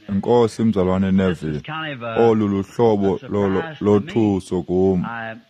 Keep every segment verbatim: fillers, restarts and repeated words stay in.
Enkosi mzalwane Neville, olu luhlobo lothuso kum.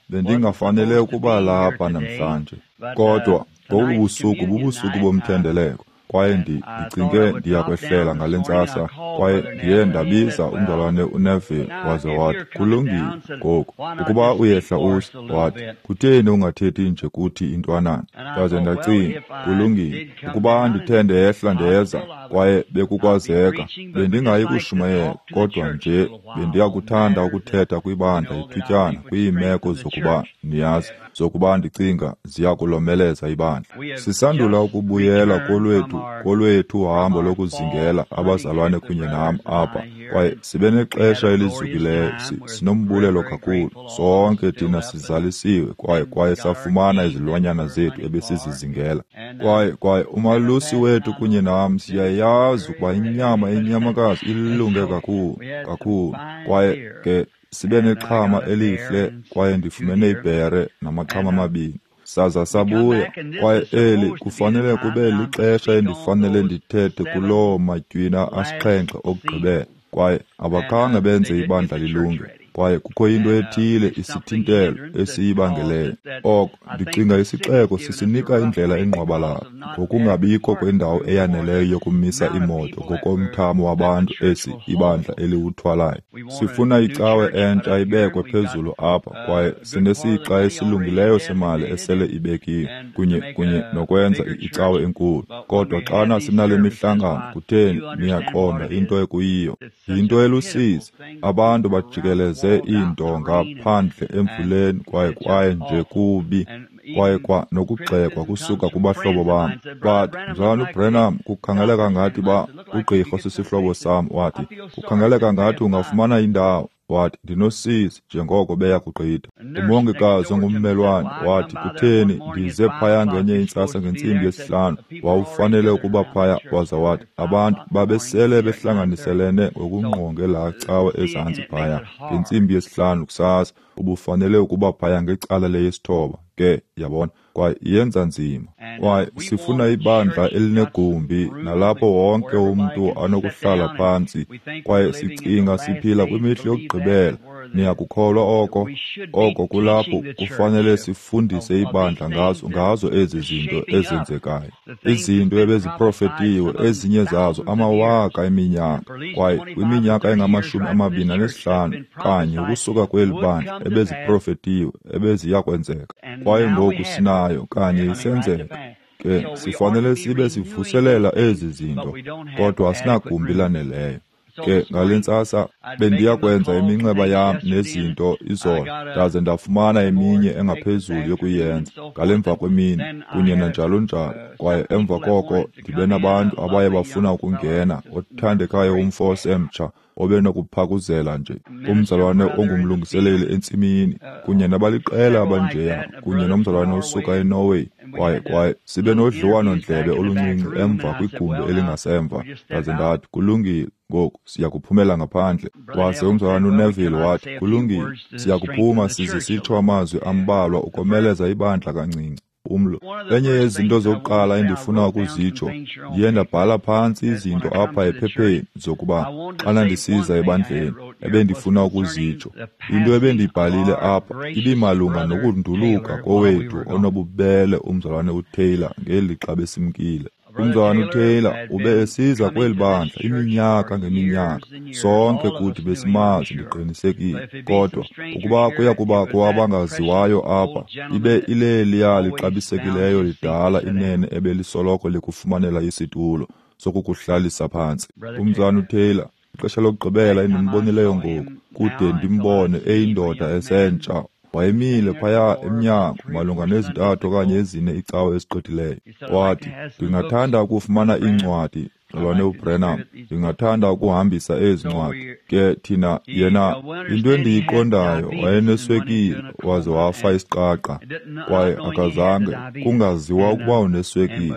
Bendingafanele ukuba lapha namhlanje, kodwa ngobu busuku bubusuku bomthendeleko, kwaye ndicinge ndiyakwehlela ngale ntsasa, kwaye ndiye ndabiza umzalwane uNeville waze wathi, kulungile ngoku, ukuba uyehla uhle, wathi, kutheni ungathethi nje kuthi intwanana? Ndaze ndacinga, kulungile, ukuba ndithe ndehla ndeza, kwaye bekukwazeka, bendingayi kushumayela, kodwa nje bendiyakuthanda ukuthetha kwibandla ithutyana kwiimeko zokuba, niyazi, zokuba ndicinga ziya kulomeleza ibandla. Sisandula ukubuyela kolwethu kolwethu uhambo lokuzingela abazalwane kunye nam apha, kwaye sibe nexesha elizukileyo, sinombulelo kakhulu. Sonke thina sizalisiwe kwaye kwaye safumana izilwanyana zethu ebesizizingela. Kwaye kwaye umalusi wethu kunye nam siyayazi ukuba inyama yenyamakazi ilunge kakhulu kakhulu, kwaye ke sibe nexhama elihle, kwaye ndifumene ibhere namaxhama amabini. Saza sabuya, kwaye eli kufanele kube lixesha endifanele ndithethe kuloo matywina asixhenxe okugqibela, kwaye abakhange benze ibandla lilunge, kwaye kukho into ethile isithintelo esiyibangeleyo. Oko ndicinga isixeko sisinika indlela engqwabalala ngokungabikho kwendawo eyaneleyo yokumisa iimoto ngokomthamo wabantu esi ibandla eliwuthwalayo. Sifuna icawe entsha ibekwe phezulu apha, kwaye sinesixa esilungileyo semali esele ibekiwe kunye kunye nokwenza icawe enkulu. Kodwa xana sinale mihlangano, kutheni, niyaqonda into ekuyiyo. Yinto elusizi, abantu bajikeleze iintonga phandle emvuleni, kwaye kwaye nje kubi, kwaye kwa nokugxekwa kusuka kubahlobo bam. Bathi, mzalwane uBranham, kukhangeleka ngathi ba ugqirha osisihlobo sam, wathi, kukhangeleka ngathi ungafumana indawo. Wathi, ndinosizi njengoko beya kugqitha. Umongikazi ongummelwane wathi, kutheni, ndize phaya ngenye intsasa ngentsimbi yesihlanu, wawufanele ukuba phaya. Waza wathi, abantu babesele behlanganiselene ngokungqonge laa cawe ezantsi phaya ngentsimbi yesihlanu kusasa, ubufanele ukuba phaya ngecala leyesithoba. Ke, yabona, kwaye iyenza nzima. Kwaye sifuna ibandla elinegumbi nalapho wonke umntu anokuhlala phantsi, kwaye sicinga siphila kwimihla yokugqibela. Niyakukholwa oko? Oko kulapho kufanele sifundise ibandla ngazo ngazo ezi zinto ezenzekayo, izinto ebeziprofetiwe, ezinye zazo amawaka eminyaka, kwaye kwiminyaka engamashumi amabini anesihlanu kanye ukusuka kweli bandla ebeziprofetiwe ebeziya kwenzeka. Kwaye ngoku sinayo kanye isenzeka. Ke sifanele sibe sivuselela ezi zinto, kodwa asinagumbi laneleyo. Ke ngale ntsasa bendiya kwenza iminxeba yam nezinto izolo, ndaze ndafumana eminye engaphezulu yokuyenza ngale mva kwemini kunye nanjalo njalo. Kwaye emva koko ndibe nabantu abaye bafuna ukungena, othandekayo umfo osemtsha obenokuphakuzela nje, umzalwane ongumlungiseleli entsimini, kunye nabaliqela abanjeya, kunye nomzalwane osuka eNorway. Kwaye kwaye sibe nodliwano-ndlebe oluncinci emva kwigumbi elingasemva. Ndaze ndathi, kulungile, ngoku siya kuphumela ngaphandle. Waze umzalwane uNeville wathi, kulungile, siya kuphuma size sitsho amazwi ambalwa ukomeleza ibandla kancinci. Umlo. Enye yezinto zokuqala endifuna ukuzitsho, ndiye ndabhala phantsi izinto apha ephepheni zokuba xana ndisiza ebandleni ebendifuna ukuzitsho. Into ebendiyibhalile apha ibimalunga nokunduluka kowethu onobubele umzalwane uTaylor ngelixa besimkile. Umzalwane uTaylor ube esiza kweli bandla iminyaka ngeminyaka. Sonke kuthi besimazi, ndiqinisekile. Kodwa ukuba kuya kubakho abangaziwayo apha, ibe ileliya lixabisekileyo lidala inene ebelisoloko likufumanela isitulo sokukuhlalisa phantsi. Umzalwane uTaylor, ixesha lokugqibela endimbonileyo ngoku, kude ndimbone eyindoda esentsha, wayemile phaya emnyango malunga nezintathu okanye ezine icawe ezigqithileyo. Wathi, ndingathanda ukufumana iincwadi, mzalwane uBranham, ndingathanda ukuhambisa ezi ncwadi. Ke thina, yena, into endiyiqondayo, wayeneswekile waze wafa isiqaqa, kwaye akazange kungaziwa ukuba uneswekile,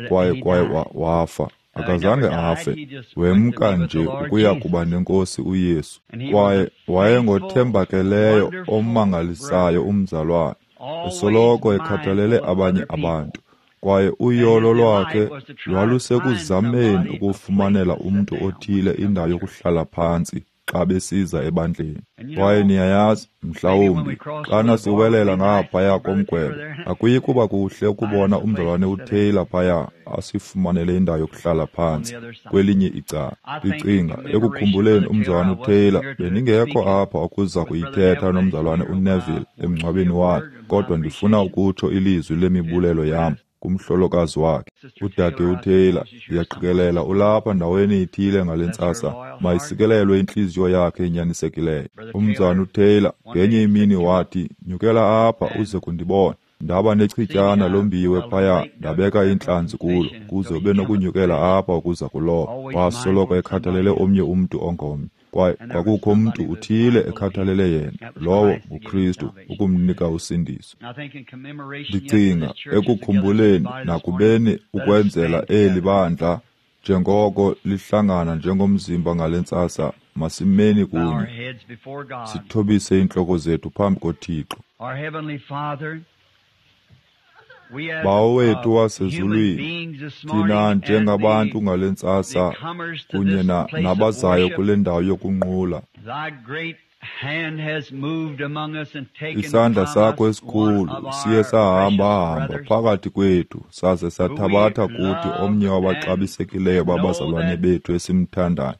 kwaye kwaye wafa. Akazange afe, wemka nje ukuya kuba nenkosi uYesu. Kwaye wayengothembakeleyo omangalisayo umzalwane, esoloko ekhathalele abanye abantu. Kwaye uyolo lwakhe lwalusekuzameni ukufumanela umntu othile indawo yokuhlala phantsi xa besiza ebandleni. Kwaye niyayazi, mhlawumbi xana siwelela ngaphaya komgwebo, akuyi kuba kuhle ukubona umzalwane uTaylor phaya asifumanele indawo yokuhlala phantsi kwelinye icala. Ndicinga ekukhumbuleni umzalwane uTaylor, bendingekho apha ukuza kuyithetha nomzalwane uNeville emngcwabeni wakhe, kodwa ndifuna ukutsho ilizwi lemibulelo yam kumhlolokazi wakhe, udade uTaylor. Ndiyaqikelela ulapha ndaweni ithile ngale ntsasa. Mayisikelelwe intliziyo yakhe enyanisekileyo. Umzalwane uTaylor ngenye imini wathi, "Nyukela apha uze kundibona." Ndaba nechityana lombiwe phaya, ndabeka iintlanzi kulo kuze ube nokunyukela apha ukuza kuloba. Wasoloko ekhathalele omnye umntu ongomnye, kwaye kwakukho mntu uthile ekhathalele yena, lowo nguKristu, ukumnika usindiso. Ndicinga ekukhumbuleni nakubeni ukwenzela eli bandla njengoko lihlangana njengomzimba ngale ntsasa, masimeni kunye sithobise iintloko zethu phambi koThixo. Bawo wethu wasezulwini, thina njengabantu ngale ntsasa kunye nabazayo kule ndawo yokunqula, isandla sakho esikhulu siye sahamba-hamba phakathi kwethu saze sathabatha kuthi omnye wabaxabisekileyo babazalwane bethu esimthandayo,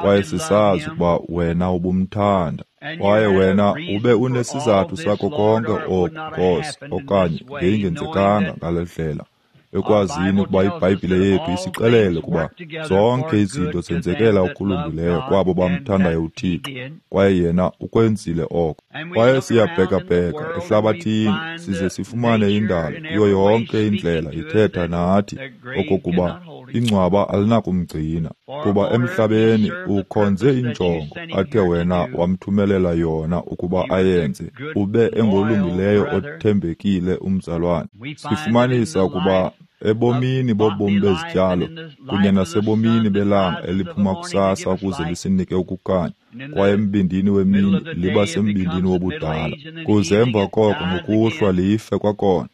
kwaye sisazi ukuba wena ubumthanda, kwaye wena ube unesizathu sakho konke oku, Nkosi, okanye ngeyingenzekanga ngale ndlela, ekwazini ukuba iBhayibhile yethu isixelele ukuba zonke izinto zenzekela okulungileyo kwabo bamthandayo uThixo, kwaye yena ukwenzile oko. Kwaye siyabhekabheka ehlabathini size sifumane indalo kuyo yonke indlela ithetha nathi okokuba ingcwaba alinakumgcina, kuba emhlabeni ukhonze injongo athe wena wamthumelela yona ukuba ayenze, ube engolungileyo othembekile umzalwane. Sifumanisa ukuba ebomini bobomi bezityalo kunye nasebomini belanga eliphuma kusasa ukuze lisinike ukukhanya, kwaye embindini wemini liba sembindini wobudala, kuze emva koko ngokuhlwa life kwakhona,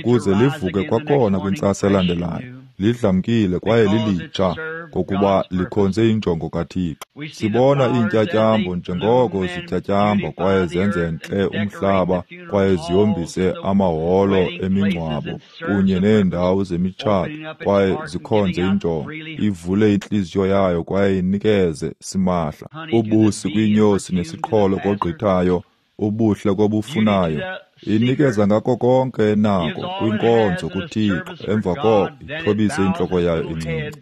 ukuze livuke kwakhona kwintsasa elandelayo lidlamkile kwaye lilitsha, ngokuba likhonze injongo kaThixo. Sibona iintyatyambo njengoko zityatyamba kwaye zenze ntle umhlaba kwaye zihombise amaholo emingcwabo kunye neendawo zemitshato, kwaye zikhonze injongo, ivule intliziyo yayo kwaye inikeze simahla ubusi kwiinyosi nesiqholo kogqithayo, ubuhle kobufunayo, inikeza ngako konke enako kwinkonzo kuThixo, emva koko ithobise intloko yayo incinci.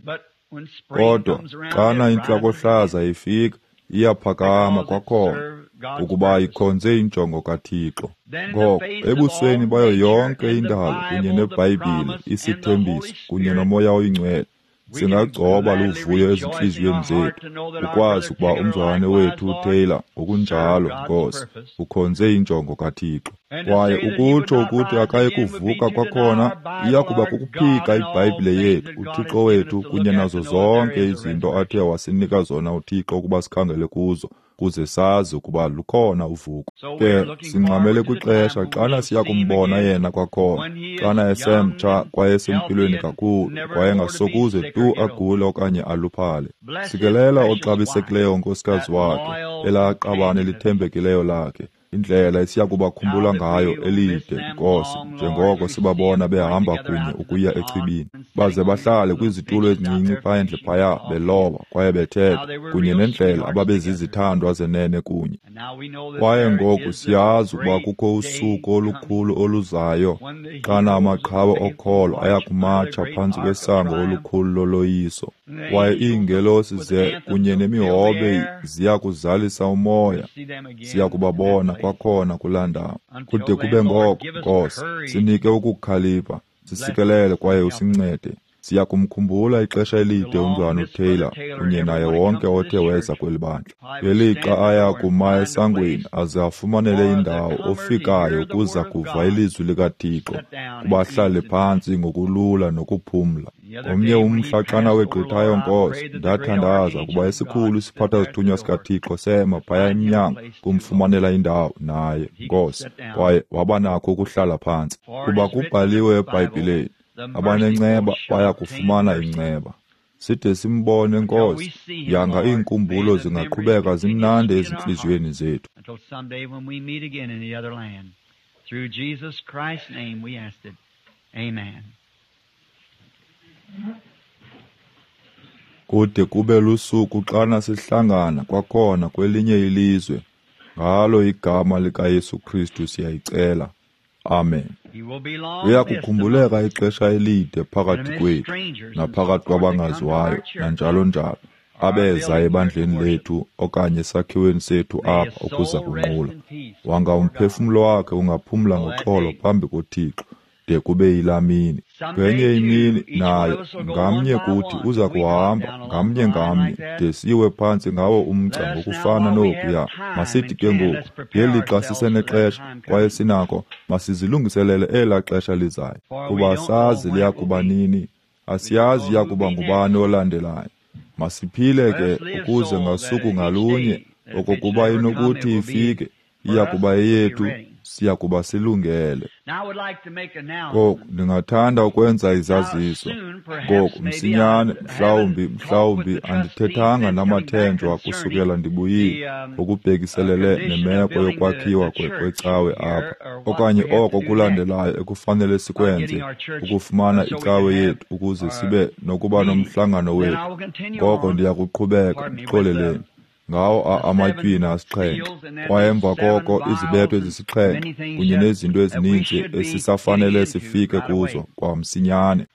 Kodwa xana intlakohlaza ifika, iyaphakama kwakhona, ukuba ikhonze injongo kaThixo. Ngoko ebusweni bayo yonke indalo kunye neBhayibhile, isithembiso kunye noMoya oyiNgcwele, singagcoba luvuyo ezintliziyweni zethu ukwazi ukuba umzalwane wethu uTaylor ngokunjalo, Nkosi, ukhonze injongo kaThixo. Kwaye ukutsho ukuthi akayi kuvuka kwakhona iya kuba kukuphika iBhayibhile yethu, uThixo wethu, kunye nazo zonke izinto athe wasinika zona uThixo ukuba sikhangele kuzo, kuze sazi ukuba lukhona uvuko. Ke singxamele kwixesha xana siya kumbona yena kwakhona, xana esemtsha kwaye esempilweni kakhulu, kwaye engasokuze tu agule okanye aluphale. Sikelela oxabisekileyo unkosikazi wakhe, elaa qabane lithembekileyo lakhe, indlela esiya kubakhumbula ngayo elide, Nkosi, njengoko sibabona behamba kunye ukuya echibini, baze bahlale kwizitulo ezincinci phandle phaya beloba kwaye bethetha, kunye nendlela ababezizithandwa zenene kunye. Kwaye ngoku siyazi ukuba kukho usuku olukhulu oluzayo xana amaqhawe okholo aya kumatsha phantsi kwesango olukhulu loloyiso, kwaye iingelosi ze kunye nemihobe ziya kuzalisa umoya. Siya kubabona kwakhona kulaa ndawo. Kude kube ngoko, Nkosi, sinike ukukhalipha, sisikelele kwaye usincede. Siya kumkhumbula ixesha elide umzalwane uTaylor kunye naye wonke othe weza kweli bandla, ngelixa aya kuma esangweni aze afumanele indawo ofikayo ukuza kuva ilizwi likaThixo, kuba ahlale phantsi ngokulula nokuphumla. Ngomnye umhla xana wegqithayo, Nkosi, ndathandaza kuba esikhulu isiphatha-zithunywa sikaThixo sema phaya emnyango kumfumanela indawo naye, Nkosi, kwaye waba nakho ukuhlala phantsi. Kuba kubhaliwe eBhayibhileni, Abanenceba baya kufumana inceba. Side simbone, Nkosi, yanga iinkumbulo zingaqhubeka zimnandi ezintliziyweni zethu. Through Jesus Christ's name we ask it. Amen. Kude kube lusuku xana sihlangana kwakhona kwelinye ilizwe, ngalo igama likaYesu Kristu siyayicela. Amen. Uya kukhumbuleka ixesha elide phakathi kwethu naphakathi kwabangaziwayo nanjalo njalo abeza ebandleni lethu okanye esakhiweni sethu apha ukuza kunqula. Wanga umphefumlo wakhe ungaphumla ngoxolo phambi koThixo de kube yilaa mini. Ngenye imini naye ngamnye kuthi uza kuhamba ngamnye ngamnye de siwe phantsi ngawo umgca ngokufana nokuya. Masithi ke ngoku ngelixa sisenexesha kwaye sinako, masizilungiselele elaa xesha lizayo, kuba asazi liya kuba nini, asiyazi iya kuba ngubani olandelayo. Masiphile ke ukuze ngasuku ngalunye okokuba inokuthi ifike, iya kuba eyethu, siya kuba silungele. Ngoku ndingathanda ukwenza izaziso. Ngoku msinyane, mhlawumbi mhlawumbi andithethanga namathenjwa kusukela ndibuyile ngokubhekiselele nemeko yokwakhiwa kwecawe apha, okanye oko kulandelayo ekufanele sikwenze ukufumana icawe yethu ukuze sibe nokuba nomhlangano wethu. Ngoko ndiya kuqhubeka, ndixoleleni, ngawo amatywina asixhenxe, kwaye emva koko izibetho ezisixhenxe kunye nezinto ezininzi esisafanele sifike kuzo kwamsinyane.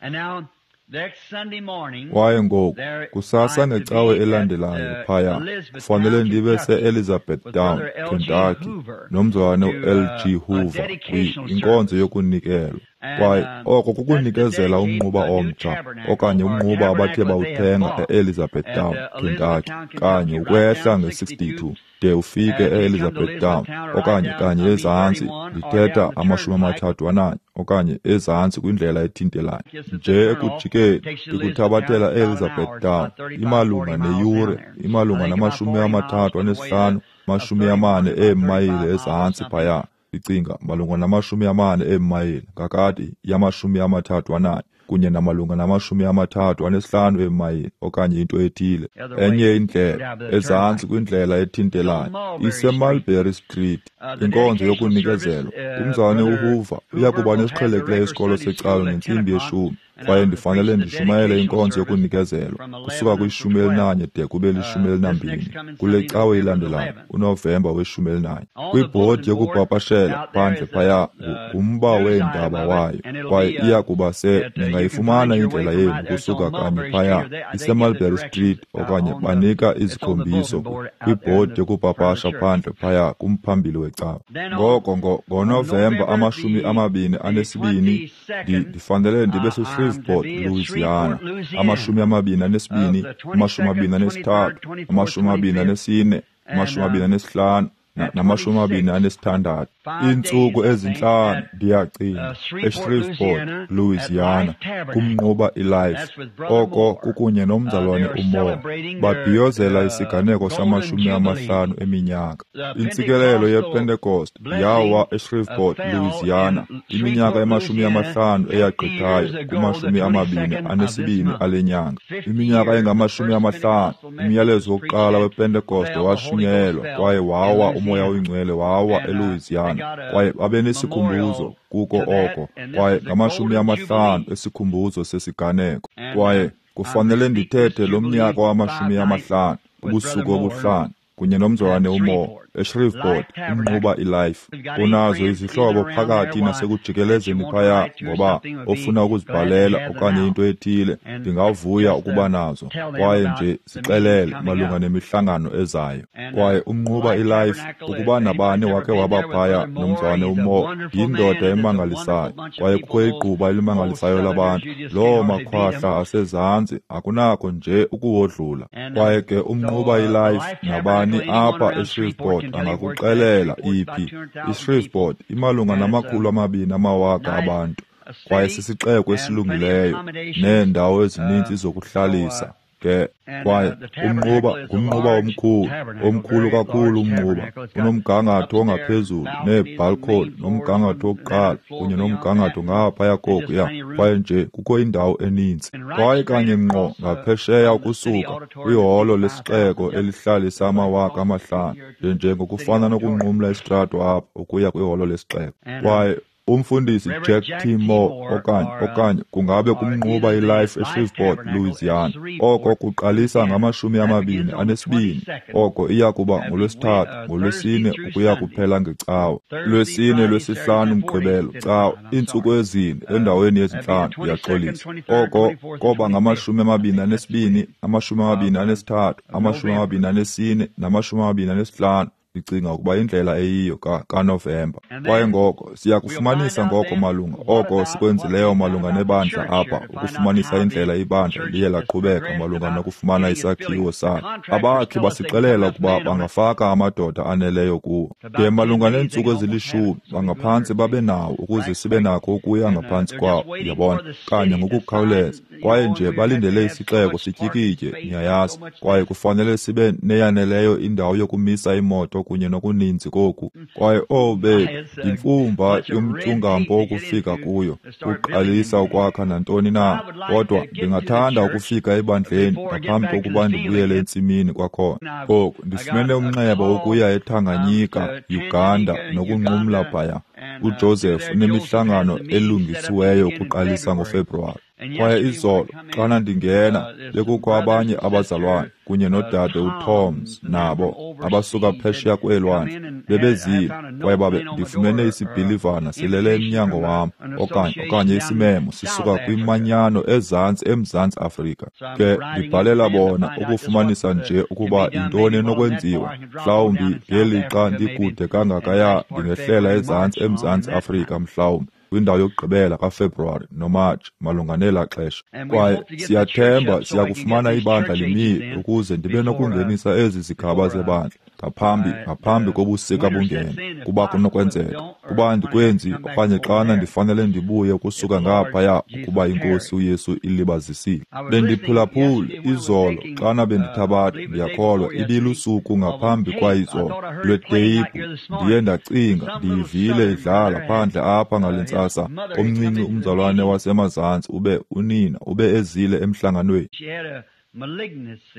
Kwaye ngoku kusasa ngecawe elandelayo phaya kufanele ndibe se-Elizabethtown, Kentucky, nomzalwane u-L G Hoover kwinkonzo yokunikelwa. Kwaye oko kukunikezela umnquba omtsha okanye umnquba abathe bawuthenga e-Elizabethtown, Kentucky, kanye ukwehla nge-sixty-two de ufike e-Elizabethtown okanye kanye ezantsi, ndithetha amashumi amathathu ananye okanye ezantsi kwindlela ethintelayo. Nje ekujikeni ndikuthabathela e-Elizabethtown imalunga neyure, imalunga namashumi amathathu anesihlanu, mashumi amane eemayile ezantsi phaya. Ndicinga malunga namashumi amane eemayile ngakade yamashumi amathathu ananye kunye namalunga namashumi amathathu anesihlanu eemayile okanye into ethile. Enye indlela ezantsi kwindlela ethintelayo iseMulberry Street. Inkonzo yokunikezelwa. Umzalwane uHoover uya kuba nesiqhelekileyo isikolo secawe ngentsimbi yeshumi, kwaye ndifanele ndishumayele inkonzo yokunikezelwa kusuka kwishumi elinanye de kube lishumi elinambini kule cawe ilandelayo, uNovemba weshumi elinanye. Kwibhodi yokupapashela phandle phaya ngumba weendaba wayo, kwaye iya kuba se ningayifumana indlela yenu kusuka kanye phaya iseMulberry Street, okanye banika izikhombiso kwibhodi yokupapasha phandle phaya kumphambili wecawe. Ngoko ngoNovemba amashumi amabini anesibini ndifanele ndibe seShreveport, Louisiana, amashumi amabini anesibini, amashumi amabini anesithathu, amashumi amabini anesine, amashumi amabini anesihlanu, namashumi amabini anesithandathu. Iintsuku ezintlanu ndiyacinga eShreveport, Louisiana, kumnquba iLife. Oko kukunye nomzalwane uMoore. Babhiyozela isiganeko samashumi amahlanu eminyaka. Intsikelelo yePentecost yawa eShreveport, Louisiana, iminyaka emashumi amahlanu eyagqithayo kumashumi amabini anesibini ale nyanga. Iminyaka engamashumi amahlanu, umyalezo wokuqala wePentecost washunyayelwa kwaye wawa uMoya oyiNgcwele wawa eLouisiana. Kwaye babenesikhumbuzo kuko oko, kwaye ngamashumi amahlanu esikhumbuzo sesiganeko. Kwaye kufanele ndithethe lo mnyaka wamashumi amahlanu, ubusuku obuhlanu, kunye nomzalwane uMoore eShreveport, umnquba iLife. Unazo izihlobo phakathi nasekujikelezeni phaya, ngoba ofuna ukuzibhalela okanye into ethile, ndingavuya ukuba nazo, kwaye nje zixelele malunga nemihlangano ezayo. Kwaye umnquba iLife, ukuba nabani wakhe waba phaya nomzalwane uMoore, yindoda emangalisayo, kwaye kukho igquba elimangalisayo labantu. Loo makhwahla asezantsi akunako nje ukuwodlula. Kwaye ke umnquba iLife, nabani apha eShreveport angakuxelela iphi. iShreveport imalunga namakhulu amabini amawaka abantu, kwaye sisixeko esilungileyo neendawo ezininzi zokuhlalisa. Ke kwaye umnquba ngumnquba omkhulu, omkhulu kakhulu umnquba, unomgangatho ongaphezulu neebhalkhoni nomgangatho wokuqala kunye nomgangatho ngaphaya kokuya, kwaye nje kukho indawo eninzi. Kwaye kanye ngqo ngaphesheya ukusuka kwiholo lesixeko elihlalisa amawaka amahlanu, nje ngokufana nokunqumla isitrato apha ukuya kwiholo lesixeko. Kwaye umfundisi Jack T. Moore okanye okanye kungabe kumnquba iLife eShreveport, Louisiana. Oko kuqalisa ngamashumi amabini anesibini. Oko iya kuba ngolwesithathu, ngolwesine ukuya kuphela ngeCawa. Lwesine, lwesihlanu, Mgqibelo, Cawa, iintsuku ezine endaweni yezintlanu, ndiyaxolisa. Oko koba ngamashumi amabini anesibini, amashumi amabini anesithathu, amashumi amabini anesine namashumi amabini anesihlanu. Ndicinga ukuba indlela eyiyo kaNovemba. Kwaye ngoko siya kufumanisa ngoko malunga oko sikwenzileyo malunga nebandla apha, ukufumanisa indlela ibandla liye laqhubeka malunga nokufumana isakhiwo salo. Abakhi basixelela ukuba bangafaka amadoda aneleyo kuwo. De malunga neentsuku ezilishumi bangaphantsi babe nawo ukuze sibe nakho ukuya ngaphantsi kwawo, uyabona, kanye ngokukhawuleza. Kwaye nje balindele isixeko sityikitye, niyayazi, kwaye kufanele sibe neyaneleyo indawo yokumisa imoto kunye nokuninzi koku. Kwaye oh bethu, yimfumba yomtyungampo ukufika kuyo, uqalisa ukwakha nantoni na. Kodwa ndingathanda ukufika ebandleni ngaphambi kokuba ndibuyele entsimini kwakhona. Ngoku ndifumene umnxeba wokuya eTanganyika, Uganda, nokunqumla phaya. UJoseph unemihlangano elungisiweyo ukuqalisa ngoFebruwari. Kwaye izolo xana ndingena bekukho abanye abazalwane kunye nodade uToms nabo abasuka phesheya kweelwandle bebezile, kwaye babe ndifumene isibhilivana silele emnyango wam okanye okanye isimemo sisuka kwimanyano ezantsi eMzantsi Afrika. Ke ndibhalela bona ukufumanisa nje ukuba yintoni enokwenziwa. Mhlawumbi ngelixa ndikude kangakaya ndingehlela ezantsi eMzantsi Afrika mhlawumbi kwindawo yokugqibela kaFebruwari noMatshi malunga nelaa xesha. Kwaye siyathemba siya kufumana ibandla limile ukuze ndibe nokungenisa ezi zigaba zebandla ngaphambi ngaphambi kobusika bungene, kuba kunokwenzeka. Kuba andikwenzi okanye xana ndifanele ndibuye ukusuka ngaphaya ukuba iNkosi uYesu ilibazisile. Bendiphulaphule izolo xana bendithabatha, ndiyakholwa ibilusuku ngaphambi kwayizolo, lweteyiphu. Ndiye ndacinga ndiyivile idlala phandle apha ngale ntsasa. Omncinci umzalwane wasemazantsi ube unina ube ezile emhlanganweni,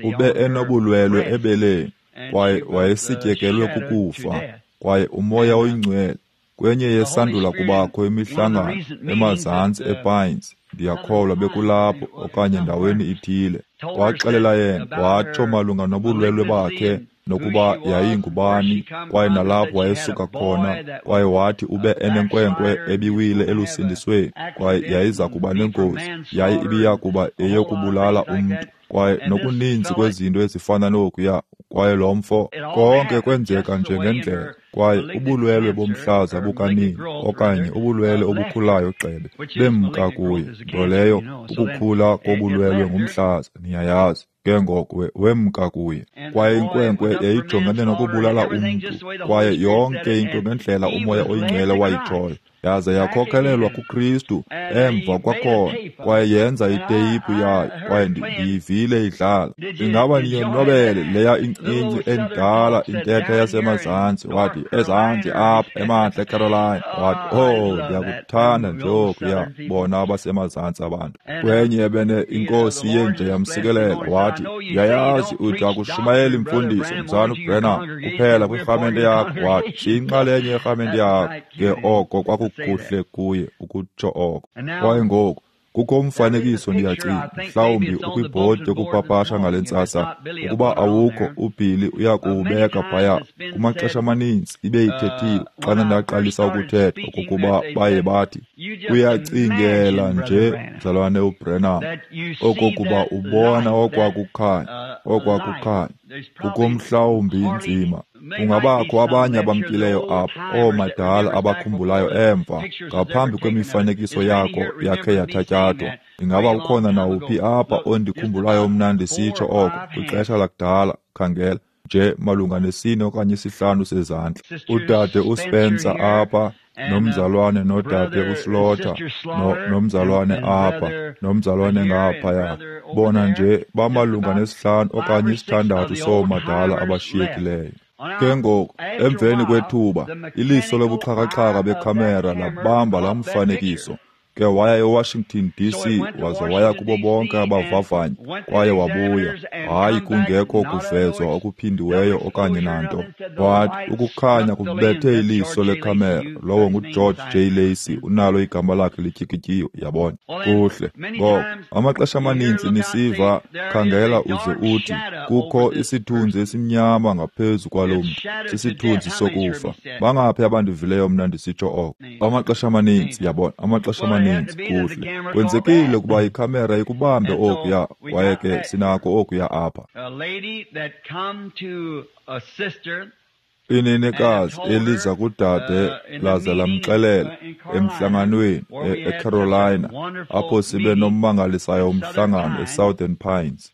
ube enobulwelwe ebeleni, kwaye wayesityekelwe kukufa. Kwaye uMoya oyiNgcwele kwenye yesandula kubakho imihlangano emazantsi ePines, ndiyakholwa bekulapho okanye ndaweni ithile, waxelela yena watsho malunga nobulwelwe bakhe nokuba yayingubani, kwaye nalapho wayesuka khona. Kwaye wathi ube enenkwenkwe ebiwile elusindisweni, kwaye yayiza kuba nengozi, yaye ibiya kuba eyokubulala umntu, kwaye nokuninzi kwezinto ezifana nokuya. Kwaye lo mfo, konke kwenzeka nje ngendlela. Kwaye ubulwelwe bomhlaza bukanini okanye ubulwelwe obukhulayo gxebe bemka kuye, nto leyo ukukhula kobulwelwe ngumhlaza, niyayazi. Ke ngoko wemka kuye. Kwaye inkwenkwe yayijongene nokubulala umntu, kwaye yonke into ngendlela uMoya oyiNgcwele wayitshoyo, yaze yakhokhelelwa kuKristu emva kwakhona, kwaye yenza iteyiphu yayo, kwaye ndiyivile idlala. Ingaba niyonwabele leya incinci endala intetha yasemazantsi? Wathi, ezantsi apha emantla eCarolina. Wathi, oh, ndiyakuthanda nje okuya bona abasemazantsi abantu. Kwenye ebene iNkosi yenje yamsikelela, wathi, ndiyayazi uthi akushumayeli imfundiso mzana uBrenham kuphela kwirhamente yakho. Wathi, siyinxalenye yerhamente yakho. Ke oko kwakukuhle kuye ukutsho oko. Kwaye ngoku kukho umfanekiso, ndiyacinga mhlawumbi ukwibhodi yokupapasha ngale ntsasa. Ukuba awukho, uBilly uya kuwubeka phaya. Kumaxesha amaninzi ibe ithethile xana ndaqalisa ukuthetha okokuba baye bathi, uyacingela nje mzalwane uBrenham okokuba ubona okwakukhanya, okwakukhanya kukho mhlawumbi nzima. Kungabakho abanye abamkileyo apha, oomadala abakhumbulayo emva ngaphambi kwemifanekiso yakho yakhe yathatyathwa. Ingaba ukhona nawuphi apha ondikhumbulayo mna ndisitsho oko kwixesha lakudala? Khangela nje malunga nesine okanye isihlanu sezandla. Udade uSpencer apha Nomzalwane nodade uSlaughter, no, nomzalwane apha, nomzalwane ngaphaya. Bona nje bamalunga nesihlanu okanye isithandathu soomadala abashiyekileyo. Ke ngoku, emveni kwethuba, iliso lobuxhakaxhaka bekhamera labamba laa mfanekiso. Ke waya eWashington D C waze waya kubo bonke abavavanyi kwaye wabuya, hayi kungekho kuvezwa okuphindiweyo okanye nanto. Wathi ukukhanya kubethe iliso lekhamera, lowo nguGeorge J. Lacey, unalo igama lakhe lityikityiwe, yabona. Kuhle. Ngoko, amaxesha amaninzi nisiva, khangela uze uthi, kukho isithunzi esimnyama ngaphezu kwalo mntu, sisithunzi sokufa. Bangaphi abandivileyo mna ndisitsho oko? Amaxesha amaninzi, yabona, amaxesha amaninzi. Kuhle. Kwenzekile ukuba ikhamera ikubambe okuya, kwaye ke sinako okuya apha. Inenekazi eliza kudade laze lamxelela emhlanganweni eCarolina, apho sibe nommangalisayo umhlangano eSouthern Pines.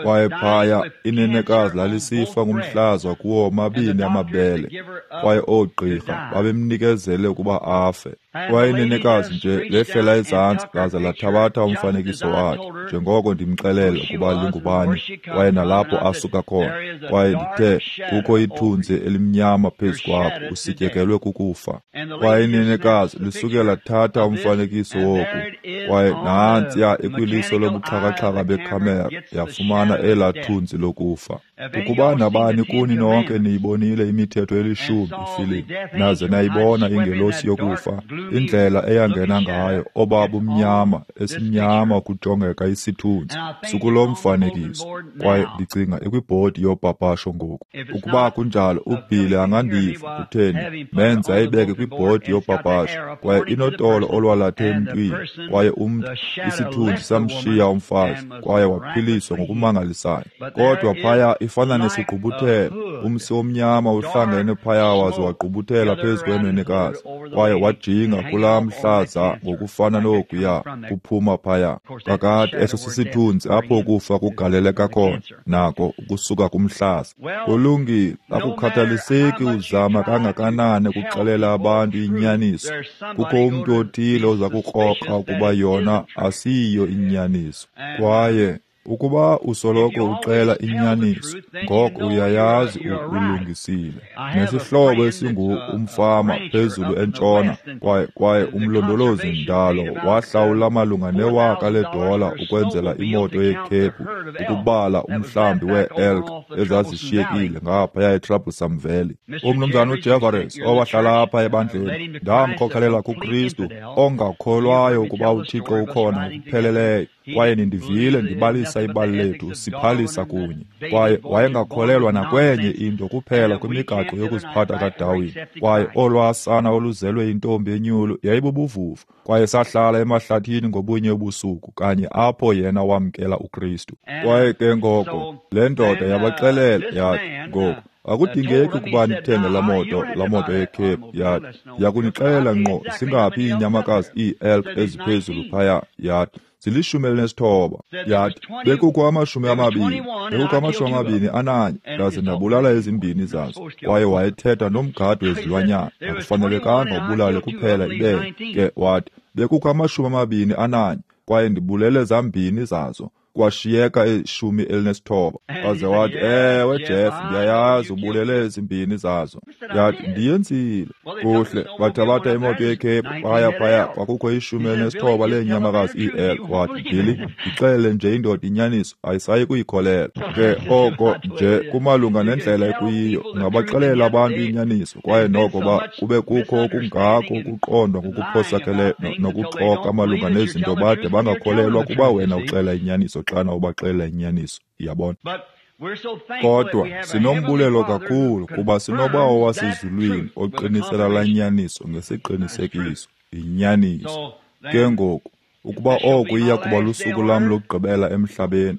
Kwaye phaya inenekazi lalisifa ngumhlaza kuwo omabini amabele, kwaye oogqirha babemnikezele ukuba afe. Kwaye inenekazi nje lehlela ezantsi laze lathabatha umfanekiso wakhe, njengoko ndimxelela ukuba lingubani, kwaye nalapho asuka khona. Kwaye ndithe kukho ithunzi elimnyama phezu kwakho, usityekelwe kukufa. Kwaye inenekazi lisuke lathatha umfanekiso woku, kwaye nantsiya ekwiliso lobuxhakaxhaka bekhamera yafumana elaa thunzi lokufa. Ukuba nabani kuni nonke niyibonile imithetho elishumi ifilimu, naze nayibona ingelosi yokufa, indlela eyangena ngayo, obabumnyama, esimnyama kujongeka isithunzi, sukulo mfanekiso. Kwaye ndicinga ikwibhodi yopapasho ngoku. Ukuba kunjalo, uBhili angandiva, kutheni, menze ayibeke kwibhodi yopapasho, kwaye inotolo olwalathe emntwini, kwaye umntu, isithunzi samshiya umfazi, kwaye waphiliswa ngokumangalisayo. Kodwa phaya ifana nesigqubuthelo, umsi omnyama uhlangene phaya waze wagqubuthela phezu kwenenekazi, kwaye wajinga kulaa mhlaza ngokufana nokuya kuphuma phaya. Kakade eso sisithunzi apho ukufa kugaleleka khona, nako ukusuka kumhlaza. Kulungile, akukhathaliseki uzama kangakanani ukuxelela abantu inyaniso, kukho umntu othile oza kukrokra ukuba yona asiyiyo inyaniso. Kwaye ukuba usoloko uxela inyaniso, ngoko uyayazi ulungisile. Nesihlobo esingu umfama phezulu entshona, kwaye kwaye umlondolozi ndalo wahlawula malunga newaka ledola ukwenzela imoto yekhephu ukubala umhlambi wee-elk ezazishiyekile ngaphaya eTroublesome Valley. Umnumzana uJefferies owahlala apha ebandleni, ndamkhokelela kuKristu, ongakholwayo ukuba uThixo ukhona ngokupheleleyo. Kwaye nindivile ndibalisa ibali lethu, siphalisa kunye. Kwaye wayengakholelwa nakwenye into kuphela kwimigaqo yokuziphatha kaDarwin. Kwaye olwasana oluzelwe intombi enyulu yayibubuvuvu. Kwaye sahlala emahlathini ngobunye ubusuku, kanye apho yena wamkela uKristu. Kwaye ke ngoko le ndoda yabaxelela yathi, ngoku akudingeki ukuba nithenge laa moto, laa moto yekhephu. Yathi, yakunixelela ngqo singaphi iinyamakazi ii-elk eziphezulu phaya. Yathi, zilishumi elinesithoba. Yathi, bekukho amashumi amabini, bekukho amashumi amabini ananye, ndaze ndabulala ezimbini zazo. Kwaye wayethetha nomgadi wezilwanyana, akufanelekanga ubulale kuphela ibele. Ke wathi, bekukho amashumi amabini ananye, kwaye ndibulele zambini zazo, kwashiyeka ishumi elinesithoba. Waze wathi, ewe Jeff, ndiyayazi ubulele ezimbini zazo. Yathi, ndiyenzile. Kuhle, bathabatha imoto yekhephu, baya phaya, kwakukho ishumi elinesithoba leenyamakazi ii-elk. Wathi, Billy, ndixelele nje indoda inyaniso, ayisayi kuyikholelwa. Ke oko nje kumalunga nendlela ekuyiyo, ungabaxelela abantu inyaniso, kwaye noko ba kube kukho okungako ukuqondwa ngokuphosakeleyo nokuxoka malunga nezinto bade bangakholelwa kuba wena uxela inyaniso xana ubaxelela inyaniso, yabona. Kodwa sinombulelo kakhulu kuba sinoBawo wasezulwini oqinisela laa nyaniso ngesiqinisekiso, inyaniso. Ke ngoku, ukuba oku iya kuba lusuku lam lokugqibela emhlabeni,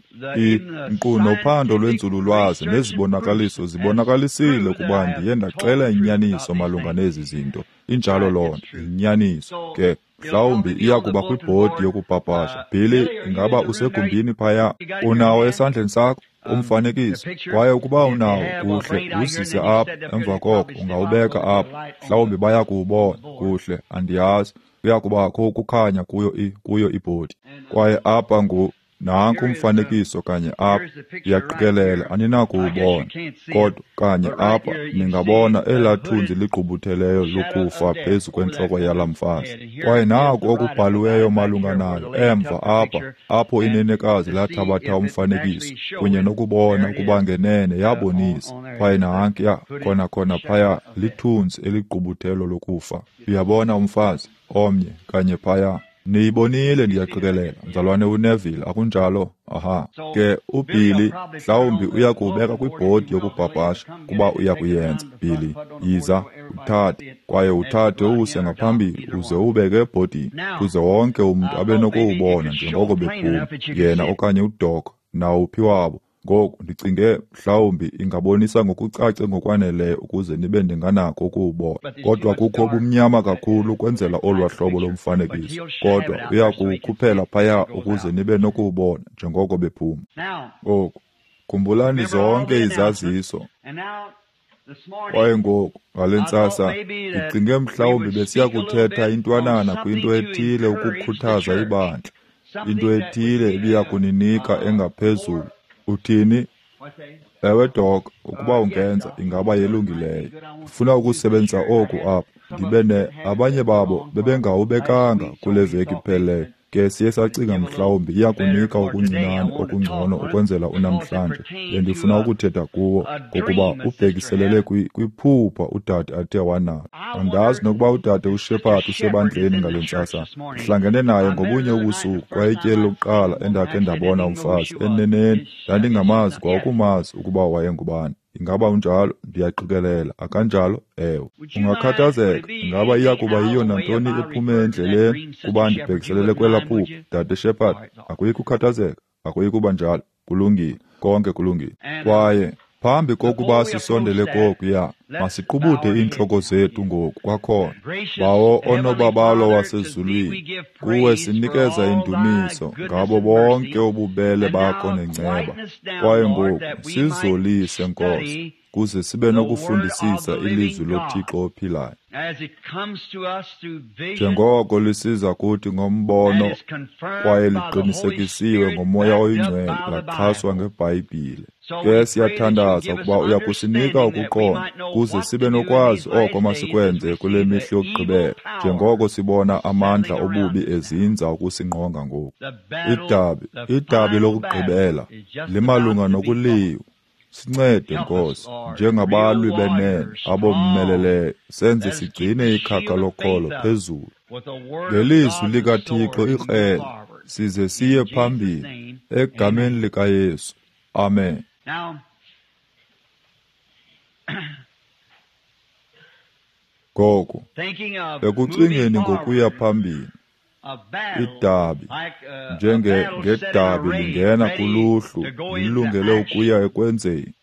nkqu nophando lwenzululwazi nezibonakaliso zibonakalisile ukuba ndiye ndaxela inyaniso malunga nezi zinto. Injalo loo nto, inyaniso. Ke Mhlawumbi iya kuba kwibhodi yokupapasha. Billy, ingaba usegumbini phaya? Unawo esandleni sakho umfanekiso? Kwaye ukuba unawo, kuhle, wuzise apha. Emva koko ungawubeka apha. Mhlawumbi baya kuwubona. Kuhle, andiyazi. Kuya kubakho ukukhanya kuyo i kuyo ibhodi. Kwaye apha ngu nanku umfanekiso kanye apha. Ndiyaqikelela aninakuwubona, kodwa kanye apha ningabona elaa thunzi ligqubutheleyo lokufa phezu kwentloko yalaa mfazi. Kwaye naku okubhaliweyo malunga nalo emva apha, apho inenekazi lathabatha umfanekiso kunye nokubona ukuba ngenene yabonisa. Kwaye nankuya khona khona phaya lithunzi eligqubuthelo lokufa. Uyabona umfazi omnye kanye phaya. Niyibonile, ndiyaqikelela, mzalwane uNeville, akunjalo? Aha. Ke uBilly mhlawumbi uya kuwubeka kwibhodi yokupapasha, kuba uya kuyenza. Billy, yiza, uthathe, kwaye uthathe uwuse ngaphambili uze uwubeke ebhodini, kuze wonke umntu abe nokuwubona njengoko bephuma, yena okanye uDoc, nawuphi wabo. Ngoku ndicinge mhlawumbi ingabonisa ngokucace ngokwaneleyo ukuze nibe ndinganako ukuwubona, kodwa kukho ubumnyama kakhulu ukwenzela olwaa hlobo lomfanekiso, kodwa uya kuwukhuphela phaya ukuze nibe nokuwubona njengoko bephuma. Ngoku khumbulani zonke izaziso. Kwaye ngoku ngale ntsasa ndicinge mhlawumbi besiya kuthetha intwanana kwinto ethile ukukhuthaza ibandla, into ethile ebiya kuninika engaphezulu. Uthini? Ewe, Doc, ukuba ungenza, ingaba yelungileyo. Ndifuna ukusebenzisa oku apha. Ndibe ne abanye babo bebengawubekanga kule veki iphelileyo. Ke siye sacinga mhlawumbi iya kunika okuncinane okungcono ukwenzela unamhlanje. Bendifuna ukuthetha kuwo ngokuba ubhekiselele kwiphupha udade athe wanalo. Andazi nokuba udade uShepherd usebandleni ngale ntsasa. Ndihlangene naye ngobunye ubusuku kwaye ityeli lokuqala endakhe ndabona umfazi. Eneneni ndandingamazi kwa ukumazi ukuba wayengubani. Ingaba unjalo? Ndiyaqikelela. Akanjalo? Ewe. Ungakhathazeka, ingaba iya kuba yiyo nantoni ephume endleleni kuba ndibhekiselele kwelaa phupha, Dade Shepherd? Akuyi kukhathazeka, akuyi kuba njalo. Kulungile, konke kulungile. Kwaye phambi kokuba sisondele kokuya, masiqubude iintloko zethu ngoku kwakhona. Bawo onobabalo wasezulwini, kuwe sinikeza indumiso ngabo bonke ububele bakho nenceba. Kwaye ngoku sizolise, Nkosi, kuze sibe nokufundisisa ilizwi loThixo ophilayo, njengoko lisiza kuthi ngombono kwaye liqinisekisiwe ngoMoya oyiNgcwele, laxhaswa ngeBhayibhile. Ke siyathandaza ukuba uya kusinika ukuqonda kuze sibe nokwazi oko masikwenze kule mihla yokugqibela, njengoko sibona amandla obubi ezinza ukusingqonga ngoku. Idabi, idabi lokugqibela limalunga nokuliwa. Sincede, Nkosi, njengabalwi benene abommeleleyo, senze sigcine ikhaka lokholo phezulu ngelizwi likaThixo ikrele, size siye phambili egameni likaYesu. Amen. Ngoku, ekucingeni ngokuya phambili, idabi njenge ngedabi lingena kuluhlu lilungele ukuya ekwenzeni.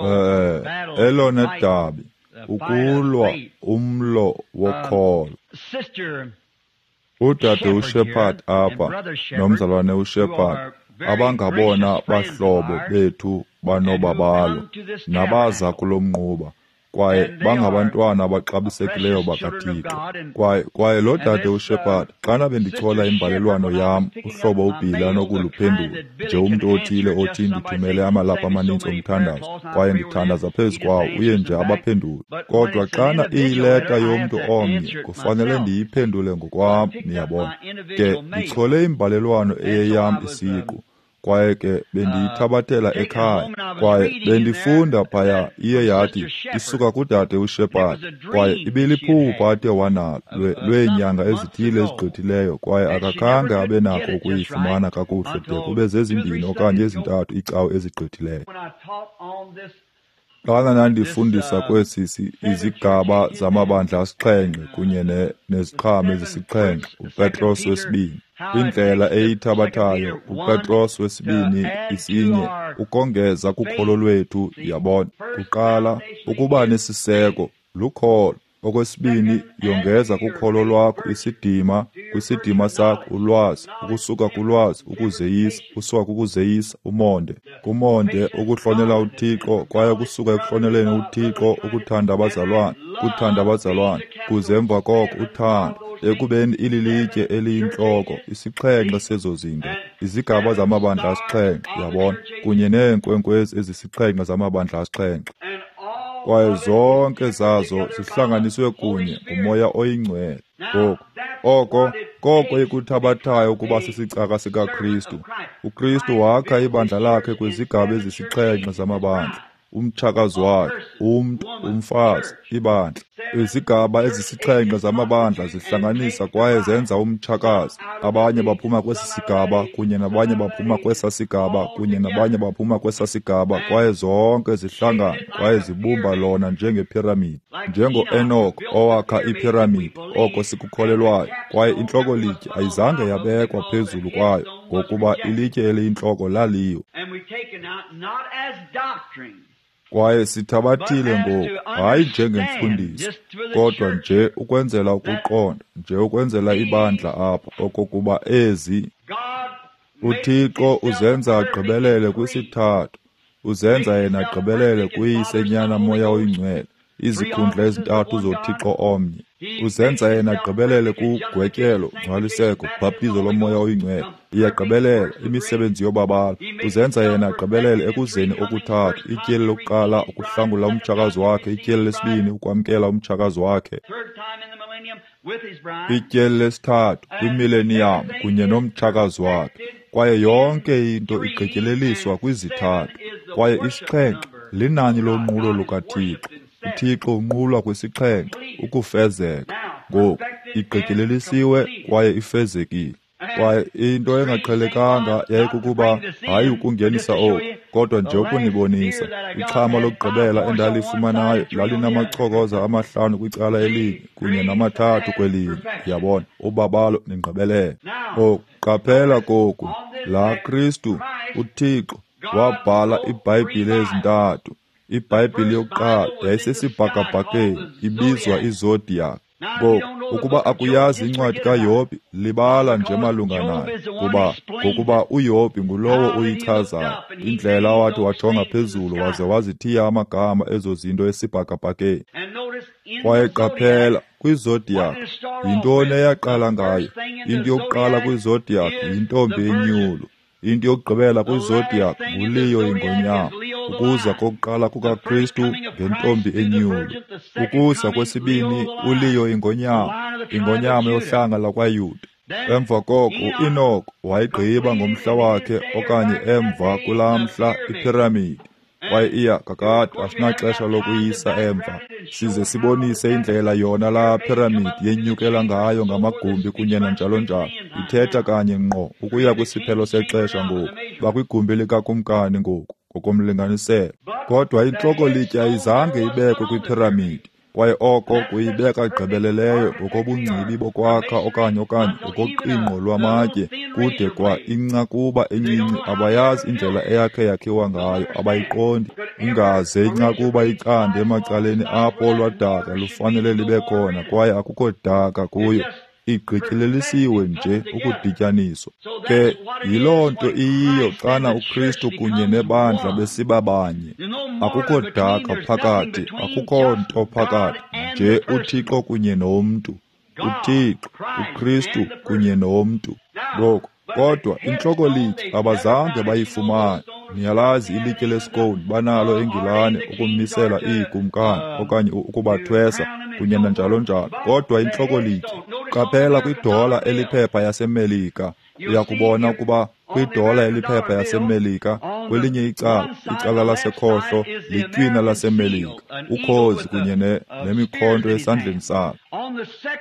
Eh, elona dabi ukulwa umlo wokholo. Udade uShepherd apha nomzalwane uShepherd, abangabona bahlobo bethu banobabalo nabaza kulo mnquba, kwaye bangabantwana abaxabisekileyo bakaThixo. Kwaye kwaye lo dade uShepherd, xana bendichola imbalelwano yam, uhlobo uBilly anokuluphendula nje umntu othile othi ndithumele amalaphu amaninzi omthandazo, kwaye ndithandaza phezu kwawo, uye nje abaphendule. Kodwa xana iyileta yomntu omnye, kufanele ndiyiphendule ngokwam, niyabona. Ke ndichole imbalelwano eyeyam isiqu, kwaye ke bendiyithabathela ekhaya, kwaye bendifunda phaya, iye yathi isuka kudade uShepherd, kwaye ibiliphupha athe wanalo lweenyanga ezithile ezigqithileyo, kwaye akakhange abe nako ukuyifumana kakuhle de kube zezimbini okanye ezintathu iicawe ezigqithileyo. Xana ndandifundisa kwesi izigaba zamabandla asixhenxe kunye neziqhamo ezisixhenxe, uPetros wesibini, indlela eyithabathayo uPetros wesibini isinye ukongeza kukholo lwethu, yabona. Kuqala, ukuba nesiseko lukholo. Okwesibini, yongeza kukholo lwakho isidima, kwisidima sakho ulwazi, ukusuka kulwazi ukuzeyisa, usuka kukuzeyisa umonde, kumonde ukuhlonela uThixo, kwaye kusuka ekuhloneleni uThixo ukuthanda abazalwane, kuthanda abazalwane, kuze emva koko uthando, ekubeni ililitye eliyintloko, isixhenxe sezo zinto, izigaba zamabandla asixhenxe, yabona, kunye neenkwenkwezi ezisixhenxe zamabandla asixhenxe. Kwaye zonke zazo zihlanganiswe kunye nguMoya oyiNgcwele. Ngoku, oko koko ikuthabathayo ukuba sisicaka sikaKristu. UKristu wakha ibandla lakhe kwizigaba ezisixhenxe zamabandla, umtshakazi wakhe, umntu, umfazi, ibandla. Izigaba ezisixhenxe zamabandla zihlanganisa kwaye zenza umtshakazi. Abanye baphuma kwesi sigaba, kunye nabanye baphuma kwesa sigaba, kunye nabanye baphuma kwesa sigaba, kwaye zonke zihlangana kwaye zibumba lona njengephiramidi. Njengo-Enoch owakha iphiramidi, oko sikukholelwayo, kwaye intloko-litye ayizange yabekwa phezulu kwayo, ngokuba ilitye eliyintloko laliyo. Kwaye sithabathile ngoku, hayi njengemfundiso, kodwa nje ukwenzela ukuqonda, nje ukwenzela ibandla apha, okokuba ezi uThixo uzenza agqibelele kwisithathu, uzenza yena agqibelele kuYise, Nyana, Moya oyiNgcwele, izikhundla ezintathu zoThixo omnye. Uzenza yena agqibelele kugwetyelo, ngcwaliseko, bhaptizo loMoya oyiNgcwele. Iyagqibelela imisebenzi yobabalo. Uzenza yena agqibelele ekuzeni okuthathu, ityeli lokuqala ukuhlangula umtshakazi wakhe, ityeli lesibini ukwamkela umtshakazi wakhe, ityeli lesithathu kwimileniyam kunye nomtshakazi wakhe. Kwaye yonke into igqityeleliswa kwizithathu. Kwaye isixhenxe linani lonqulo lukaThixo. uThixo unqulwa kwisixhenxe, ukufezeka. Ngoku igqityelelisiwe kwaye ifezekile. Kwaye into engaqhelekanga yayikukuba, hayi ukungenisa oku, kodwa nje ukunibonisa, ixhama lokugqibela endalifumanayo lalinamachokoza amahlanu kwicala elinye kunye namathathu kwelinye. Yabona, ubabalo nengqibelelo. Ngoku qaphela koku, laa Kristu, uThixo, wabhala iBhayibhile ezintathu. IBhayibhile yokuqala yayisesibhakabhakeni, ibizwa iZodiac. Ngoku, ukuba akuyazi incwadi kaYobhi, libala nje malunga nayo, kuba ngokuba uYobhi ngulowo uyichazayo, indlela awathi wajonga phezulu waze wazithiya amagama ezo zinto esibhakabhakeni. Kwaye qaphela, kwiZodiac, yintoni eyaqala ngayo? Into yokuqala kwiZodiac yintombi enyulu. Into yokugqibela kwiZodiac nguLeo ingonyama. Ukuza kokuqala kukaKristu ngentombi enyulu. Ukuza kwesibini uLeo ingonyama, ingonyama yohlanga lakwaYuda. Emva koko uEnoch wayigqiba ngomhla wakhe, okanye emva kulaa mhla, iphiramidi. Kwaye iya kakade asinaxesha lokuyisa emva, size sibonise indlela yona laa phiramidi yenyukela ngayo ngamagumbi kunye nanjalo njalo. Ithetha kanye ngqo ukuya kwisiphelo sexesha ngoku. Bakwigumbi likakumkani ngoku ngokomlinganiselo. Kodwa intloko-litye ayizange ibekwe kwiphiramidi, kwaye oko kuyibeka gqibeleleyo ngokobungcibi bokwakha okanye okanye ngokoqingqo lwamatye, kude kwa incakuba encinci abayazi indlela eyakhe yakhiwa ngayo, abayiqondi. Ingaze incakuba icande emacaleni apho olwadaka lufanele libe khona, kwaye akukho daka kuyo. Igqityelelisiwe nje ukudityaniswa. Ke yiloo nto iyiyo xana uKristu kunye nebandla besiba banye. Akukho daka phakathi, akukho nto phakathi, nje uThixo kunye nomntu. uThixo, uKristu kunye nomntu. Ngoku, kodwa intloko-litye abazange bayifumane. Niyalazi ilitye lesikoni banalo eNgilane ukumisela iikumkani okanye ukubathwesa kunye nanjalo njalo. Kodwa intloko-litye, qaphela kwidola eliphepha yaseMelika, uyakubona ukuba kwidola eliphepha yaseMelika, kwelinye icala, icala lasekhohlo litywina laseMelika, ukhozi kunye ne, nemikhonto esandleni salo.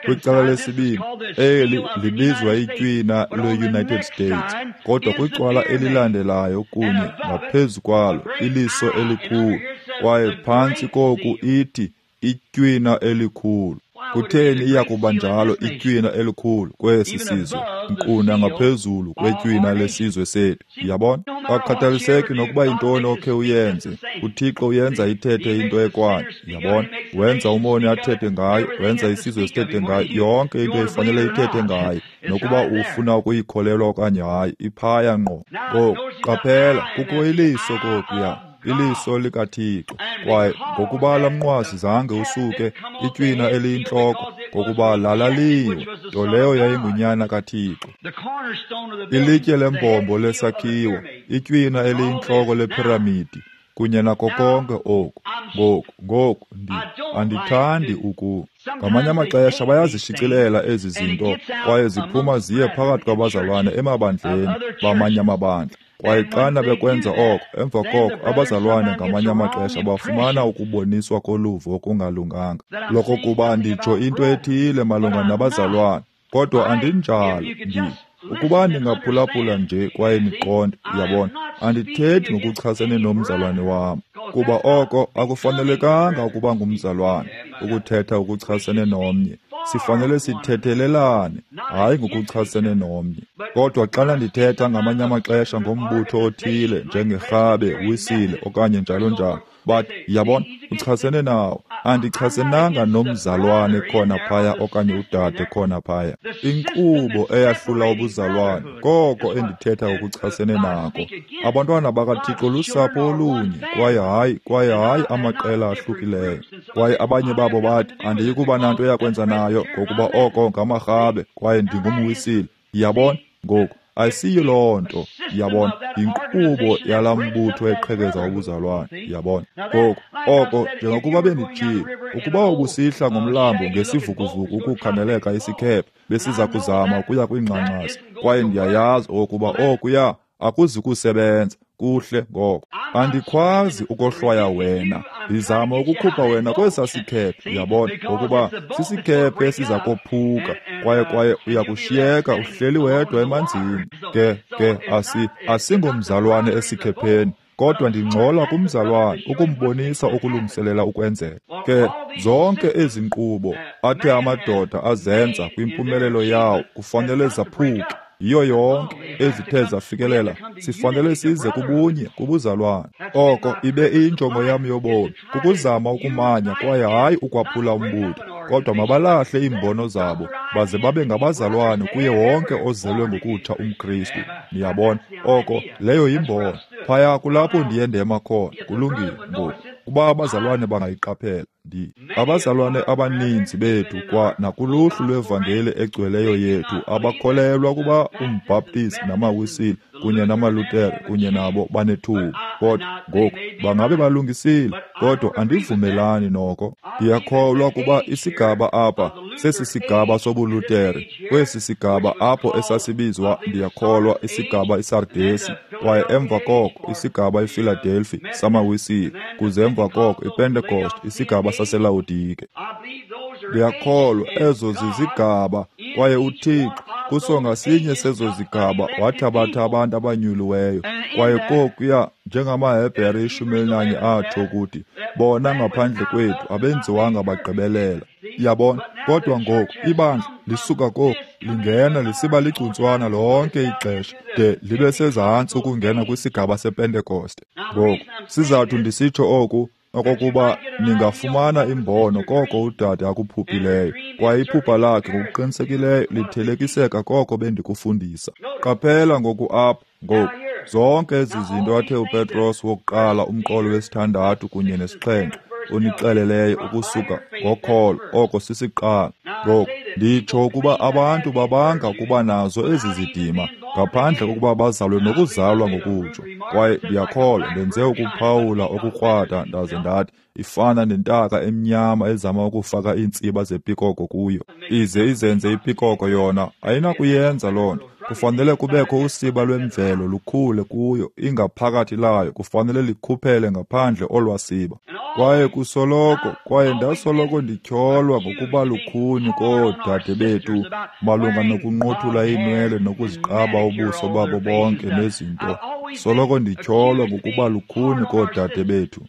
Kwicala lesibini, eli libizwa itywina lwe-United States, kodwa kwicala elilandelayo kunye ngaphezu kwalo iliso elikhulu, kwaye phantsi koku ithi itywina elikhulu. Kutheni iya kuba njalo itywina elikhulu kwesi sizwe, nkqu nangaphezulu kwetywina lesizwe sethu? Yabona? Akukhathaliseki nokuba yintoni okhe uyenze, uThixo uyenza ithethe into ekwayo. Yabona? Wenza umoni athethe ngayo, wenza isizwe sithethe ngayo, yonke into ifanele ithethe ngayo, nokuba ufuna ukuyikholelwa okanye hayi, iphaya ngqo. Ngoku qaphela, kukho iliso kokuya, iliso likaThixo. Kwaye ngokuba laa mnqwazi zange usuke, itywina eliyintloko, ngokuba lalaliwe, nto leyo yayingunyana kaThixo. Ilitye lembombo lesakhiwo, itywina eliyintloko lephiramidi, kunye nako konke oku. Ngoku, ngoku, ndi, andithandi uku. Ngamanye amaxesha bayazishicilela ezi zinto, kwaye ziphuma ziye phakathi kwabazalwane emabandleni bamanye amabandla. Kwaye xana bekwenza oko, emva koko abazalwane ngamanye amaxesha bafumana ukuboniswa koluvo okungalunganga, lokokuba nditsho into ethile malunga nabazalwane, kodwa andinjalo. Ndi ukuba ningaphulaphula nje kwaye niqonde, uyabona, andithethi ngokuchasene nomzalwane wam, kuba oko akufanelekanga ukuba ngumzalwane, ukuthetha ngokuchasene nomnye. Sifanele sithethelelane, hayi ngokuchasene nomnye. Kodwa xana ndithetha ngamanye amaxesha ngombutho othile, njengerhabe, wisile, okanye njalo njalo, bathi, yabona, uchasene nawo. Andichasenanga nomzalwane khona phaya okanye udade khona phaya. Inkqubo eyahlula ubuzalwane, koko endithetha ngokuchasene nako. Abantwana bakaThixo lusapho olunye, kwaye hayi, kwaye hayi amaqela ahlukileyo. Kwaye abanye babo bathi, andiyi kuba nanto yakwenza nayo, ngokuba oko ngamarhabe, kwaye ndingumwisile. Yabona? Ngoku asiyo loo nto, yabona, yinkqubo yalaa mbutho eqhekeza ubuzalwane, yabona. Ngoku oko, njengokuba benditshilo, ukuba ubusihla ngomlambo ngesivukuvuku ukukhangeleka isikhephe, besiza kuzama ukuya kwiingxangxasi, kwaye ndiyayazi okokuba okuya akuzi kusebenza kuhle. Ngoko andikhwazi ukohlwaya wena, ndizama ukukhupha wena kwesaa sikhephe, uyabona, ngokuba sisikhephe esiza kophuka, kwaye kwaye uyakushiyeka uhleli wedwa emanzini. Ke ke asi asingomzalwane esikhepheni, kodwa ndingcola kumzalwane ukumbonisa ukulungiselela ukwenzeka. Ke zonke ezi nkqubo athe amadoda azenza kwimpumelelo yawo kufanele zaphuke. Yiyo yonke ezithe zafikelela, sifanele size kubunye, kubuzalwane. Oko ibe iyinjongo yam yobomi, kukuzama ukumanya kwaye hayi ukwaphula umbutho, kodwa mabalahle iimbono zabo baze babe ngabazalwane kuye wonke ozelwe ngokutsha umKristu. Niyabona, oko leyo yimbono. Phaya kulapho ndiye ndema khona. Kulungile ngoku, kuba abazalwane bangayiqaphela. Ndi abazalwane abaninzi bethu kwa nakuluhlu lwevangeli egcweleyo yethu abakholelwa kuba umbhaptizi namawisile kunye namalutere kunye nabo banethuba, kodwa ngoku bangabe balungisile, kodwa andivumelani noko. Ndiyakholwa kuba isigaba apha sesi sigaba sobulutere, kwesi sigaba apho esasibizwa, ndiyakholwa, isigaba iSardesi, kwaye emva koko isigaba iFiladelfi samawisile, kuze emva koko iPentecost, isigaba saseLawodike. Ndiyakholwa ezo zizigaba, kwaye uThixo kuso ngasinye sezo zigaba wathabatha abantu abanyuliweyo, kwaye kokuya njengamaHebhere ishumi elinanye atsho ukuthi bona ngaphandle kwethu abenziwanga bagqibelela. Yabona? Kodwa ngoku ibandla lisuka koku lingena lisiba ligcuntswana lonke ixesha de libe sezantsi ukungena kwisigaba sePentekoste. Ngoku sizathu ndisitsho oku okokuba ningafumana imbono koko udade akuphuphileyo, kwaye iphupha lakhe ngokuqinisekileyo lithelekiseka koko bendikufundisa. Qaphela ngoku apha, ngoku zonke ezi zinto athe uPetros wokuqala umqolo wesithandathu kunye nesixhenxe unixeleleyo ukusuka ngokholo, oko sisiqalo. Ngoku nditsho ukuba abantu babanga ukuba nazo ezi zidima ngaphandle kokuba bazalwe nokuzalwa ngokutsho. Kwaye ndiyakholwa ndenze ukuphawula okukrwada ndaze ndathi ifana nentaka emnyama ezama ukufaka iintsiba zepikoko kuyo, ize izenze ipikoko yona. Ayinakuyenza loo nto. Kufanele kubekho usiba lwemvelo lukhule kuyo, ingaphakathi layo kufanele likhuphele ngaphandle olwasiba. Kwaye kusoloko, kwaye ndasoloko ndityholwa ngokuba lukhuni koodade bethu malunga nokunqothula iinwele nokuziqaba ubuso babo bonke nezinto. Soloko ndityholwa ngokuba lukhuni koodade bethu.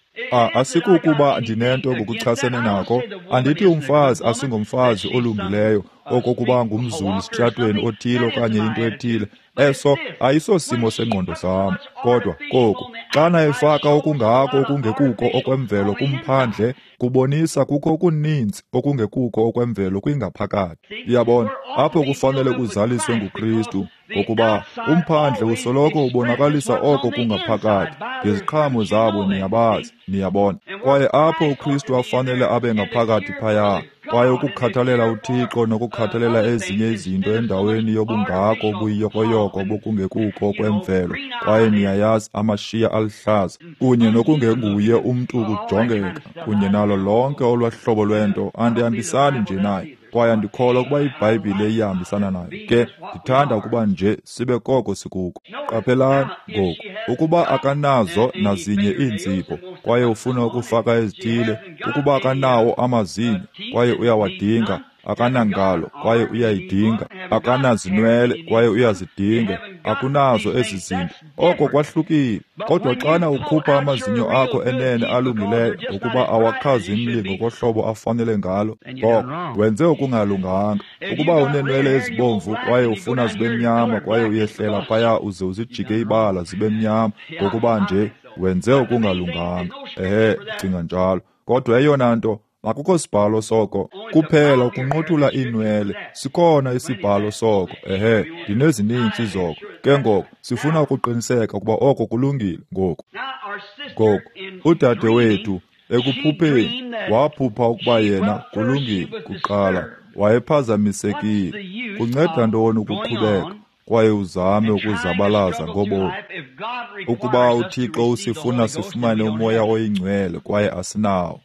Asikukuba ndinento ngokuchasene nako. Andithi umfazi asingomfazi olungileyo, okokuba ngumzulu sitratweni othile okanye into ethile. Eso ayisosimo sengqondo sam. Kodwa koku, xana efaka okungako okungekuko okwemvelo kumphandle, kubonisa kukho okuninzi okungekuko okwemvelo kwingaphakathi. Uyabona, apho kufanele kuzaliswe nguKristu, ngokuba umphandle usoloko ubonakalisa oko kungaphakathi. Ngeziqhamo zabo niyabazi, niyabona. Kwaye apho uKristu afanele abe ngaphakathi phaya, kwaye ukukhathalela uThixo nokukhathalela ezinye izinto endaweni yobungako obuyiyokoyoko bokungekuko okwemvelo, kwaye niyayazi amashiya aluhlaza, kunye nokungenguye umntu kujongeka, kunye nalo lonke olwahlobo lwento, andihambisani nje naye. Kwaye andikholwa ukuba iBhayibhile iyahambisana nayo. Ke ndithanda ukuba nje sibe koko sikuko. Qaphelani ngoku, ukuba akanazo nazinye iinzipho kwaye ufuna ukufaka ezithile, ukuba akanawo amazinyo kwaye uyawadinga, akanangalo kwaye uyayidinga, akanazinwele kwaye uyazidinga, akunazo ezi zinto, oko kwahlukile. Kodwa xana ukhupha amazinyo akho enene alungileyo ukuba awakhazimli ngokohlobo afanele ngalo, ngoko wenze okungalunganga. Ukuba uneenwele ezibomvu kwaye ufuna zibe mnyama kwaye uyehlela phaya uze uzijike ibala zibe mnyama, ngokuba nje wenze okungalunganga. Ehe, cinga njalo. Kodwa eyona nto, akukho sibhalo soko, kuphela ukunqothula iinwele. Sikhona isibhalo soko. Ehe, ndinezininzi zoko. Ke ngoku sifuna ukuqiniseka ukuba oko kulungile ngoku. Ngoku udade wethu ekuphupheni waphupha ukuba yena kulungile kuqala wayephazamisekile. Kunceda ntoni ukuqhubeka kwaye uzame ukuzabalaza ngobomi? Ukuba uThixo usifuna sifumane uMoya oyiNgcwele kwaye asinawo.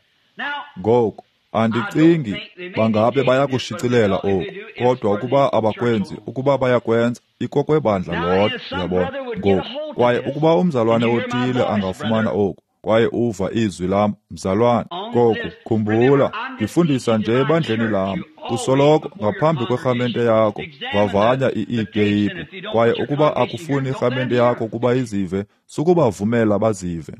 Ngoku, andicingi bangabe bayakushicilela oku, kodwa ukuba abakwenzi, ukuba bayakwenza, ikokwebandla lodwa, uyabona. Ngoku, kwaye ukuba umzalwane othile angafumana oku, kwaye uva izwi lam, mzalwane, ngoku, khumbula, ndifundisa nje ebandleni lam. Usoloko ngaphambi kwerhamente yakho, vavanya iiteyiphu, kwaye ukuba akufuni irhamente yakho ukuba izive, sukubavumela bazive.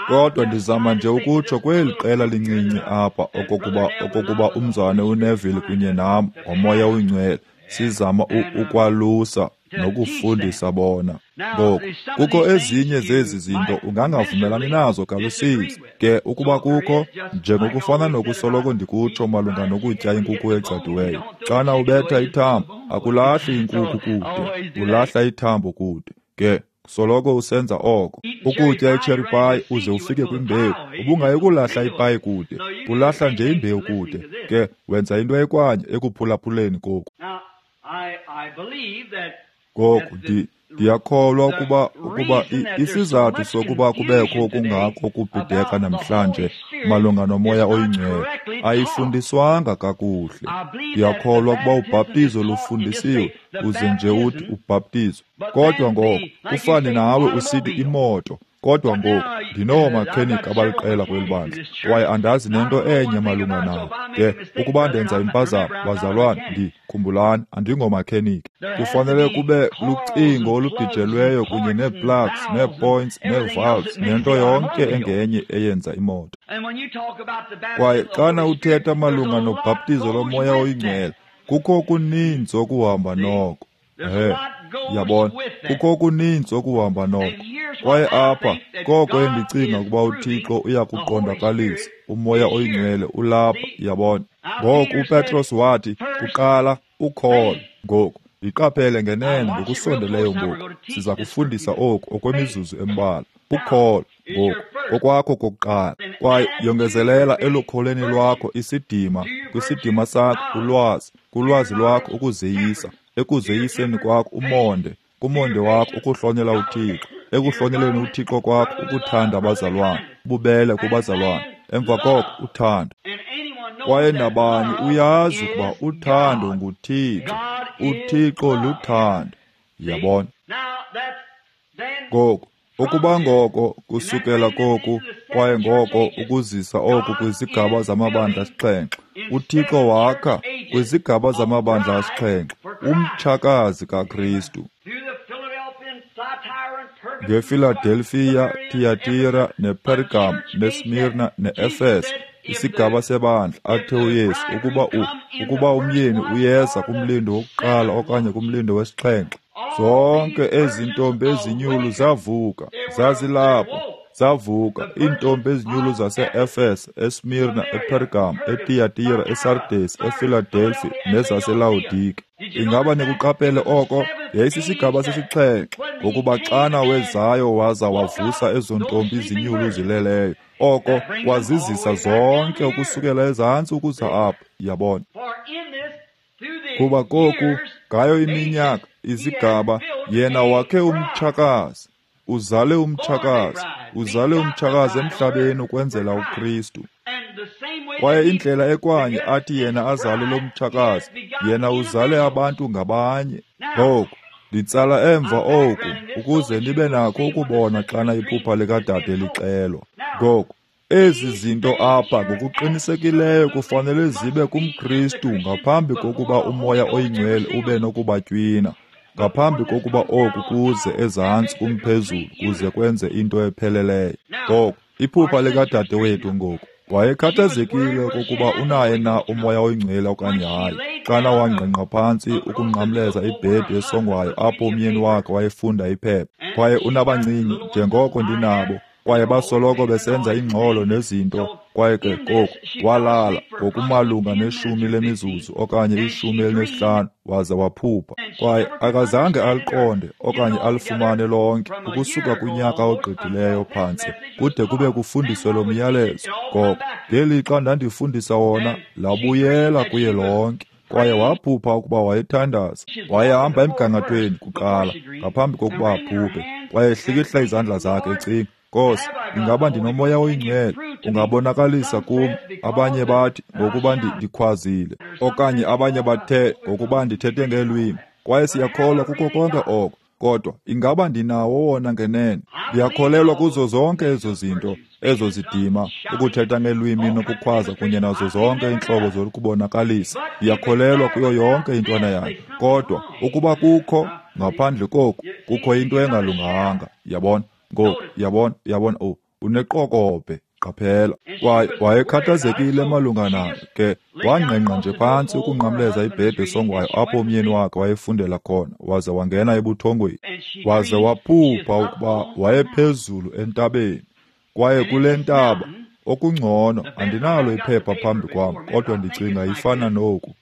Kodwa ndizama nje ukutsho kweli qela lincinci apha okokuba okokuba umzalwane uNeville kunye nam ngoMoya oyiNgcwele sizama ukwalusa nokufundisa bona. Ngoku, kukho ezinye zezi zinto ungangavumelani nazo kalusizi. Ke ukuba kukho, njengokufana nokusoloko ndikutsho malunga nokutya inkukhu egcadiweyo, xana ubetha ithambo, akulahli inkukhu kude, ulahla ithambo kude. Ke soloko usenza oko. Ukutya icherry pie uze ufike kwimbewu, ubungayikulahla ipayi kude, ulahla nje imbewu kude. Ke wenza into ekwanye ekuphulaphuleni koku. Ngoku ndiyakholwa ukuba ukuba isizathu sokuba kubekho okungako kubhideka namhlanje malunga noMoya oyiNgcwele ayifundiswanga kakuhle. Ndiyakholwa ukuba ubhaptizo lufundisiwe, uze nje uthi ubhaptizo. Kodwa ngoku kufane nawe usithi imoto. Kodwa ngoku ndinoomakhenikhi abaliqela kweli bandla, kwaye andazi nento enye malunga nawo. Ke ukuba ndenza impazamo, bazalwane, ndikhumbulani, andingomakhenikhi. Kufanele kube lucingo olubhijelweyo kunye nee-plugs, nee-points, nee-valves, nento yonke engenye eyenza imoto. Kwaye xana uthetha malunga nobhaptizo loMoya oyiNgcwele, kukho okuninzi okuhamba noko. Ehe, yabona, kukho okuninzi okuhamba noko. Kwaye apha koko endicinga ukuba uThixo uyakuqondakalisa, uMoya oyiNgcwele ulapha, yabona. Ngoku uPetros wathi, kuqala ukholo. Ngoku yiqaphele ngenene ngokusondeleyo ngoku, siza kufundisa oku okwemizuzu embalwa. Ukholo ngoku kokwakho kokuqala, kwaye yongezelela elukholweni lwakho isidima, kwisidima sakho ulwazi, kulwazi lwakho ukuzeyisa, ekuzeyiseni kwakho umonde, kumonde wakho ukuhlonela uThixo, ekuhloneleni uThixo kwakho ukuthanda abazalwane, ububele kubazalwane, emva koko uthando. Kwaye nabani uyazi ukuba uthando nguThixo, uThixo luthando, yabona. Ngoku, ukuba ngoko kusukela koku, kwaye ngoko ukuzisa oku kwizigaba zamabandla asixhenxe, uThixo wakha kwizigaba zamabandla asixhenxe umtshakazi kaKristu. ngeFiladelfiya, Tiyatira, nePergam, neSmirna, neEfese, isigaba sebandla athe uYesu ukuba u, ukuba umyeni uyeza kumlindo wokuqala okanye kumlindo wesixhenxe. Zonke ezi ntombi ezinyulu zavuka, zazilapho, zavuka iintombi ezinyulu zase-Efese, eSmirna, ePergam, eTiyatira, eSardesi, eFiladelfi nezaseLawodike. Ingaba nikuqaphele oko? Yayisisigaba sesixhenxe, ngokuba xana wezayo waza wavusa ezo ntombi zinyulu zileleyo, oko kwazizisa zonke ukusukela ezantsi ukuza apha, yabona. Kuba koku, ngayo iminyaka, izigaba, yena wakhe umtshakazi, uzale umtshakazi, uzale umtshakazi emhlabeni ukwenzela uKristu. Kwaye indlela ekwanye athi yena azale lo mtshakazi, yena uzale abantu ngabanye. Ngoku, nditsala emva oku ukuze nibe nakho ukubona xana iphupha likadade lixelwa. Ngoku, ezi zinto apha ngokuqinisekileyo kufanele zibe kumKristu ngaphambi kokuba uMoya oyiNgcwele ube nokubatywina, ngaphambi kokuba oku kuze ezantsi kumphezulu kuze kwenze into epheleleyo. Ngoku, iphupha likadade wethu ngoku. Wayekhathazekile okokuba unaye na uMoya oyiNgcwele okanye hayi, xana wangqengqa phantsi ukunqamleza ibhedi esongwayo apho umyeni wakhe wayefunda iphepha. Kwaye unabancinci njengoko ndinabo, kwaye basoloko besenza ingxolo nezinto. Kwaye ke koku walala ngokumalunga neshumi lemizuzu okanye ishumi elinesihlanu waze waphupha. Kwaye akazange aliqonde okanye alifumane lonke ukusuka kunyaka ogqithileyo phantsi kude kube kufundiswe lo myalezo. Ngoko ngelixa ndandifundisa wona, labuyela kuye lonke. Kwaye waphupha ukuba wayethandaza. Wayehamba emgangathweni kuqala ngaphambi kokuba aphuphe. Kwaye ehlikihla izandla zakhe ecinga, Nkosi, ingaba ndinoMoya oyiNgcwele? Ungabonakalisa kum. Abanye bathi ngokuba ndikhwazile, okanye abanye bathe ngokuba ndithethe ngeelwimi. Kwaye siyakholwa kuko konke oko, kodwa ingaba ndinawo wona ngenene? Ndiyakholelwa kuzo zonke ezo zinto, ezo zidima, ukuthetha ngeelwimi nokukhwaza kunye nazo zonke iintlobo zokubonakalisa. Ndiyakholelwa kuyo yonke intwana yayo. Kodwa ukuba kukho ngaphandle koku, kukho into engalunganga, yabona? Ngoku, yabona, yabona, oh, uneqokobhe, qaphela. Kwaye wayekhathazekile malunga nayo ke, wangqengqa nje phantsi ukunqamleza ibhedi esongwayo apho umyeni wakhe wayefundela khona, waze wangena ebuthongweni. Waze waphupha ukuba wayephezulu entabeni. Kwaye kule ntaba, okungcono, andinalo iphepha phambi kwam, kodwa ndicinga ifana noku.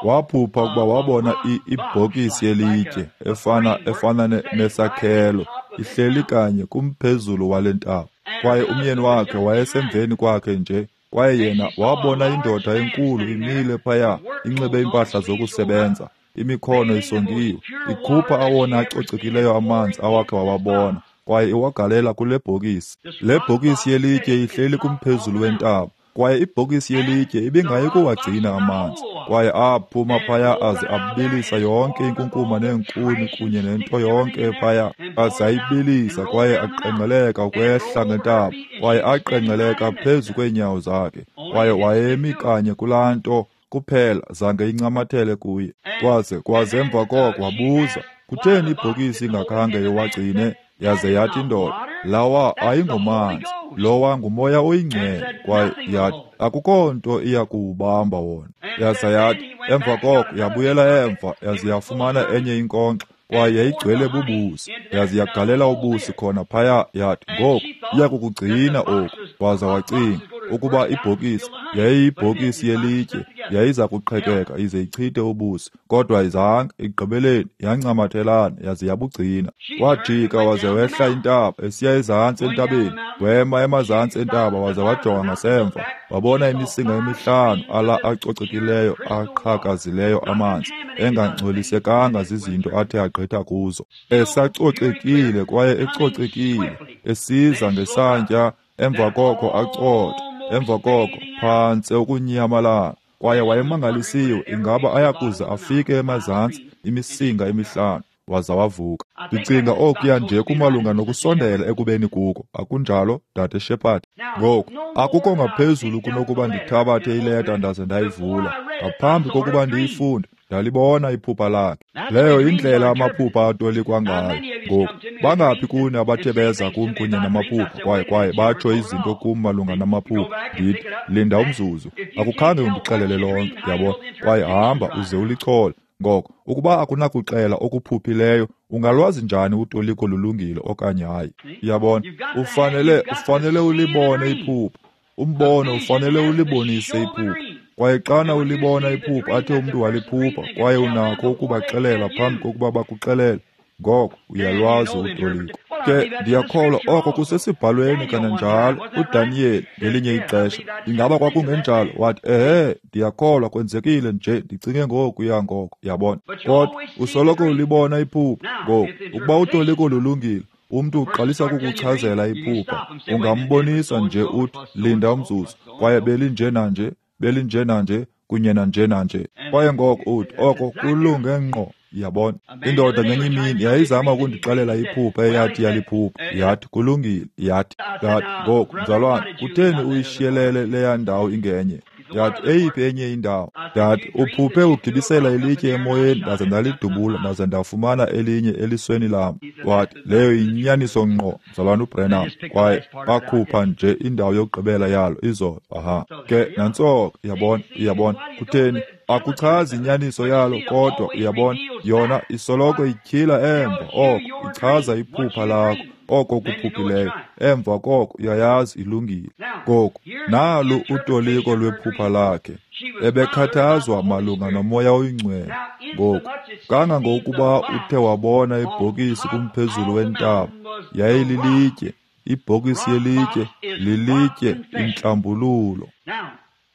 Waphupha ukuba wabona ibhokisi yelitye efana efana nesakhelo ihleli kanye kumphezulu wale ntaba. Kwaye umyeni wakhe wayesemveni kwakhe nje. Kwaye yena wabona indoda enkulu imile phaya, inxibe iimpahla zokusebenza, imikhono isongiwe, ikhupha awona acocekileyo amanzi awakhe wawabona, kwaye iwagalela kule bhokisi. Le bhokisi yelitye ihleli kumphezulu wentaba. Kwaye ibhokisi yelitye ibingayi kuwagcina amanzi. Kwaye aphuma phaya aze abilisa yonke inkunkuma neenkuni kunye nento yonke phaya, aze ayibilisa. Kwaye aqengqeleka ukwehla ngentaba, kwaye aqengqeleka phezu kweenyawo zakhe. Kwaye wayemi kanye kulaa nto kuphela, zange incamathele kuye. Kwaze kwaze emva koko wabuza, kutheni ibhokisi ingakhange iwagcine? Yaze yathi indoda, lawa ayingomanzi, lowa nguMoya oyiNgcwele. Kwaye yathi, akukho nto iya kuwubamba wona. Yaza yathi, emva koko yabuyela emva, yaze yafumana enye inkonkxa, kwaye yayigcwele bubusi. Yaze yagalela ubusi khona phaya. Yathi, ngoku iya kukugcina oku. Waza wacinga ukuba ibhokisi yayiyibhokisi yelitye, yayiza kuqhekeka ize ichithe ubusi, kodwa izange. Ekugqibeleni yancamathelana yaze yabugcina. Wajika waze wehla intaba esiya ezantsi entabeni, wema emazantsi entaba waze wajonga ngasemva, wabona imisinga emihlanu ala acocekileyo aqhakazileyo amanzi, engangcolisekanga zizinto athe agqitha kuzo, esacocekile kwaye ecocekile, esiza ngesantya. Emva koko acotha, emva koko phantse ukunyamalala. Kwaye wayemangalisiwe ingaba ayakuze afike emazantsi imisinga emihlanu, waza wavuka. Ndicinga okuya nje kumalunga nokusondela ekubeni kuko, akunjalo, Dade Shepherd? Ngoku, akukho ngaphezulu kunokuba ndithabathe ileta ndaze ndayivula. Ngaphambi kokuba ndiyifunde, Ndalibona iphupha lakhe. Leyo yindlela amaphupha atolikwa ngayo. Ngoku, bangaphi kuni abathe beza kum kunye namaphupha kwaye kwaye batsho izinto kum malunga namaphupha? Ndithi, linda umzuzu, akukhange undixelele lonke, yabona, kwaye hamba uze ulichole. Ngoko, ukuba akunakuxela okuphuphileyo, ungalwazi njani utoliko lulungile okanye hayi? Yabona, ufanele ufanele ulibone iphupha. Umbono ufanele ulibonise iphupha. Kwaye xana ulibona iphupha athe umntu waliphupha, kwaye unakho ukubaxelela phambi kokuba bakuxelele, ngoko uyalwazi utoliko. Ke ndiyakholwa oko kusesibhalweni kananjalo. uDaniyeli ngelinye ixesha, ingaba kwakungenjalo? Wathi, ehe, ndiyakholwa kwenzekile nje, ndicinge ngokuya ngoko, yabona. Kodwa usoloko ulibona iphupha. Ngoku, ukuba utoliko lulungile, umntu uqalisa ukukuchazela iphupha, ungambonisa nje uthi, linda umzuzu, kwaye belinje nanje, belinje nanje, kunye nanje nanje. Kwaye ngoko uthi, oko kulunge ngqo. Yabona, indoda ngenye imini yayizama ukundixelela iphupha eyathi yaliphupha. Yathi, kulungile. Yathi, yathi, ngoku mzalwane, kutheni uyishiyelele leya ndawo ingenye? Yathi, eyiphi enye indawo? Yathi, uphuphe ugibisela ilitye emoyeni, ndaze ndalidubula, ndaze ndafumana elinye elisweni lam. Wathi, leyo yinyaniso ngqo, mzalwane uBrenham. Kwaye bakhupha nje indawo yokugqibela yalo izolo. Aha, ke nantsoko, yabona, uyabona, kutheni? Akuchazi inyaniso yalo, kodwa uyabona, yona isoloko ityhila emva oko, ichaza iphupha lakho, oko kuphuphileyo. Emva koko uyayazi ilungile. Ngoku, nalu utoliko lwephupha lakhe. Ebekhathazwa malunga noMoya oyiNgcwele. Ngoku, kangangokuba uthe wabona ibhokisi kumphezulu wentaba, yayililitye, ibhokisi yelitye, lilitye intlambululo.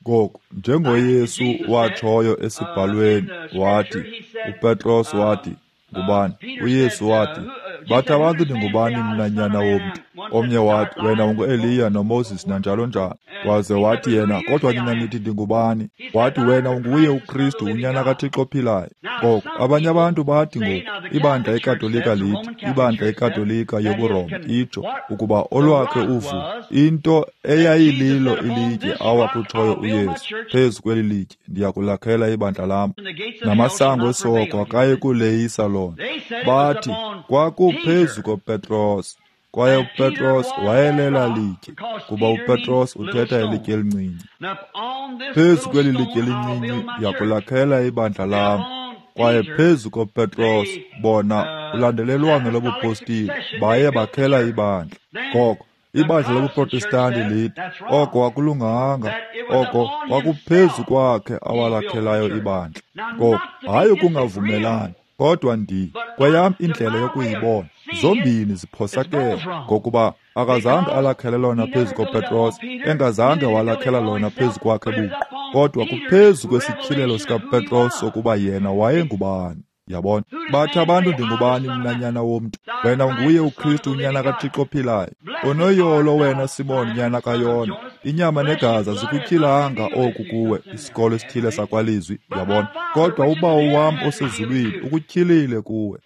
Ngoku, njengoYesu watshoyo esibhalweni, wathi, uPetros wathi, ngubani? uYesu wathi, bathi abantu ndingubani mna nyana womntu? Omnye wathi, wena unguEliya noMoses nanjalo njalo. Waze wathi yena, kodwa nina nithi ndingubani? Wathi, wena unguye uKristu, unyana kaThixo ophilayo. Ngoku, abanye abantu bathi ngoku, ibandla eKatolika lithi, ibandla eKatolika yobuRoma itsho ukuba olwakhe uvu, into eyayililo ilitye awakutshoyo uYesu, phezu kweli litye ndiyakulakhela ibandla lam, namasango esihogo akayi kuleyisa lona. Bathi kwakuphezu koPetros, kwaye uPetros wayelela litye, kuba uPetros uthetha ilitye elincinci. Phezu kweli litye elincinci ndiyakulakhela ibandla lam. Kwaye phezu koPetros, bona ulandelelwano lobupostile, baye bakhela ibandla. Ngoko ibandla lobuProtestanti lithi oko akulunganga, oko kwakuphezu kwakhe awalakhelayo ibandla. Ngoko hayi ukungavumelani, kodwa ndi kweyam indlela yokuyibona, zombini ziphosakele, ngokuba akazange alakhele lona phezu koPetros, engazange walakhela lona phezu kwakhe buqu, kodwa kuphezu kwesityhilelo sikaPetros sokuba yena wayengubani. Yabona, bathi abantu ndingubani mna nyana womntu? Wena unguye uKristu, unyana kaThixo ophilayo. Unoyolo wena Simon, nyana kaYona, inyama negazi azikutyhilanga oku kuwe, isikolo esithile sakwalizwi, yabona, kodwa uBawo wam osezulwini ukutyhilile kuwe.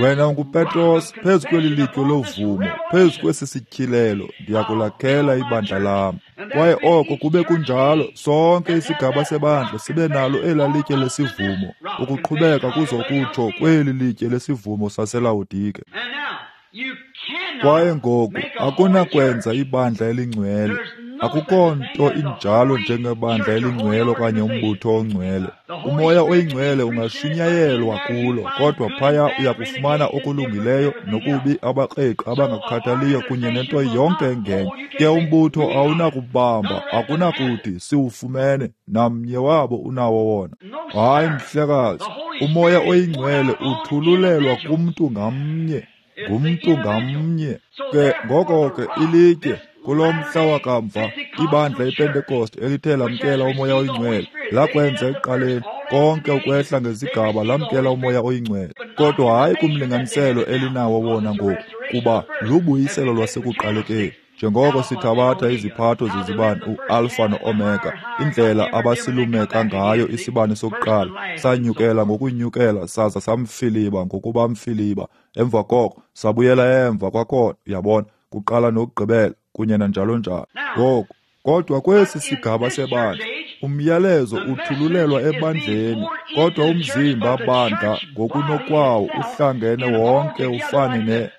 Wena unguPetros, phezu kweli litye lovumo, phezu kwesi sityhilelo ndiyakulakhela ibandla lam. Kwaye oko kube kunjalo, sonke isigaba sebandla sibe nalo elaa litye lesivumo, ukuqhubeka kuzokutsho kweli litye lesivumo saseLawodike. Kwaye ngoku akunakwenza ibandla elingcwele. Akukho nto injalo njengebandla elingcwele okanye umbutho ongcwele. Umoya oyingcwele ungashunyayelwa kulo, kodwa phaya uyakufumana okulungileyo nokubi, abakreqi abangakhathaliyo kunye nento yonke engenye. Ke umbutho awunakubamba, akunakuthi siwufumene, namnye wabo unawo wona. Hayi mhlekazi, umoya oyingcwele uthululelwa kumntu ngamnye, ngumntu ngamnye. Ke ngoko ke ilitye kulo mhla wakamva, ibandla iPentekoste elithe lamkela umoya oyingcwele, lakwenza ekuqaleni konke ukwehla ngezigaba lamkela umoya oyingcwele, kodwa hayi kumlinganiselo elinawo wona ngoku, kuba lubuyiselo lwasekuqalekeni. Njengoko sithabatha iziphatho zezibane u-Alpha no-Omega, indlela abasilumeka ngayo isibane sokuqala, sanyukela ngokunyukela saza samfiliba ngokuba mfiliba, emva koko sabuyela emva kwakhona, uyabona, kuqala nokugqibela kunye nanjalo njalo. Ngoku, kodwa kwesi sigaba sebandla, Umyalezo uthululelwa ebandleni, kodwa umzimba bandla ngokunokwawo uhlangene wonke ufane ne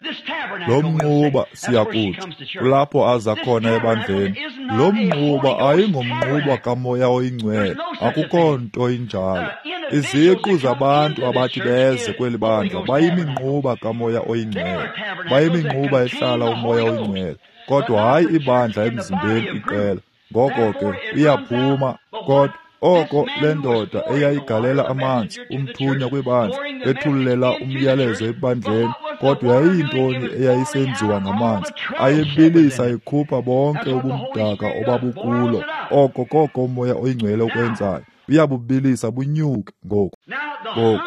lo mnquba siyakutsho kulapho aza khona ebandleni. Lo mnquba ayingomnquba kaMoya oyiNgcwele, akukho nto injalo. Iziqu zabantu abathi beze kweli bandla bayiminquba kaMoya oyiNgcwele, bayiminquba ehlala uMoya oyiNgcwele, kodwa hayi ibandla emzimbeni iqela. Ngoko ke iyaphuma, kodwa oko le ndoda eyayigalela amanzi umthunywa kwibandla ethululela umyalezo ebandleni, kodwa yayiyintoni eyayisenziwa ngamanzi? Ayebilisa ekhupha bonke ubumdaka obabukulo. Oko koko uMoya oyiNgcwele ukwenzayo, uyabubilisa bunyuke. Ngoku ngoku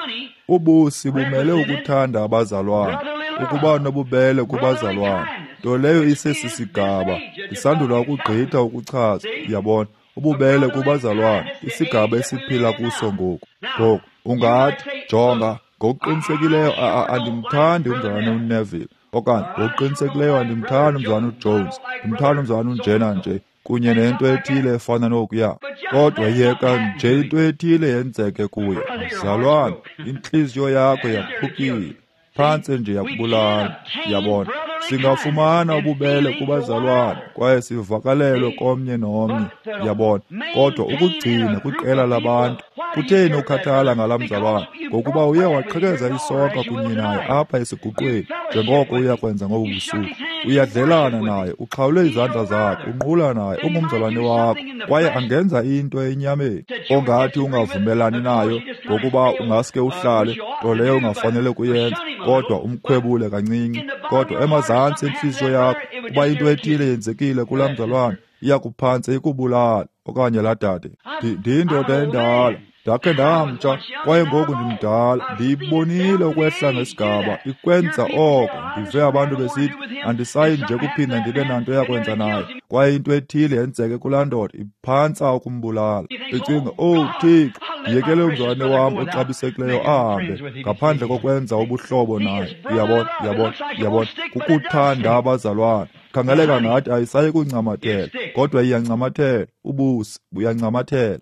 ubusi bumele ukuthanda abazalwana, ukuba nobubele kubazalwana, nto leyo isesisigaba ndisandula ukugqitha ukuchaza. Uyabona, ububele kubazalwana, isigaba esiphila kuso ngoku. Ngoku ungathi, jonga, ngokuqinisekileyo andimthandi umzalwana uNeville, okanye ngokuqinisekileyo andimthandi umzalwana uJones, ndimthanda umzalwana unjena nje, kunye nento ethile efana nokuya. Kodwa yeka nje into ethile yenzeke kuye, mzalwana, intliziyo yakho yaphukile, phantse nje yakubulala. Yabona, singafumana ububele kubazalwana kwaye sivakalelwe komnye nomnye, yabona, kodwa ukugcina kwiqela labantu. Kutheni ukhathala ngalaa mzalwana? Ngokuba uye waqhekeza isonka kunye naye apha esiguqweni, njengoko uya kwenza ngobu busuku. Uyadlelana naye, uxhawule izandla zakhe, unqula naye, ungumzalwane wakho, kwaye angenza into enyameni ongathi ungavumelani nayo, ngokuba ungaske uhlale, nto leyo ungafanele kuyenza, kodwa umkhwebule kancinci. Kodwa emazantsi entliziyo yakho, kuba into ethile yenzekile kulaa mzalwana, iyakuphantse ikubulala. Okanye laa dade, ndiyindoda endala, ndakhe ndamtsha, kwaye ngoku ndimdala, ndiyibonile ukwehla ngesigaba ikwenza oko. Ndive abantu besithi andisayi nje kuphinda ndibe nanto yakwenza naye, kwaye into ethile yenzeke kulaa ndoda iphantsa ukumbulala. Ndicinga, owu Thixo, ndiyekele umzalwane wam oxabisekileyo ahambe ngaphandle kokwenza ubuhlobo naye. Uyabona, uyabona, uyabona, kukuthanda abazalwana. Khangeleka ngathi ayisayi kuncamathela, kodwa iyancamathela. Ubusi buyancamathela.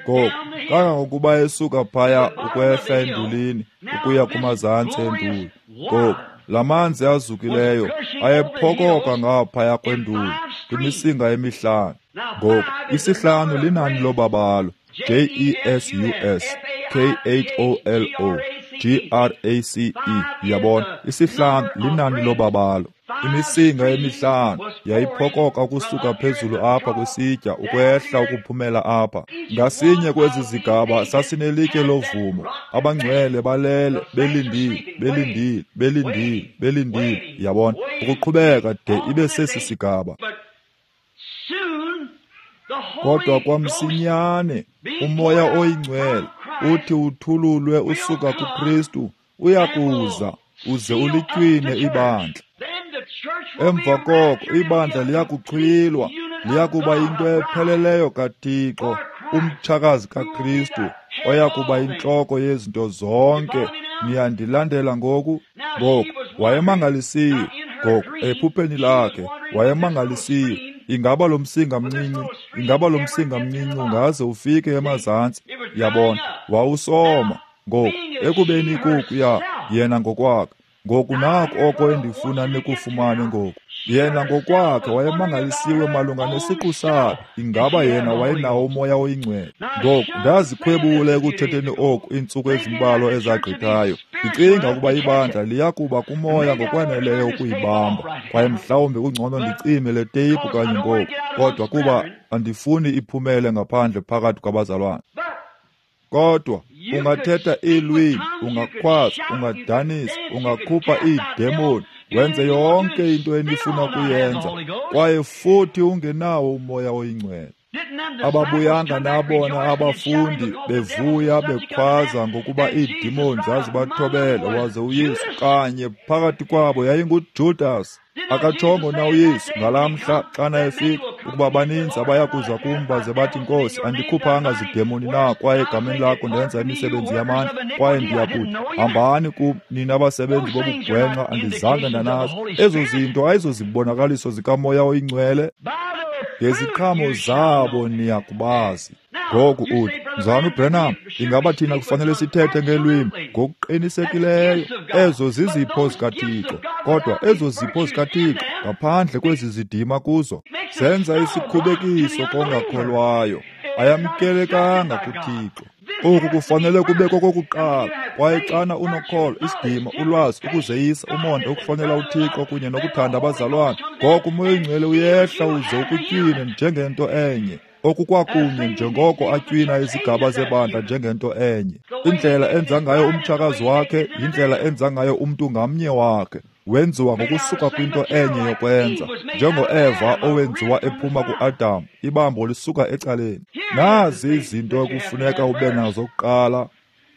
Ngoku kangangokuba esuka phaya ukwehla endulini ukuya kumazantsi enduli, ngoku la manzi azukileyo ayephokoka ngaphaya kwenduli kwimisinga emihlanu. Ngoku isihlanu linani lobabalo, J E S U S K H O L O G R A C E. Uyabona, isihlanu linani lobabalo. Imisinga emihlanu yayiphokoka ukusuka phezulu apha kwisitya ukwehla ukuphumela apha. Ngasinye kwezi zigaba sasinelitye lovumo. Abangcwele balele belindile, belindile, belindile, belindile. Yabona, ukuqhubeka de ibe sesi sigaba. Kodwa kwamsinyane uMoya oyiNgcwele uthi uthululwe usuka kuKristu, uyakuza uze ulitywine ibandla. Emva koko ibandla liyakuxhwilwa, liyakuba yinto epheleleyo kaThixo, umtshakazi kaKristu, oyakuba intloko yezinto zonke. Niyandilandela ngoku? Ngoku wayemangalisiwe. Ngoku ephupheni lakhe wayemangalisiwe. Ingaba lo msinga mncinci, ingaba lo msinga mncinci ungaze ufike emazantsi? Yabona, wawusoma. Ngoku ekubeni kukuya yena ngokwakhe. Ngoku naku oko endifuna nikufumane ngoku. Yena ngokwakhe wayemangalisiwe malunga nesiqu sakhe. Ingaba yena wayenawo uMoya oyiNgcwele? Ngoku ndazikhwebula ekuthetheni oku iintsuku ezimbalwa ezagqithayo, ndicinga ukuba ibandla liyakuba kumoya ngokwaneleyo ukuyibamba, kwaye mhlawumbi kungcono ndicime le teyiphu kanye ngoku, kodwa kuba andifuni iphumele ngaphandle phakathi kwabazalwana. Kodwa ungathetha iilwimi, ungakhwaza, ungadanisa, ungakhupha iidemoni, wenze yonke into enifuna kuyenza, kwaye futhi ungenawo uMoya oyiNgcwele. Ababuyanga nabona abafundi bevuya bekhwaza ngokuba iidemoni zazibathobela, waze uYesu kanye phakathi kwabo yayinguJudas. Akatshongo na uYesu ngalaa mhla xana efika ukuba baninzi abaya kuza kum baze bathi, Nkosi, andikhuphanga zidemoni na, kwaye egameni lakho ndenza imisebenzi yamandla, kwaye ndiyakuthi, hambani kum nina abasebenzi bobugwenxa, andizange ndanazi. Ezo zinto ayizozibonakaliso zikaMoya oyiNgcwele. Ngeziqhamo zabo niyakubazi. Ngoku uthi, Mzalwana uBranham, ingaba thina kufanele sithethe ngelwimi? Ngokuqinisekileyo, ezo zizipho zikaThixo. Kodwa ezo zipho zikaThixo, ngaphandle kwezi zidima kuzo, zenza isikhubekiso kongakholwayo. Ayamkelekanga kuThixo. Oku kufanele kube kokokuqala. Kwaye xana unokholo, isidima, ulwazi, ukuzeyisa, umonde, ukuhlonela uThixo kunye nokuthanda abazalwane, ngoko uMoya oyiNgcwele uyehla uze ukutywine njengento enye. Oku kwakunye njengoko atywina izigaba zebandla njengento enye. Indlela enza ngayo umtshakazi wakhe yindlela enza ngayo umntu ngamnye wakhe. Wenziwa ngokusuka kwinto enye yokwenza, njengoEva owenziwa ephuma kuAdam, ibambo lisuka ecaleni. Nazi izinto ekufuneka ube nazo kuqala.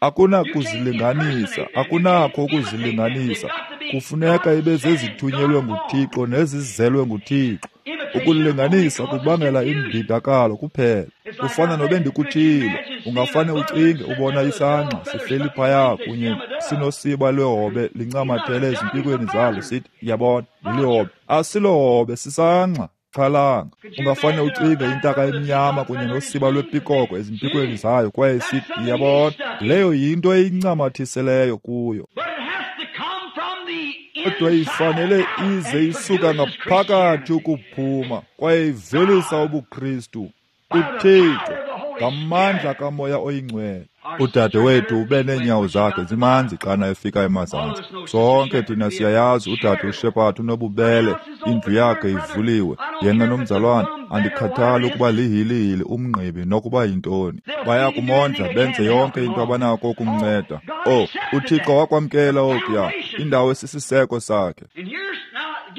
Akunakuzilinganisa, akunakho ukuzilinganisa. Kufuneka ibe zezithunyelwe nguThixo nezizelwe nguThixo. Ukulinganisa kubangela imbidakalo kuphela. Kufana nobe ndikuthile, ungafane ucinge ubona isangqa sihleli phaya kunye sinosiba lwehobe lincamathele ezimpikweni zalo, sithi, yabona, lilihobe. Asilohobe, sisangqa. Xhalanga. Ungafane ucinge intaka emnyama kunye nosiba lwepikoko ezimpikweni zayo kwaye sithi, yabona, leyo yinto eyincamathiseleyo kuyo. Kodwa ifanele ize isuka ngaphakathi ukuphuma kwaye ivelisa ubuKristu kuThixo ngamandla kaMoya oyiNgcwele. Udade wethu ube neenyawo zakhe zimanzi xana efika emazantsi. Sonke thina siyayazi udade uShepard unobubele, indlu yakhe ivuliwe. Yena nomzalwane, andikhathali ukuba lihilihili umngqibi nokuba yintoni. Baya kumondla benze yonke into abanako ukumnceda. Oh, uThixo wakwamkela okuya, indawo esisiseko sakhe.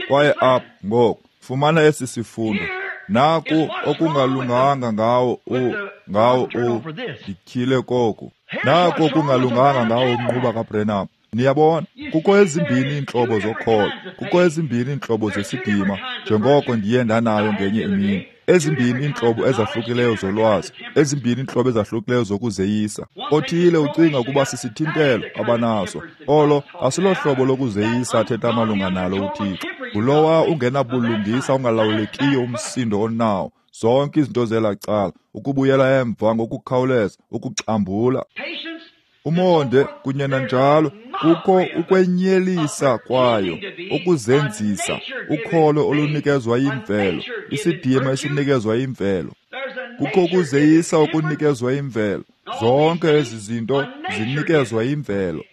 Kwaye apha ngoku, fumana esi sifundo. Naku okungalunganga ngawo u ngawo u ndityhile koku. Naku okungalunganga ngawo umnquba kaBranham. Niyabona, kukho ezimbini iintlobo zokholo, kukho ezimbini iintlobo zesidima, njengoko ndiye ndanayo ngenye imini. Ezimbini iintlobo ezahlukileyo zolwazi, ezimbini iintlobo ezahlukileyo zokuzeyisa. Othile ucinga ukuba sisithintelo abanaso. Olo asilohlobo lokuzeyisa athetha malunga nalo uThixo. Ngulowa ungenabulungisa ungalawulekiyo umsindo onawo. Zonke izinto zela cala, ukubuyela emva ngokukhawuleza, ukuxambula. Umonde kunye nanjalo, kukho ukwenyelisa kwayo, ukuzenzisa, ukholo olunikezwa yimvelo, isidima esinikezwa yimvelo. Kukho ukuzeyisa okunikezwa yimvelo. Zonke ezi zinto zinikezwa yimvelo.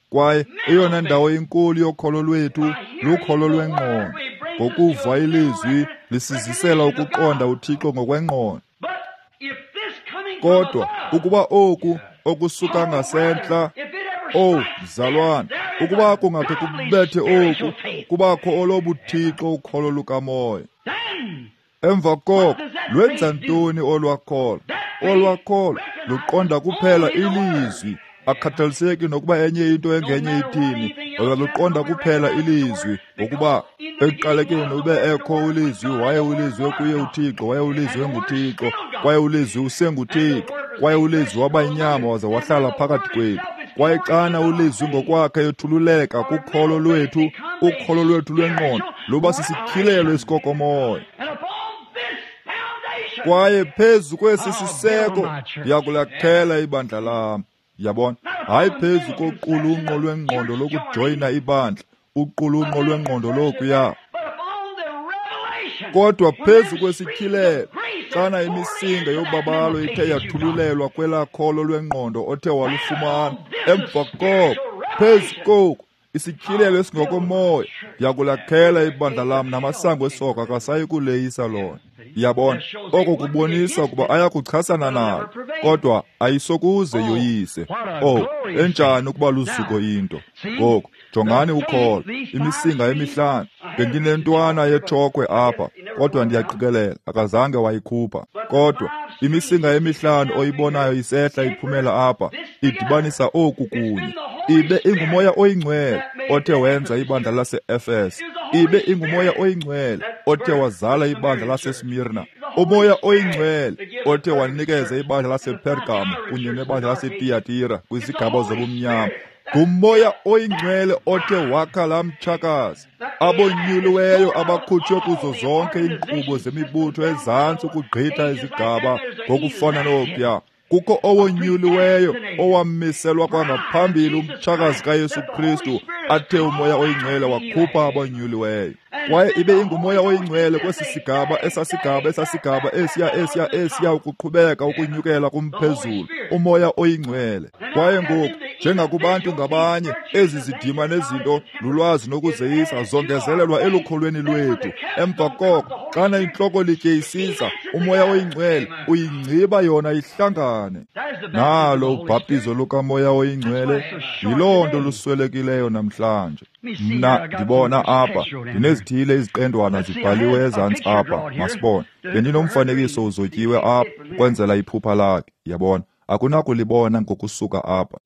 Kwaye eyona ndawo inkulu yokholo lwethu lukholo lwengqondo. Ngokuva ilizwi lisizisela ukuqonda uThixo ngokwengqondo. Kodwa ukuba oku okusuka ngasentla, oh mzalwane, ukuba kungakhe kubethe oku, kubakho olobuthixo ukholo lukamoya. Emva koko lwenza ntoni olwakholo? Olwakholo luqonda kuphela ilizwi, akhathaliseki nokuba enye into engenye ithini, lona luqonda kuphela ilizwi, ngokuba ekuqalekeni ube ekho ulizwi, waye ulizwi kuye uThixo, waye ulizwi nguThixo, kwaye ulizwi usenguThixo, kwaye ulizwi waba yinyama waze wahlala phakathi kwethu. Kwaye xana ulizwi ngokwakhe ethululeka kukholo lwethu, ukholo lwethu lwengqondo luba sisityhilelo esikokomoya. Kwaye phezu kwesi siseko ndiyakulakhela ibandla lam. Yabona, hayi phezu koqulunqo lwengqondo lokujoyina ibandla, uqulunqo lwengqondo lokuya, kodwa phezu kwesityhilelo, xana imisinga yobabalo ithe yathululelwa kwelaa kholo lwengqondo othe walufumana, emva koko, phezu koku, isityhilelo esingokomoya, ndiyakulakhela ibandla lam namasango esoka akasayi kuleyisa lona. Yabona, oko kubonisa ukuba ayakuchasana nalo, kodwa ayisokuze yoyise. Oh, enjani ukuba luzuko into. Ngoku, jongani ukholo, imisinga emihlanu. Bendinentwana yetshokhwe apha, kodwa ndiyaqikelela, akazange wayikhupha. Kodwa imisinga emihlanu oyibonayo isehla iphumela apha, idibanisa oku kunye. Ibe inguMoya oyiNgcwele othe wenza ibandla lase-Efese. Ibe inguMoya oyiNgcwele othe wazala ibandla laseSmirna. uMoya oyiNgcwele othe wanikeza ibandla lasePergamo kunye nebandla laseTiyatira kwizigaba zobumnyama. Ngumoya oyingcwele othe wakha laa mtshakazi, abonyuliweyo abakhutshwe kuzo zonke iinkqubo zemibutho ezantsi ukugqitha izigaba ngokufana nokuya. Kukho owonyuliweyo owamiselwa kwangaphambili umtshakazi kaYesu Kristu, athe umoya oyingcwele wakhupha abonyuliweyo. Kwaye ibe ingumoya oyingcwele kwesi sigaba, esasigaba, esasigaba, esiya, esiya, esiya ukuqhubeka ukunyukela kumphezulu, umoya oyingcwele. Kwaye ngoku, njengakubantu ngabanye, ezi zidima nezinto lulwazi nokuzeyisa zongezelelwa elukholweni lwethu. Emva koko, xana intloko litye isiza, umoya oyingcwele uyingciba yona ihlangane. Nalo ubhaptizo lukamoya oyingcwele yiloo nto luswelekileyo namhlanje. Mna ndibona apha ndinezithile iziqendwana zibhaliwe ezantsi apha, masibone. Bendinomfanekiso uzotyiwe apha ukwenzela iphupha lakhe, yabona. Akunakulibona ngokusuka apha.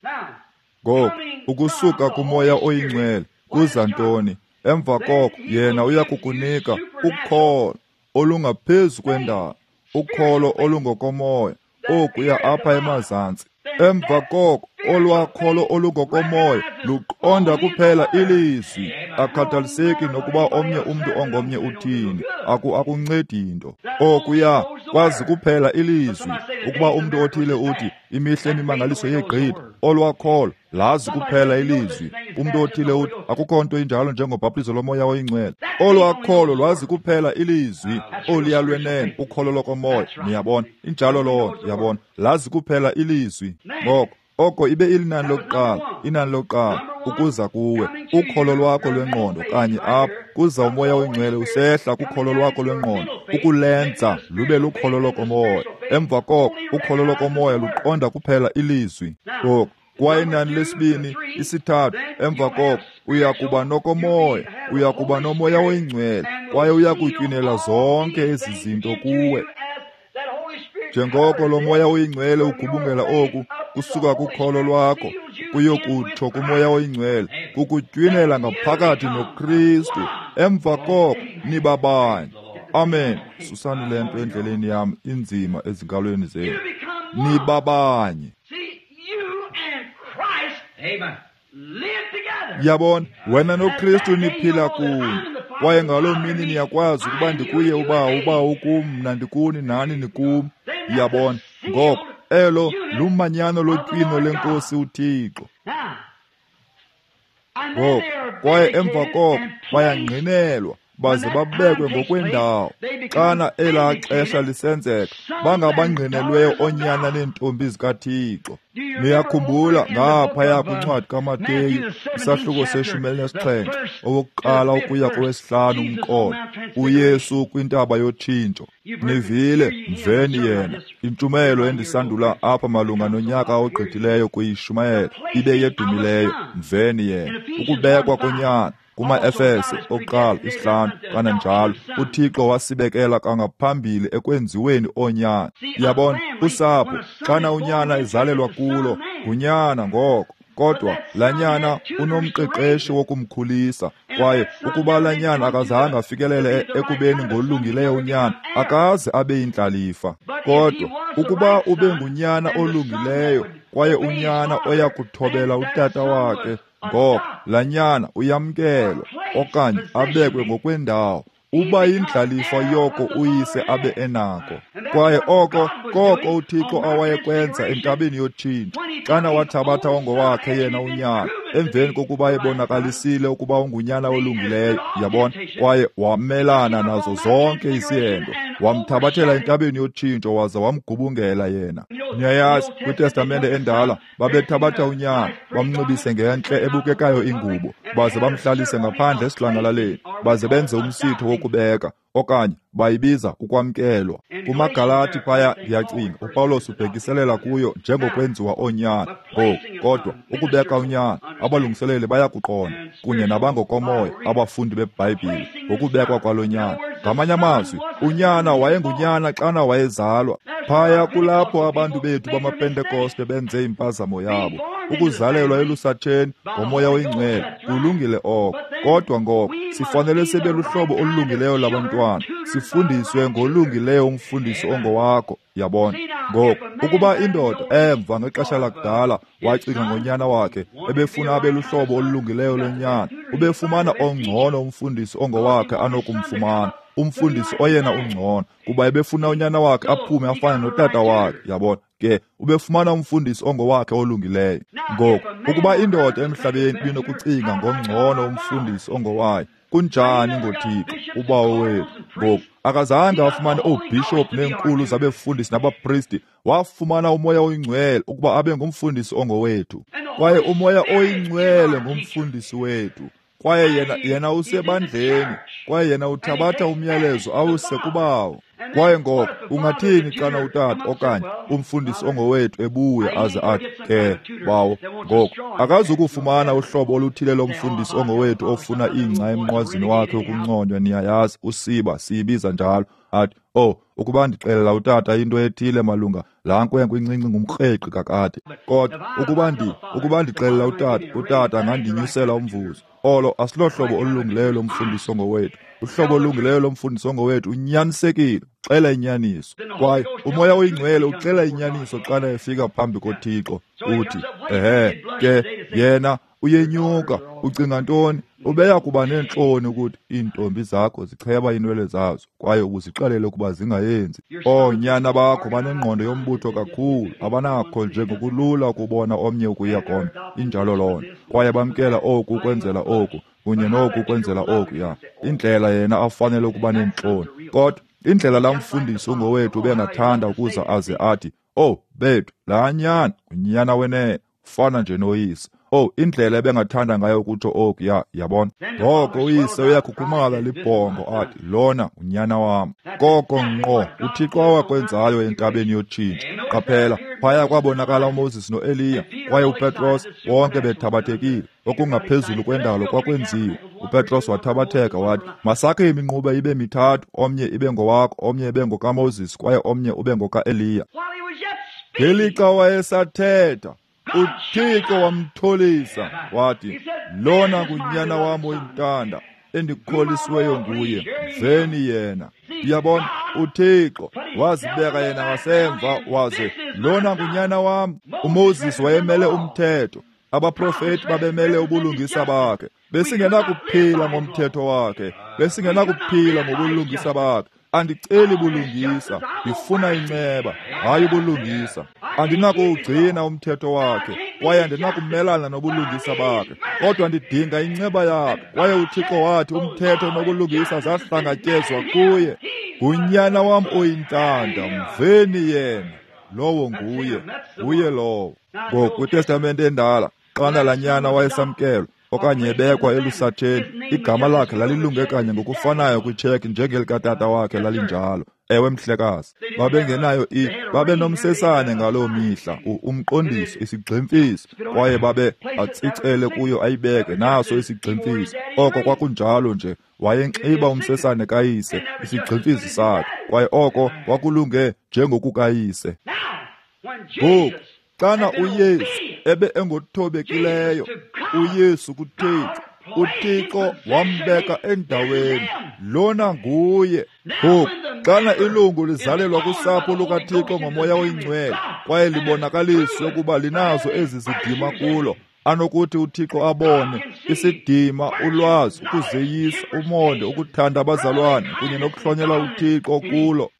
Ngoku, ukusuka kumoya oyingcwele kuza ntoni? Emva koko yena uyakukunika ukholo olungaphezu kwendalo, ukholo olungokomoya, okuya apha emazantsi. Emva koko olwakholo olungokomoya luqonda kuphela ilizwi, akhathaliseki nokuba omnye umntu ongomnye uthini, aku akuncedi nto. Okuya kwazi kuphela ilizwi. Ukuba umntu othile uthi imihla emimangaliso yegqitha, olwakholo lazi kuphela ilizwi. Umntu othile uthi akukho nto injalo njengobhaptizo lomoya oyingcwele, olwakholo lwazi kuphela ilizwi. Oluya lwenene ukholo lokomoya, niyabona, injalo loo nto, yabona, lazi kuphela ilizwi. Ngoko oko ibe ilinani lokuqala, inani lokuqala ukuza kuwe, ukholo lwakho lwengqondo kanye apho kuza umoya oyingcwele usehla kukholo lwakho lwengqondo ukulenza lube lukholo lokomoya. Emva koko ukholo lokomoya luqonda kuphela ilizwi. Ngoku kwaye inani lesibini, isithathu, emva koko uya kuba nokomoya, uya kuba nomoya oyingcwele, kwaye uya kutywinela zonke ezi zinto kuwe. Njengoko lo moya oyingcwele ugubungela oku kusuka kukholo lwakho kuyokutsho kumoya oyingcwele, kukutywinela ngaphakathi noKristu. Emva koko niba banye. Amen. Susani le nto endleleni yam inzima ezinkalweni zenu. Niba banye. Yabona, wena noKristu niphila kunye. Kwaye ngaloo mini niyakwazi ukuba ndikuye uba uba ukum, mna ndikuni, nani nikum. Yabona, ngoko elo lumanyano lotywino lenkosi uThixo. Ngoko kwaye emva koko bayangqinelwa baze babekwe ngokwendawo. Xana elaa xesha lisenzeka, bangabangqinelweyo oonyana neentombi zikaThixo. Niyakhumbula ngaphaya kwincwadi kaMateyu, isahluko seshumi elinesixhenxe, owokuqala ukuya kowesihlanu umqolo, uYesu kwintaba yotshintsho. Nivile, mveni yena. Intshumayelo endisandula apha malunga nonyaka ogqithileyo kuyishumayela ibe yedumileyo, mveni yena. Ukubekwa konyana kuma-Efese okuqala isihlanu kananjalo, uThixo wasibekela kangaphambili ekwenziweni oonyana. Yabona, usapho xana unyana ezalelwa kulo ngunyana ngoko, kodwa laa nyana unomqeqeshi wokumkhulisa. Kwaye ukuba laa nyana akazange afikelele ekubeni ngolungileyo unyana, akaze abe yindlalifa. Kodwa ukuba ube ngunyana olungileyo kwaye unyana oya kuthobela utata wakhe, ngoko laa nyana uyamkelwa okanye abekwe ngokwendawo, uba yindlalifa yoko uyise abe enako. Kwaye oko koko uThixo awayekwenza entabeni yotshintsho, xana wathabatha ongowakhe yena unyana, emveni kokuba ebonakalisile ukuba ungunyana olungileyo, yabona, kwaye wamelana nazo zonke izihendo, wamthabathela entabeni yotshintsho waza wamgubungela yena. Niyayazi, kwiTestamente endala babethabatha unyana, bamnxibise ngentle ebukekayo ingubo, baze bamhlalise ngaphandle esidlangalaleni, baze benze umsitho wokubeka, okanye bayibiza ukwamkelwa. KumaGalati phaya, ndiyacinga uPawulos ubhekiselela kuyo njengokwenziwa oonyana. Ngoku kodwa ukubeka unyana, abalungiseleli bayakuqonda, kunye nabangokomoya abafundi beBhayibhile, ngokubekwa kwalo nyana. Ngamanye amazwi, unyana wayengunyana xana wayezalwa. Phaya kulapho abantu bethu bamaPentekoste benze impazamo yabo. Ukuzalelwa elusatsheni ngomoya oyingcwele kulungile oko, kodwa ngoko sifanele sibe luhlobo olulungileyo labantwana, sifundiswe ngolungileyo umfundisi ongowakho. Yabona, Ngoku ukuba indoda emva ngexesha lakudala wacinga ngonyana wakhe, ebefuna abe luhlobo olulungileyo lonyana, ubefumana ongcono umfundisi ongowakhe anokumfumana, umfundisi oyena ungcono, kuba ebefuna unyana wakhe aphume afane notata wakhe, yabona. Ke ubefumana umfundisi ongowakhe olungileyo. Ngoku ukuba indoda emhlabeni ibinokucinga ngongcono umfundisi ongowayo, kunjani ngoThixo uBawo wethu? Ngoku akazange afumane oobhishophu neenkulu zabefundisi nabapristi, wafumana uMoya oyiNgcwele ukuba abe ngumfundisi ongowethu. Kwaye uMoya oyiNgcwele ngumfundisi wethu. Kwaye yena yena usebandleni, kwaye yena uthabatha umyalezo awuse kuBawo. Kwaye ngoko ungathini xana utata okanye umfundisi ongowethu ebuya aze athi, ke bawo, ngoku akazukufumana uhlobo oluthile lomfundisi ongowethu ofuna ingca emnqwazini wakhe ukunconywa, niyayazi, usiba siyibiza njalo, athi, oh, ukuba ndixelela utata into ethile malunga laa nkwenkwe incinci ngumkreqi kakade, kodwa ukuba ndi ukuba ndixelela utata, utata angandinyusela umvuzo. Olo asilohlobo olulungileyo lomfundisi ongowethu. Uhlobo olulungileyo lomfundisi ongowethu unyanisekile, uxela inyaniso. Kwaye uMoya oyiNgcwele uxela inyaniso xana efika phambi koThixo, uthi, ehe, ke yena uyenyuka, ucinga ntoni? Ubeya kuba neentloni ukuthi iintombi zakho zicheba iinwele zazo, kwaye ubuzixelele ukuba zingayenzi. Oonyana bakho banengqondo yombutho kakhulu, abanakho nje ngokulula ukubona omnye ukuya komnye. Injalo loo nto. Kwaye bamkela oku ukwenzela oku, kunye noku ukwenzela oku, ya. Indlela yena afanele ukuba neentloni. Kodwa indlela laa mfundisi ungowethu ubengathanda ukuza aze athi, oh, bethu, laa nyana ngunyana wenene, ufana nje noyise. Oh, indlela ebengathanda ngayo ukutsho oku, ya, yabona. Ngoko uyise uyakhukhumala libhongo athi, lona unyana wam. Koko ngqo uThixo awakwenzayo entabeni yotshintsho. Qaphela, phaya kwabonakala uMoses noEliya, kwaye uPetros, bonke bethabathekile. Okungaphezulu kwendalo kwakwenziwe. uPetros wathabatheka wathi, masakhe iminquba ibe mithathu, omnye ibe ngowakho, omnye ibe ngokaMoses, kwaye omnye ube ngokaEliya. Ngelixa wayesathetha, uThixo wamtholisa wathi, lona ngunyana wam oyintanda, endikholisiweyo nguye, mveni yena. Uyabona, uThixo wazibeka yena ngasemva waze, lona ngunyana wam. uMoses wayemele umthetho, abaprofeti babemele ubulungisa bakhe. Besingenakuphila ngomthetho wakhe, besingenakuphila ngobulungisa bakhe. Andiceli bulungisa, ndifuna inceba, hayi ubulungisa. Andinakuwugcina umthetho wakhe, kwaye andinakumelana nobulungisa bakhe, kodwa ndidinga inceba yakhe. Kwaye uThixo wathi umthetho nobulungisa zahlangatyezwa kuye. Ngunyana wam oyintanda, mveni yena. Lowo nguye, nguye lowo. Ngoku kwiTestamente endala, xana laa nyana wayesamkelwa okanye ebekwa elusatheni, igama lakhe lalilunge kanye ngokufanayo kwitsheki njengelikatata wakhe lalinjalo. Ewe mhlekazi, babengenayo i babenomsesane ngaloo mihla, umqondiso, isigximfiso, kwaye babe atsicele kuyo ayibeke naso isigximfiso. Oko kwakunjalo nje, wayenxiba umsesane kayise, isigximfiso sakhe, kwaye oko kwakulunge njengokukayise. Ngoku xana uYesu ebe engothobekileyo, uYesu kuThixo, uThixo wambeka endaweni, lona nguye. Ngoku xana ilungu lizalelwa kusapho lukaThixo ngoMoya oyiNgcwele, kwaye libonakaliswe ukuba linazo ezi zidima kulo, anokuthi uThixo abone isidima, ulwazi, ukuzeyisa, umonde, ukuthanda abazalwane kunye nokuhlonela uThixo kulo.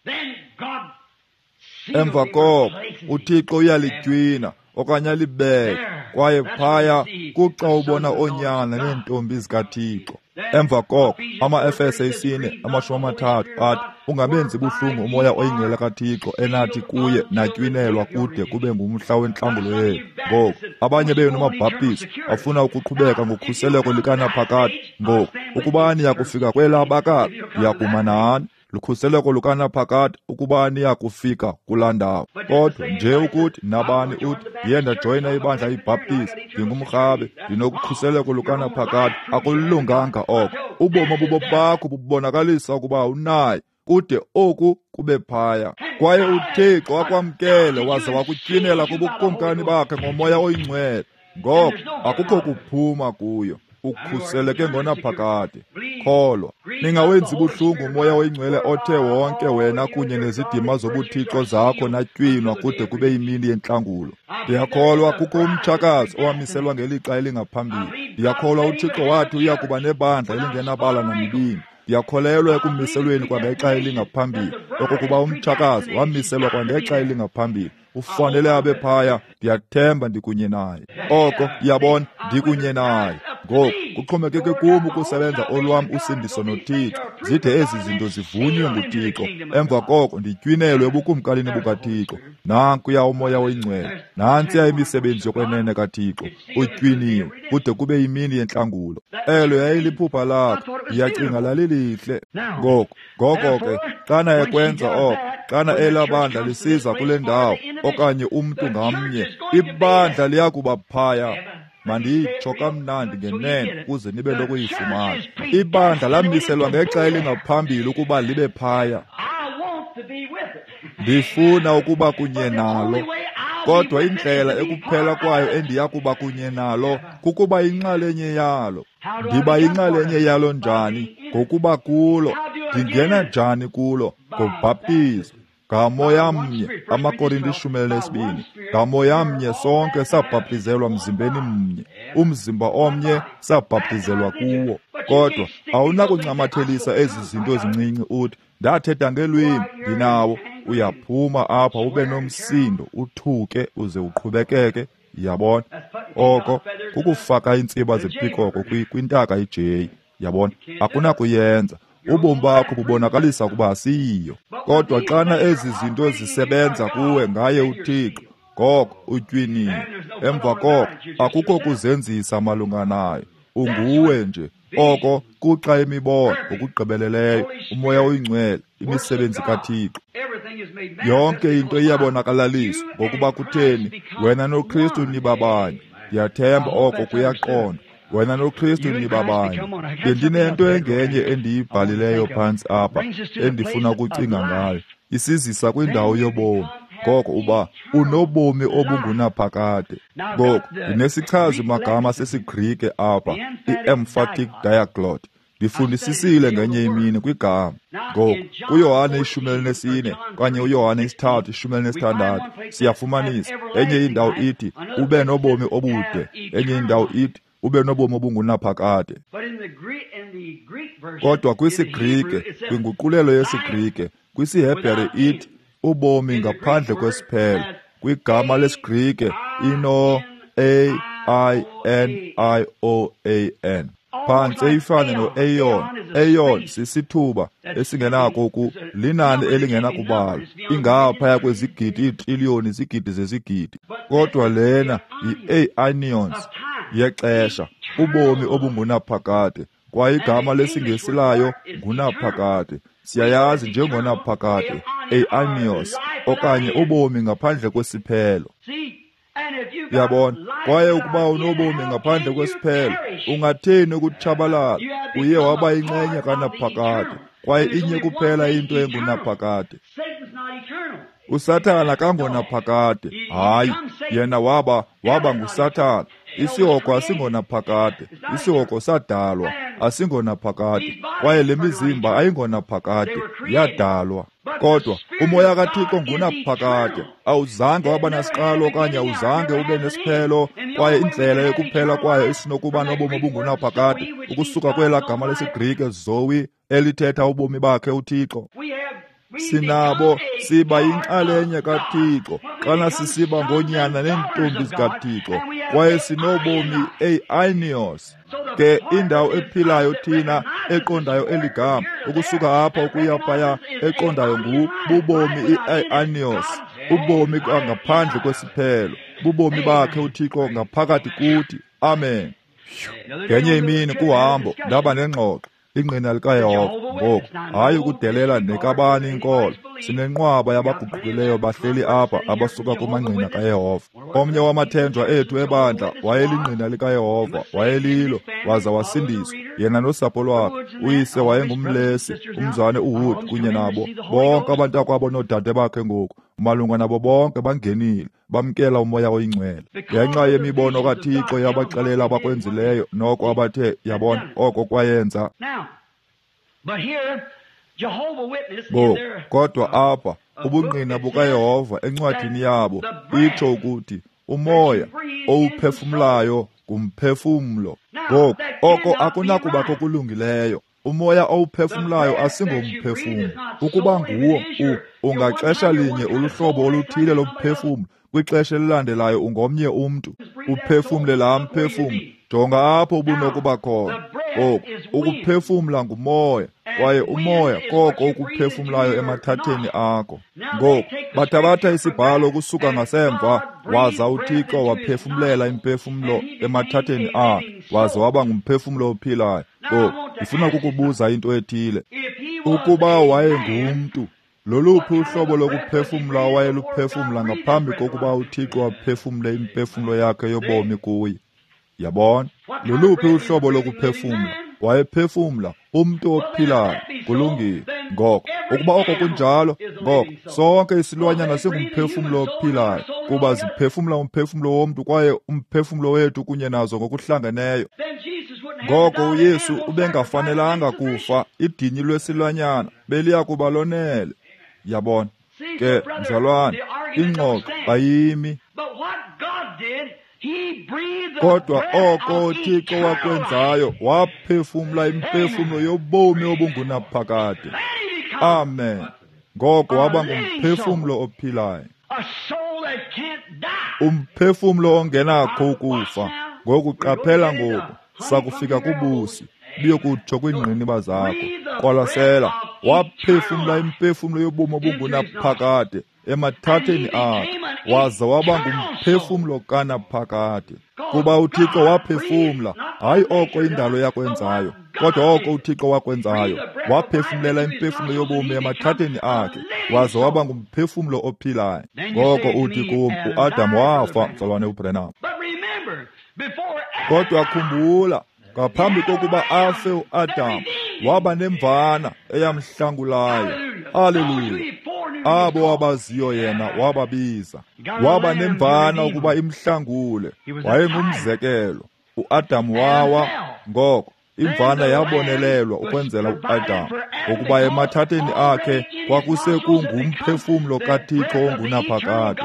Emva koko uThixo uyalitywina okanye alibeke, kwaye phaya kuxa ubona oonyana neentombi zikaThixo. Emva koko amaEfese isine amashumi amathathu athi, ungabenzi buhlungu uMoya oyiNgcwele kaThixo enathi kuye natywinelwa kude kube ngumhla wentlangulo yenu. Ngoku abanye benu maBhaptizi bafuna ukuqhubeka ngokhuseleko likanaphakade. Ngoku ukuba niyakufika kwelaa bakala, ndiyakuma nani. Lukhuseleko lukanaphakade ukuba niyakufika kulaa ndawo. Kodwa nje ukuthi nabani uthi, ndiye ndajoyina ibandla iBhaptizi, ndingumrhabe, ndinokukhuseleko lukanaphakade, akulunganga oko. Ubomi obubo bakho bubonakalisa ukuba unaye, kude oku kube phaya. Kwaye uThixo wakwamkele waze wakutyinela kubukumkani bakhe ngoMoya oyiNgcwele. Ngoko akukho kuphuma kuyo, ukhuseleke ngonaphakade. Kholwa. Ningawenzi buhlungu uMoya oyiNgcwele othe wonke wena kunye nezidima zobuthixo zakho natywinwa kude kube yimini yentlangulo. Ndiyakholwa kukho umtshakazi owamiselwa ngelixa elingaphambili. Ndiyakholwa uThixo wathi uya kuba nebandla elingenabala namibini. Ndiyakholelwa ekumiselweni kwangexa elingaphambili, okokuba umtshakazi wamiselwa kwangexa elingaphambili. Ufanele abe phaya. Ndiyathemba ndikunye naye. Oko, yabona, ndikunye naye. Ngoku kuxhomekeke kum ukusebenza olwam usindiso noThixo, zide ezi zinto zivunywe nguThixo. Emva koko nditywinelwe ebukumkanini bukaThixo. Nankuya uMoya oyiNgcwele, nantsiya imisebenzi yokwenene kaThixo. Utywiniwe kude kube yimini yentlangulo. Elo yayiliphupha lakho, ndiyacinga lalilihle. Ngoku, ngoko ke, xana ekwenza oko, xana elaa bandla lisiza kule ndawo, okanye umntu ngamnye, ibandla liyakuba phaya. Mandiyitsho kamnandi ngenene ukuze nibe nokuyifumana. Ibandla lamiselwa ngexa elingaphambili ukuba libe phaya. Ndifuna ukuba kunye nalo, kodwa indlela ekuphela kwayo endiya kuba kunye nalo kukuba yinxalenye yalo. Ndiba yinxalenye yalo njani? Ngokuba kulo. Ndingena njani kulo? Ngobhaptizo. Ngamoya mnye, amaKorinte ishumi elinesibini, ngamoya mnye sonke sabhaptizelwa mzimbeni mnye, umzimba omnye sabhaptizelwa kuwo. Kodwa awunakuncamathelisa ezi zinto zincinci uthi, ndathetha ngelwimi, ndinawo. Uyaphuma apha ube nomsindo, uthuke uze uqhubekeke. Yabona? Oko kukufaka iintsiba zepikoko kwintaka ijeyi. Yabona? Akunakuyenza. Ubomi bakho bubonakalisa ukuba asiyiyo. Kodwa xana ezi zinto zisebenza kuwe ngaye uThixo, ngoko utywiniwe. Emva koko akukho kuzenzisa malunga nayo. Unguwe nje. Oko kuxa imibono ngokugqibeleleyo, uMoya oyiNgcwele, imisebenzi kaThixo. Yonke into iyabonakalaliswa ngokuba kutheni wena noKristu nibabanye. Ndiyathemba oko kuyaqonda. Wena noKristu nibabanye. Bendinento engenye endiyibhalileyo phantsi apha endifuna ukucinga ngayo. Isizisa kwindawo yobomi. Ngoko uba unobomi obungunaphakade. Ngoku ndinesichazi magama sesiGrike apha, i-emphatic diaglot. Ndifundisisile ngenye imini kwigama. Ngoku kuYohane ishumi elinesine okanye uYohane isithathu ishumi elinesithandathu siyafumanisa enye indawo ithi ube nobomi obude, enye indawo ithi ube nobomi obungunaphakade. Kodwa kwisiGrike, kwinguqulelo yesiGrike, kwisiHebhere ithi ubomi ngaphandle kwesiphelo. Kwigama lesiGrike ino A I N I O A N. Phantse ifane no-Aeon. Aeon sisithuba esingenako ku linani elingenakubalwa, ingaphaya kwezigidi iitriliyoni izigidi zezigidi. Kodwa lena yi-Aeonions yexesha, ubomi obungunaphakade. Kwaye igama lesiNgesi layo ngunaphakade. Siyayazi njengonaphakade, Aeonios, okanye ubomi ngaphandle kwesiphelo. Uyabona? Kwaye ukuba unobomi ngaphandle kwesiphelo, ungatheni ukutshabalala? Uye waba yinxenye kanaphakade, kwaye inye kuphela into engunaphakade. USathana kangonaphakade. Hayi, yena waba waba nguSathana. Isihogo asingonaphakade. Isihogo sadalwa, asingonaphakade. Kwaye le mizimba ayingonaphakade, yadalwa. Kodwa uMoya kaThixo ngunaphakade. Awuzange waba nasiqalo okanye awuzange ube nesiphelo, kwaye indlela yokuphela kwayo isinokuba nobomi obungunaphakade ukusuka kwelaa gama lesiGrike zoe elithetha ubomi bakhe uThixo. Sinabo siba yinxalenye kaThixo xana sisiba ngoonyana neentombi zikaThixo, kwaye sinobomi aeonios. Ke indawo ephilayo thina eqondayo eligama ukusuka apha ukuya phaya eqondayo ngu bubomi i-aeonios, ubomi ngaphandle kwesiphelo, bubomi bakhe uThixo ngaphakathi kuthi. Amen. Ngenye imini kuhambo ndaba nengxoxo ingqina likaYehova. Ngoku hayi ukudelela nekabani inkolo, sinenqwaba yabaguqukileyo bahleli apha abasuka kumangqina kaYehova. Omnye wamathenjwa ethu ebandla wayelingqina likaYehova, wayelilo, waza wasindiswa yena nosapho lwakhe. Uyise wayengumlesi, umzane uHud kunye nabo bonke abantakwabo noodade bakhe. Ngoku malunga nabo bonke bangenile, bamkela uMoya oyiNgcwele ngenxa yemibono kaThixo yabaxelela abakwenzileyo noko abathe yabona oko kwayenza. Ngoku, kodwa apha ubungqina bukaYehova encwadini yabo itsho ukuthi umoya owuphefumlayo ngumphefumlo. Ngoku, oko akunakuba kokulungileyo. Umoya owuphefumlayo asingomphefumlo. Ukuba nguwo, ungaxesha linye uluhlobo oluthile lomphefumlo, kwixesha elilandelayo ungomnye umntu. Uphefumle laa mphefumlo. Jonga apho ubunokuba khona. Ngoku, ukuphefumla ngumoya, kwaye umoya koko ukuphefumlayo emathatheni akho. Ngoku, bathabatha isibhalo ukusuka ngasemva, waza uThixo waphefumlela imphefumlo emathatheni akhe, waza waba ngumphefumlo ophilayo. Ngoku, ndifuna ukukubuza into ethile. Ukuba wayengumntu, loluphi uhlobo lokuphefumla awayeluphefumla ngaphambi kokuba uThixo aphefumle imphefumlo yakhe yobomi kuye? Yabona? Loluphi uhlobo lokuphefumla? Wayephefumla umntu ophilayo. Kulungile. Ngoko, ukuba oko kunjalo, ngoko sonke isilwanyana singumphefumlo ophilayo, kuba ziphefumla umphefumlo womntu kwaye umphefumlo wethu kunye nazo ngokuhlangeneyo. Ngoko uYesu ubengafanelanga kufa, idini lwesilwanyana beliya kuba lonele. Yabona? Ke, mzalwane, ingxoxo ayimi. Kodwa oko uThixo wakwenzayo, waphefumla imphefumlo yobomi obungunaphakade. Amen. Ngoko waba ngumphefumlo ophilayo, umphefumlo ongenakho ukufa. Ngoku qaphela ngoku, sakufika kubusi, buyokutsho kwiingqiniba zakho. Qwalasela, waphefumla imphefumlo yobomi obungunaphakade emathatheni akhe, waza waba ngumphefumlo kanaphakade. Kuba uThixo waphefumla, hayi oko indalo yakwenzayo, kodwa oko uThixo wakwenzayo, waphefumlela imphefumlo yobomi emathatheni akhe, waza waba ngumphefumlo ophilayo. Ngoko uthi kum, uAdam wafa, mzalwane uBrenham. Kodwa khumbula, ngaphambi kokuba afe uAdam, waba nemvana eyamhlangulayo. Haleluya! Abo abaziyo yena wababiza. Waba nemvana ukuba imhlangule. Wayengumzekelo. uAdam wawa, ngoko imvana yabonelelwa ukwenzela uAdam, ngokuba emathatheni akhe kwakusekungumphefumlo kaThixo ongunaphakade,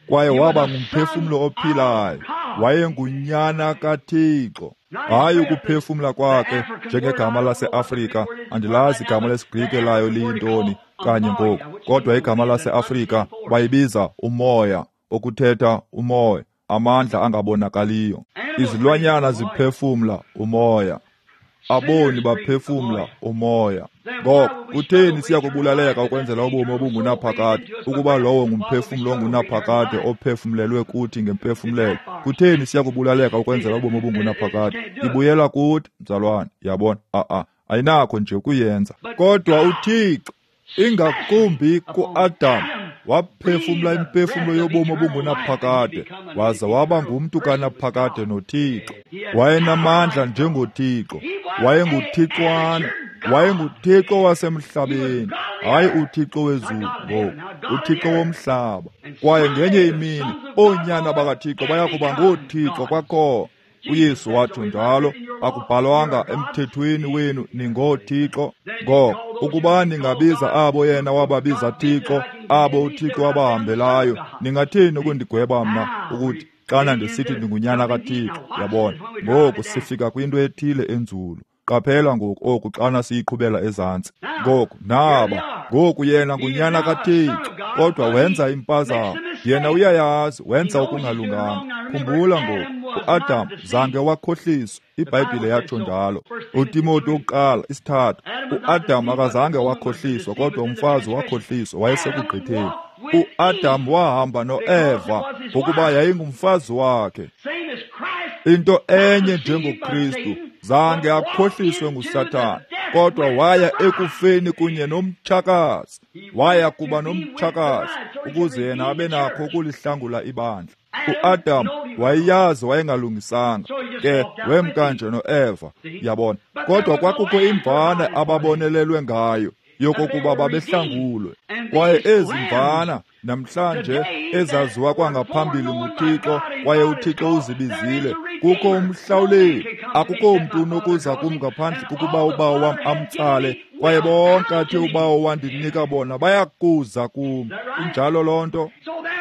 kwaye waba ngumphefumlo ophilayo. Wayengunyana kaThixo. Hayi ukuphefumla kwakhe njengegama laseAfrika. Andilazi igama lesiGrike layo liyintoni kanye ngoku, kodwa igama laseAfrika bayibiza umoya, okuthetha umoya, amandla angabonakaliyo. Izilwanyana ziphefumla umoya, aboni baphefumla umoya. Ngoko kutheni siya kubulaleka ukwenzela ubomi obungunaphakade, ukuba lowo ngumphefumlo ongunaphakade ophefumlelwe kuthi ngemphefumlelo? Kutheni siya kubulaleka ukwenzela ubomi obungunaphakade? Ibuyela kuthi, mzalwane. Yabona? A-a, ayinakho nje ukuyenza. Kodwa uThixo, ingakumbi kuAdam, waphefumla imphefumlo yobomi obungunaphakade, waza waba ngumntu kanaphakade noThixo. Wayenamandla njengoThixo. Wayenguthixwana. WayenguThixo wasemhlabeni, hayi uThixo wezulu ngoku, uThixo womhlaba. Kwaye ngenye imini oonyana bakaThixo baya kuba ngoothixo kwakhona. uYesu watsho njalo, akubhalwanga emthethweni wenu ningoothixo? Ngoko ukuba ningabiza abo yena wababiza Thixo, abo uThixo wabahambelayo, ningathini ukundigweba mna ukuthi xana ndisithi ndingunyana kaThixo? Yabona? Ngoku sifika kwinto ethile enzulu. Qaphela ngoku oku xana siyiqhubela ezantsi. Ngoku naba, ngoku yena ngunyana kaThixo, kodwa wenza impazamo. Yena uyayazi, wenza okungalunganga. Khumbula ngoku, uAdam zange wakhohliswa, iBhayibhile yatsho njalo. UTimoti wokuqala isithathu, uAdam akazange wakhohliswa, kodwa umfazi wakhohliswa, wayesekugqitheni. uAdam wahamba noEva ngokuba yayingumfazi wakhe. Into enye njengoKristu, zange akhohliswe nguSathane, kodwa waya ekufeni kunye nomtshakazi. Waya kuba nomtshakazi ukuze yena abe nakho ukulihlangula ibandla. uAdam wayeyazi wayengalungisanga, ke wemka nje noEva, yabona. Kodwa kwakukho imvana ababonelelwe ngayo. yokokuba babehlangulwe. Kwaye ezi mvana namhlanje ezaziwa kwangaphambili nguThixo, kwaye uThixo uzibizile, kukho umhlawuleli. Akukho mntu unokuza kum ngaphandle kokuba uBawo wam amtsale, kwaye bonke athe uBawo wandinika bona bayakuza kum. Injalo loo nto.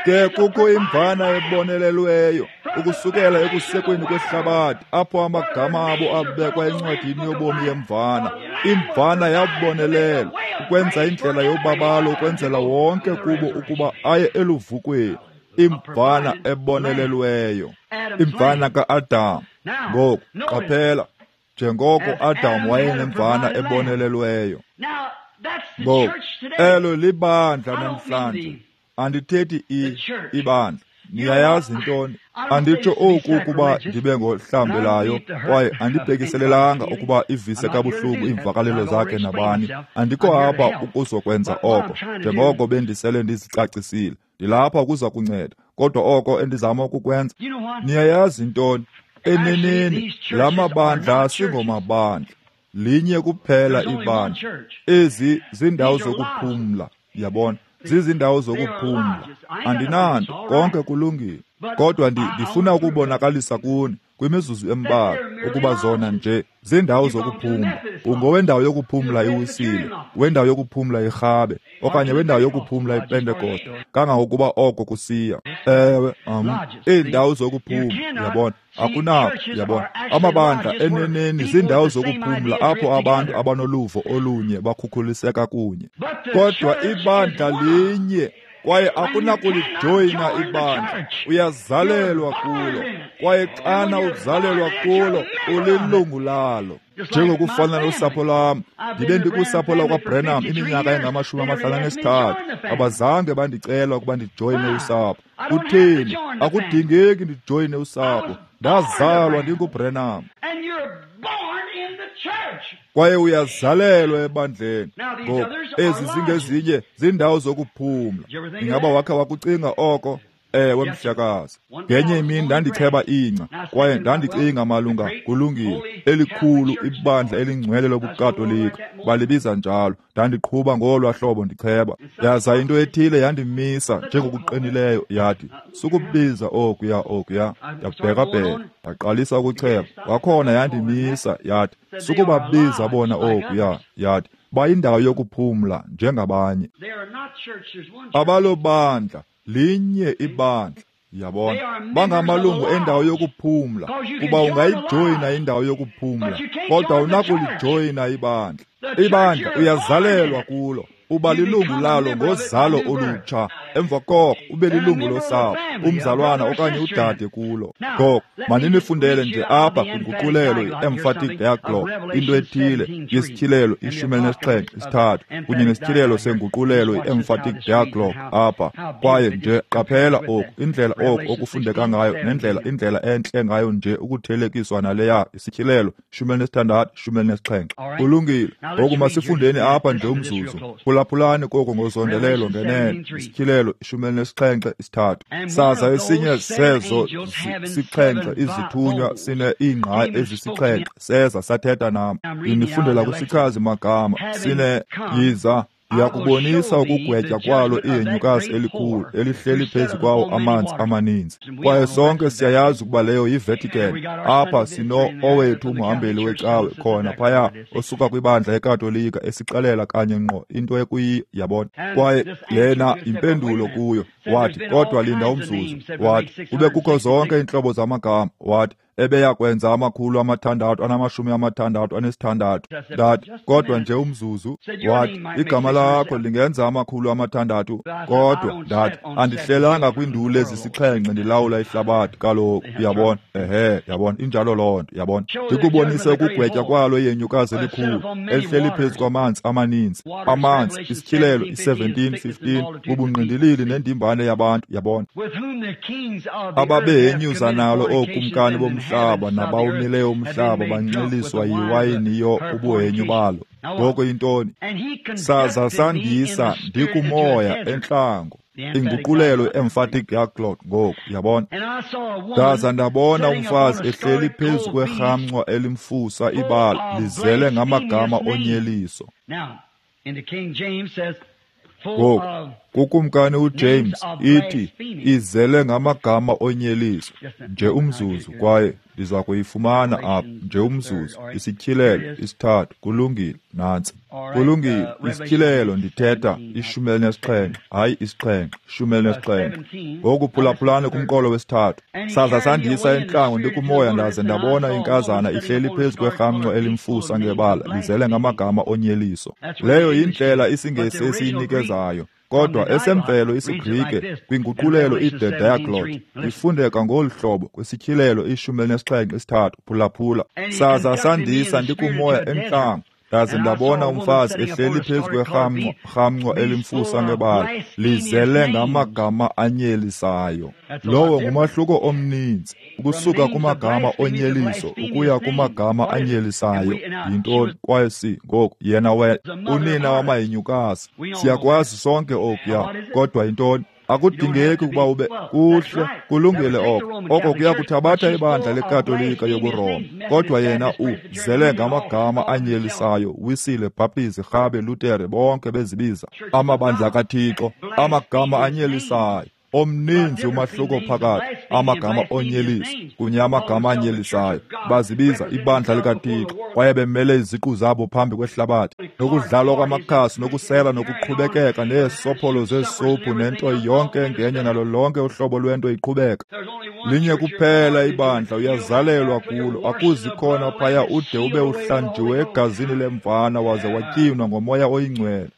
Ke kukho imvana ebonelelweyo ukusukela ekusekweni kwehlabathi, apho amagama abo abekwa encwadini yobomi yemvana. Imvana yabonelelwa ukwenza indlela yobabalo, ukwenzela wonke kubo ukuba aye eluvukweni. Imvana ebonelelweyo, imvana ka-Adam. Ngoku qaphela, njengoko Adam wayenemvana ebonelelweyo. Ngoku elo libandla namhlanje. Andithethi ibandla. Niyayazi ntoni? Anditsho oku ukuba ndibe ngohlambelayo, kwaye andibhekiselelanga ukuba ivise kabuhlungu iimvakalelo zakhe nabani. Andikho apha ukuzokwenza oko, njengoko bendisele ndizicacisile. Ndilapha ukuza kunceda, kodwa oko endizama ukukwenza, niyayazi ntoni? Eneneni, la mabandla asingomabandla. Linye kuphela ibandla. Ezi zindawo zokuphumla, yabona? Zizindawo zokuphumla. Andinanto, konke kulungile. Kodwa ndifuna ukubonakalisa kuni kwimizuzu embalwa ukuba zona nje zindawo zokuphumla. Ungowendawo yokuphumla iWisile, wendawo yokuphumla iRhabe, okanye wendawo yokuphumla iPentekoste, kangangokuba oko kusiya. Ewe, um, iindawo zokuphumla, yabona. Akunako, yabona. Amabandla eneneni zindawo zokuphumla apho abantu abanoluvo olunye bakhukhuliseka kunye. Kodwa ibandla linye, kwaye akunakulijoyina ibandla. Uyazalelwa kulo, kwaye xana uzalelwa kulo, ulilungu lalo. Njengokufana nosapho lwam, ndibe ndikusapho lakwaBrenham iminyaka engamashumi amahlanu anesithathu. Abazange bandicela ukuba ndijoyine usapho. Kutheni? Akudingeki ndijoyine usapho. Ndazalwa ndinguBrenham. Kwaye uyazalelwa ebandleni. Ngoku ezi zingezinye zindawo zokuphumla. Ingaba wakha wakucinga oko? Ewe, mhlekazi. Ngenye imini ndandicheba ingca, kwaye ndandicinga malunga kulungile elikhulu ibandla elingcwele lobuKatolika, balibiza njalo. Ndandiqhuba ngolwa hlobo ndicheba, yaza into ethile yandimisa njengokuqinileyo, yathi, sukubiza okuya okuya. Ndabhekabheka, ndaqalisa ukucheba kwakhona, yandimisa yathi, sukubabiza bona okuya. Yathi, bayindawo yokuphumla njengabanye. Abalobandla, linye ibandla, yabona. Bangamalungu endawo yokuphumla, kuba ungayijoyina indawo yokuphumla, kodwa awunakulijoyina ibandla. Ibandla uyazalelwa kulo, uba lilungu lalo ngozalo olutsha. Emva koko ube lilungu losapho, umzalwana okanye udade kulo. Ngoko mandinifundele nje apha kwinguqulelo i-Emphatic Diaglott into ethile yesityhilelo ishumi elinesixhenxe isithathu kunye nesityhilelo senguqulelo i-Emphatic Diaglott apha. Kwaye nje qaphela oku, indlela oku okufundeka ngayo nendlela indlela entle ngayo nje ukuthelekiswa naleya isityhilelo ishumi elinesithandathu ishumi elinesixhenxe. Kulungile. Ngoku masifundeni apha nje umzuzu. Phulaphulani koko ngozondelelo ngenene. Isityhilelo ishumi elinesixhenxe isithathu. Saza esinye sezo sixhenxe izithunywa sine iingqayi ezisixhenxe seza sathetha nam. Ndinifundela kwisichazi magama. Sine yiza ndiyakubonisa ukugwetya kwalo ihenyukazi elikhulu elihleli phezu kwawo amanzi amaninzi. Kwaye sonke siyayazi ukuba leyo yiVatican. Apha sino owethu umhambeli wecawe khona phaya osuka kwibandla eKatolika esixelela kanye ngqo into ekuyiyo, yabona. Kwaye lena impendulo kuyo. Wathi, kodwa linda umzuzu. Wathi, kube kukho zonke iintlobo zamagama. Wathi, ebeya kwenza amakhulu amathandathu anamashumi amathandathu anesithandathu. Ndathi, kodwa nje umzuzu. Wathi, igama lakho lingenza amakhulu amathandathu. Kodwa ndathi, andihlelanga kwiinduli ezisixhenxe ndilawula ihlabathi kaloku, uyabona. Ehe, yabona, injalo loo nto, yabona. Ndikubonise ukugwetya kwalo ihenyukazi elikhulu elihleli phezu kwamanzi amaninzi. Amanzi, isityhilelo i-seventeen fifteen, bubungqindilili nendimbane yabantu, yabona. Ababehenyuza nalo ookumkani bomhlaba nabawumileyo umhlaba banxiliswa yiwayini yo ubuhenyu balo. Ngoko yintoni? Saza sandisa ndikumoya entlango. Inguqulelo Emphatic Diaglott ngoku, yabona. Ndaza ndabona umfazi ehleli phezu kwerhamncwa elimfusa ibala lizele ngamagama onyeliso. Ngoku, kuKumkani uJames ithi izele ngamagama onyeliso. Nje umzuzu, kwaye ndiza kuyifumana apha. Nje umzuzu, isityhilelo isithathu. Kulungile, nantsi. Kulungile, isityhilelo ndithetha ishumi elinesixhenxe, hayi isixhenxe, ishumi elinesixhenxe. Ngoku phulaphulani kumqolo wesithathu. Saza sandisa entlango ndikumoya, ndaze ndabona inkazana ihleli phezu kwerhamncwa elimfusa ngebala, lizele ngamagama onyeliso. Leyo yindlela isiNgesi esiyinikezayo. Kodwa esemvelo isiGrike kwinguqulelo i-The Diaglott ifundeka ngolu hlobo kwisityhilelo ishumi elinesixhenxe isithathu. Phulaphula. Saza sandisa ndikumoya entlango, ndaze ndabona umfazi ehleli phezu kwerhamncwa rhamncwa elimfusa ngebala, lizele ngamagama anyelisayo. Lowo ngumahluko omninzi, ukusuka kumagama onyeliso ukuya kumagama anyelisayo. Yintoni? Kwaye si ngoku yena we unina wamahinyukazi. Siyakwazi sonke okuya, kodwa yintoni? Akudingeki ukuba ube kuhle, kulungile oko. Oko kuya kuthabatha ibandla leKatolika yobuRoma, kodwa yena uzele ngamagama anyelisayo. Wisile, Bhaptizi, Rhabe, Lutere, bonke bezibiza amabandla kaThixo, amagama anyelisayo. Omninzi umahluko phakathi amagama onyeliso kunye amagama anyelisayo. Bazibiza ibandla likaThixo, kwaye bemele iziqu zabo phambi kwehlabathi, nokudlalwa kwamakhasi, nokusela, nokuqhubekeka, neesopholo zeesophu, nento yonke engenye, nalo lonke uhlobo lwento iqhubeka. Linye kuphela ibandla, uyazalelwa kulo. Akuzi khona phaya ude ube uhlanjiwe egazini lemvana waze watyinwa ngomoya oyingcwele.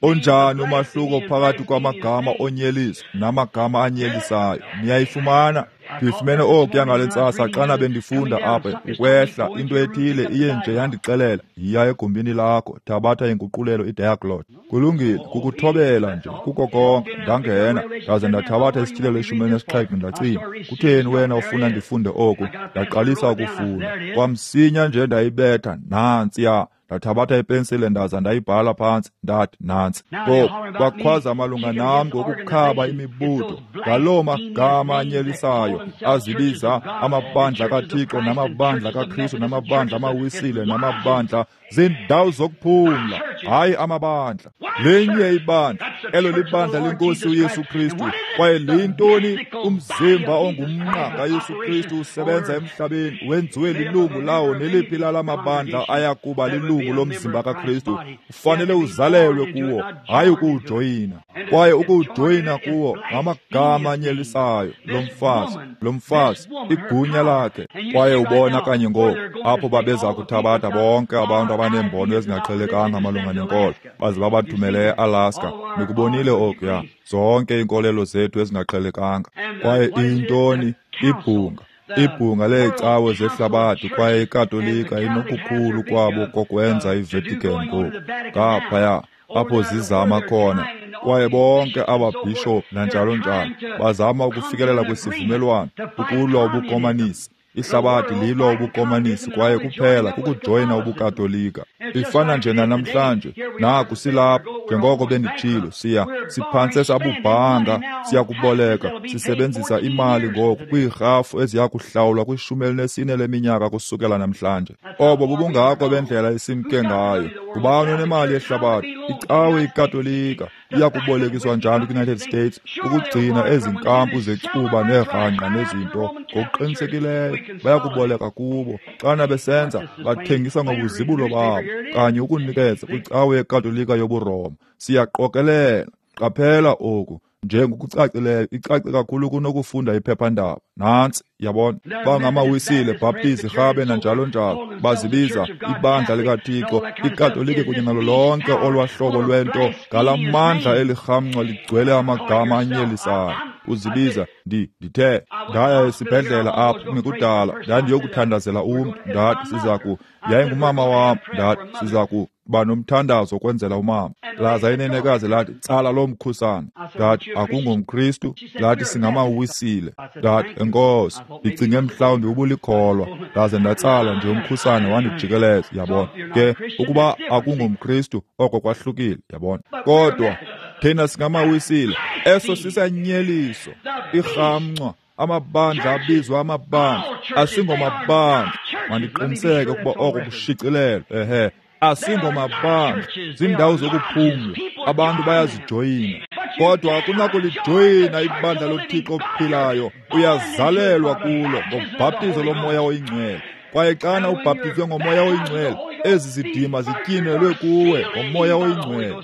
Onjani umahluko phakathi kwamagama onyeliso namagama anyelisayo? Niyayifumana? Ndifumene okuya ngale ntsasa xana bendifunda apha ukwehla, into ethile iye nje yandixelela, yiya egumbini lakho, thabatha inguqulelo iDiaglott. Kulungile, kukuthobela nje, kuko konke. Ndangena, ndaze ndathabatha isityhilelo ishumi elinesixhenxe, ndacima. Kutheni wena ufuna ndifunde oku? Ndaqalisa ukufunda. Kwamsinya nje ndayibetha, nantsiya. Ndathabatha ipensile ndaza ndayibhala phantsi, ndathi nantsi. Ngoku bakhwaza malunga nam ngokukhaba imibutho ngaloo magama anyelisayo azibiza amabandla kaThixo namabandla kaKristu namabandla amaWisile namabandla zindawo zokuphumla, hayi amabandla. Linye ibandla, elo libandla lenkosi uYesu Kristu. Kwaye liyintoni? Umzimba ongumnqa kaYesu Kristu usebenza emhlabeni, wenziwe lilungu lawo. Neliphi lala mabandla ayakuba lilungu lomzimba kaKristu, ufanele uzalelwe kuwo, hayi ukuwujoyina. Kwaye ukuwujoyina kuwo ngamagama anyelisayo. Lo mfazi, lo mfazi, igunya lakhe. Kwaye ubona kanye ngoku apho babeza kuthabatha bonke abantu abaneembono ezingaqhelekanga malunga nenkolo, baze babathumele eAlaska. Nikubonile okuya, zonke iinkolelo zethu ezingaqhelekanga. Kwaye iyintoni? Ibhunga. Ibhunga leecawe zehlabathi. Kwaye iKatolika inokukhulu kwabo kokwenza iVatican ngoku, ngaphaya apho zizama khona. Kwaye bonke ababhishophu nanjalo njalo bazama ukufikelela kwisivumelwano, ukulwa ubukomanisi. Ihlabathi lilwa ubukomanisi, kwaye kuphela kukujoyina ubuKatolika. Ifana nje nanamhlanje. Naku silapha, njengoko benditshilo, siya siphantse sabubhanga, siyakuboleka, sisebenzisa imali ngoku kwiirhafu eziya kuhlawulwa kwishumi elinesine leminyaka kusukela namhlanje. Obo bubungako bendlela esimke ngayo. Ngubani onemali yehlabathi? Icawe iKatolika iya kubolekiswa njani kwi-United States ukugcina ezi nkampu zecuba neerhangqa nezinto? Ngokuqinisekileyo bayakuboleka kubo. Xana besenza, bathengisa ngobuzibulo babo kanye ukunikeza kwicawe yeKatolika yobuRoma. Siyaqokelela. Qaphela oku njengokucacileyo, icace kakhulu kunokufunda iphephandaba. Nantsi, yabona, bangamaWisile, Bhaptizi, Rhabe nanjalo njalo, bazibiza ibandla likaThixo, iKatolika kunye nalo lonke olwahlobo lwento. Ngala mandla elirhamncwa ligcwele amagama anyelisayo. Uzibiza, ndi ndithe ndaya esibhedlela apho kungekudala, ndandiyokuthandazela umntu, ndathi siza ku, yayingumama wam, ndathi siza ku ba nomthandazo kwenzela umama. Laza inenekazi lathi, tsala lo mkhusane. Ndathi, akungomKristu? Lathi, singamaWisile. Ndathi, enkosi, ndicinge mhlawumbi ubulikholwa. Ndaze ndatsala nje umkhusane wandijikeleza, yabona. Ke ukuba akungomKristu, oko kwahlukile, yabona. Kodwa thina singamaWisile, eso sisanyeliso, irhamncwa. Amabandla abizwa amabandla, asingomabandla. Mandiqiniseke ukuba oko kushicilelwe. Ehe, Asingomabandla, ziindawo zokuphumla, abantu bayazijoyina. Kodwa akunakulijoyina ibandla loThixo ophilayo, uyazalelwa kulo ngobhaptizo loMoya oyiNgcwele. Kwaye xana ubhaptizwe ngoMoya oyiNgcwele, ezi zidima zityinelwe kuwe ngoMoya oyiNgcwele.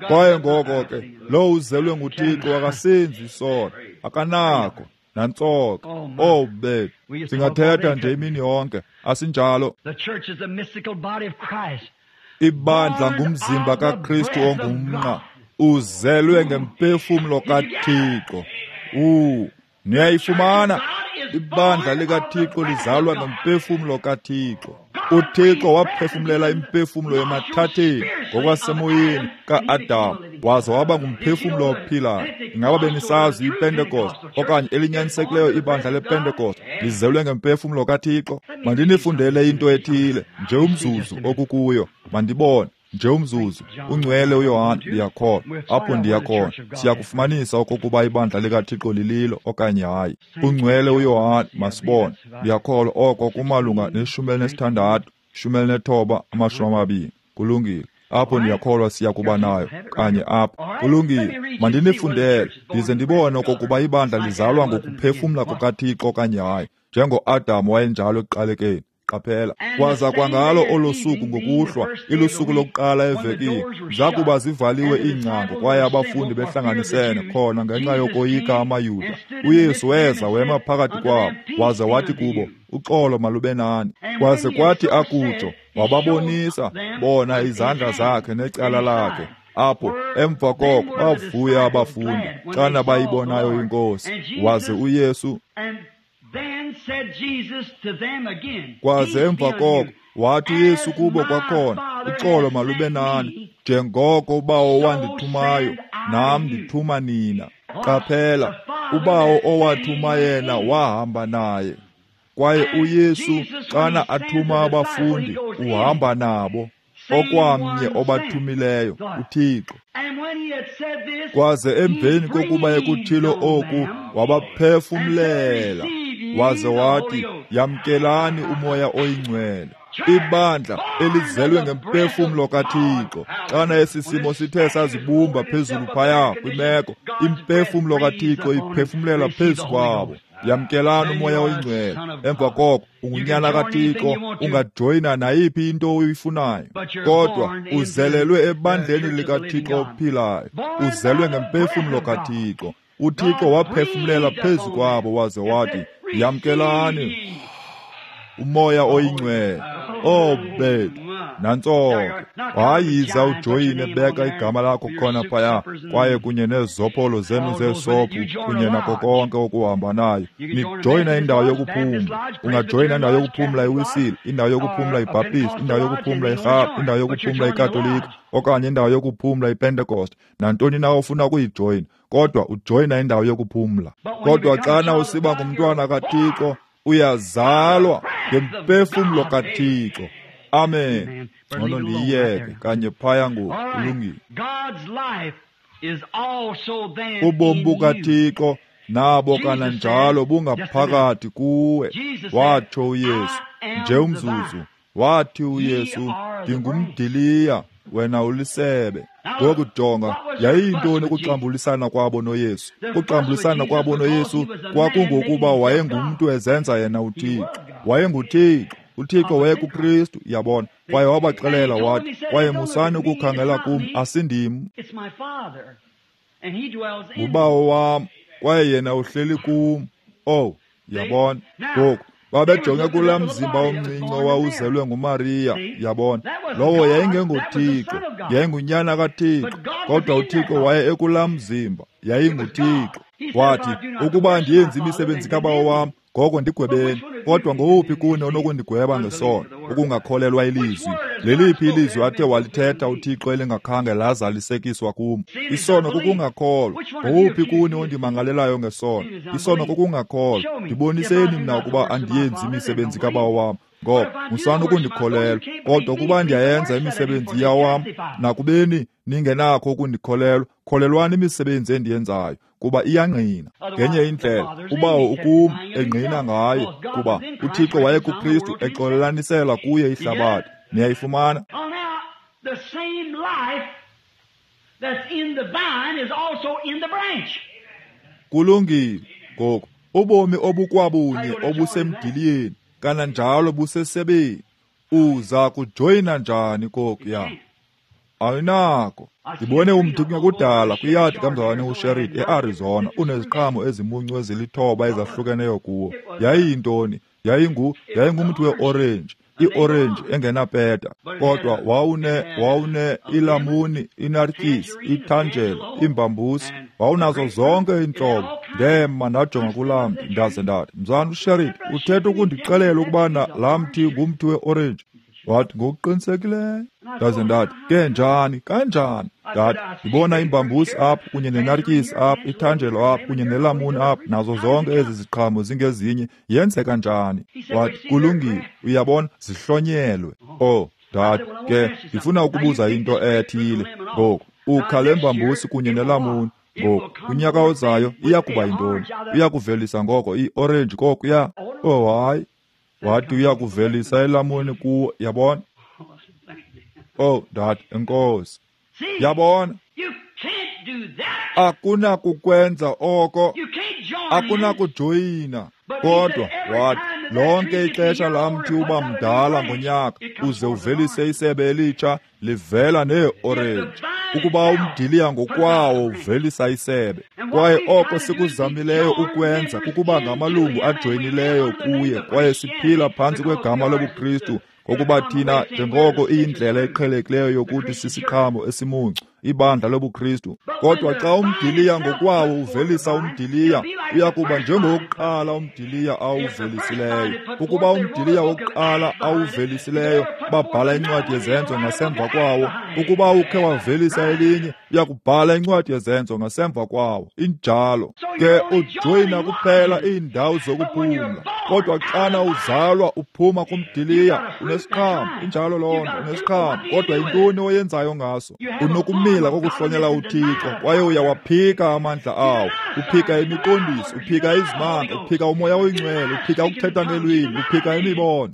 Kwaye ngoko ke, lowo uzelwe nguThixo akasenzi isono, akanako nantsoka. Oh bethu, singathetha nje imini yonke, asinjalo? Ibandla ngumzimba kaKristu ongumnqa, uzelwe ngempefumlo kaThixo. U niyayifumana? Ibandla likaThixo lizalwa ngempefumlo kaThixo. UThixo waphefumlela impefumlo emathatheni ngokwasemoyeni ka-Adam, waza waba ngumphefumlo ophilayo. Ingaba benisazi iPentecost okanye elinyanisekileyo ibandla lePentecost lizelwe ngempefumlo kaThixo? Mandinifundele into ethile nje umzuzu okukuyo, mandibone nje umzuzu. Ungcwele uYohane, ndiyakholwa apho ndiyakhona, siyakufumanisa okokuba ibandla likaThixo lililo okanye hayi. Ungcwele uYohane, masibone, ndiyakholwa oko kumalunga neshumi elinesithandathu, shumi elinethoba, amashumi amabini. Kulungile, apho ndiyakholwa siya kuba nayo kanye apho. Kulungile, mandinifundele ndize ndibone okokuba ibandla lizalwa ngokuphefumla kukaThixo okanye hayi, njengoAdam wayenjalo ekuqalekeni. Qaphela, kwaza kwangalo olo suku ngokuhlwa, ilusuku lokuqala evekini, zakuba zivaliwe iingcango kwaye abafundi behlanganisene khona ngenxa yokoyika amaYuda, uYesu weza wema phakathi kwabo, waze wathi kubo, uxolo malube nani. Kwaze kwathi akutsho, wababonisa bona izandla zakhe necala lakhe. Apho emva koko bavuya abafundi xana bayibonayo iNkosi. Waze uYesu kwaze emva koko wathi uYesu kubo kwakhona, uxolo malube nani, njengoko uBawo wandithumayo, nam ndithuma nina. Qaphela, uBawo owathuma yena wahamba naye. Kwaye uYesu xana athuma abafundi uhamba nabo, okwamnye obathumileyo, uThixo. Kwaze emveni kokuba ekuthilo oku, wabaphefumlela, waze wathi, yamkelani uMoya oyiNgcwele. Ibandla elizelwe ngempefumlo kaThixo, xana esi simo sithe sazibumba phezulu phaya kwimeko, impefumlo kaThixo iphefumlela phezu kwabo. Yamkelani uMoya oyiNgcwele. Emva koko ungunyana kaThixo, ungajoyina nayiphi into oyifunayo, kodwa uzelelwe ebandleni likaThixo ophilayo, uzelwe ngempefumlo kaThixo. uThixo waphefumlela phezu kwabo waze wathi, yamkelani uMoya oyiNgcwele. Oh bethu, nantso ke. Hayi, yiza ujoyine, beka igama lakho khona phaya, kwaye kunye nezopholo zenu zeesophu kunye nako konke okuhamba nayo. Nijoyina indawo yokuphumla. Ungajoyina indawo yokuphumla iWisile, indawo yokuphumla iBaptist, indawo yokuphumla iRhap, indawo yokuphumla iKatolika, okanye indawo yokuphumla iPentecost, nantoni na ofuna ukuyijoyina, kodwa ujoyina indawo yokuphumla. Kodwa xana usiba ngumntwana kaThixo, uyazalwa ngempefumlo kaThixo. Amen. Ngcono ndiyiyeke kanye phaya ngoku. Kulungile. Ubomi bukaThixo nabo kananjalo bungaphakathi kuwe, watsho uYesu. Nje umzuzu, wathi uYesu, ndingumdiliya, wena ulisebe. Ngoku jonga, yayiyintoni ukuxambulisana kwabo noYesu? Ukuxambulisana kwabo noYesu kwakungokuba wayengumntu ezenza yena uThixo. WayenguThixo. uThixo wayekuKristu, yabona. Kwaye wabaxelela wathi, kwaye musani ukukhangela kum, asindim, nguBawo wam, kwaye yena uhleli kum. Oh, yabona. Ngoku babejonge kulaa mzimba omncinci owawuzelwe nguMariya, yabona. Lowo yayingengoThixo, yayingunyana kaThixo, kodwa uThixo waye ekulaa mzimba, yayinguThixo. Wathi, ukuba andiyenzi imisebenzi kaBawo wam, ngoko ndigwebeni. Kodwa ngowuphi kuni onokundigweba ngesono, ukungakholelwa ilizwi? Leliphi ilizwi athe walithetha uThixo elingakhange lazalisekiswa kum? Isono kukungakholwa. Ngowuphi kuni ondimangalelayo ngesono? Isono kukungakholwa. Ndiboniseni mna ukuba andiyenzi imisebenzi kaBawo wam, Ngoba musani ukundikholelwa, kodwa ukuba ndiyayenza imisebenzi yawam, nakubeni ningenakho ukundikholelwa, kholelwani imisebenzi endiyenzayo, kuba iyangqina. Ngenye indlela, uBawo ukum engqina ngaye, kuba uThixo wayekuKristu exolelanisela kuye ihlabathi. Niyayifumana? The same life that's in the vine is also in the branch. Kulungile ngoku, ubomi obukwabunye obusemdiliyeni kananjalo busesebeni. Uza kujoyina njani kokuya? Ayinako. Ndibone umthi kungekudala kwiyadi kamzalwane uSherritt eArizona uneziqhamo ezimuncu ezilithoba ezahlukeneyo kuwo. Yayiyintoni? Yayingu yayingumthi weorenji, iorenji engenapeta, kodwa wawune wawune ilamuni, inartyisi, ithanjelo, imbambusi, wawunazo zonke iintlobo. Ndema ndajonga kulaa mthi ndaze ndathi, mzalwane uSherritt, uthetha ukundixelela ukubana laa mthi ngumthi weorenji? Wathi, ngokuqinisekileyo. Ndaze ndathi, ke njani, kanjani? Ndathi, ndibona imbambusi apha kunye nenartyisi apha, ithanjelo apha kunye nelamuni apha, nazo zonke ezi ziqhamo zingezinye. Yenzeka njani? Wathi, kulungile, uyabona, zihlonyelwe. Oh, ndathi, ke ndifuna ukubuza into ethile ngoku. Ukha le mbambusi kunye nelamuni ngoku, kunyaka ozayo iya kuba yintoni? Iya kuvelisa ngoko iorenji kokuya? Oh, hayi. Wathi uya kuvelisa ilamuni kuwo, yabona? Oh, ndathi, enkosi. Yabona? Akunakukwenza oko, akunakujoyina. Kodwa wathi, lonke ixesha laa mthi uba mdala ngonyaka uze uvelise isebe elitsha livela neeorenji. Ukuba umdiliya ngokwawo uvelisa isebe. Kwaye oko sikuzamileyo ukwenza kukuba ngamalungu ajoyinileyo kuye, kwaye siphila phantsi kwegama lobuKristu, ngokuba thina njengoko iyindlela eqhelekileyo yokuthi sisiqhamo esimuncu, ibandla lobuKristu. Kodwa xa umdiliya ngokwawo uvelisa umdiliya, uya kuba njengowokuqala umdiliya awuvelisileyo. Ukuba umdiliya wokuqala awuvelisileyo, babhala incwadi yezenzo ngasemva kwawo. Ukuba ukhe wavelisa elinye, uya kubhala incwadi yezenzo ngasemva kwawo. Injalo ke, ujoyina kuphela iindawo zokuphumla. Kodwa xana uzalwa uphuma kumdiliya, unesiqhamo. Injalo loo nto, unesiqhamo. Kodwa yintoni oyenzayo ngaso? Unokumila kokuhlonela uThixo, kwaye uyawaphika amandla awo. Uphika imiqondiso, uphika izimanga, uphika umoya oyingcwele, uphika ukuthetha ngelwimi, uphika imibono,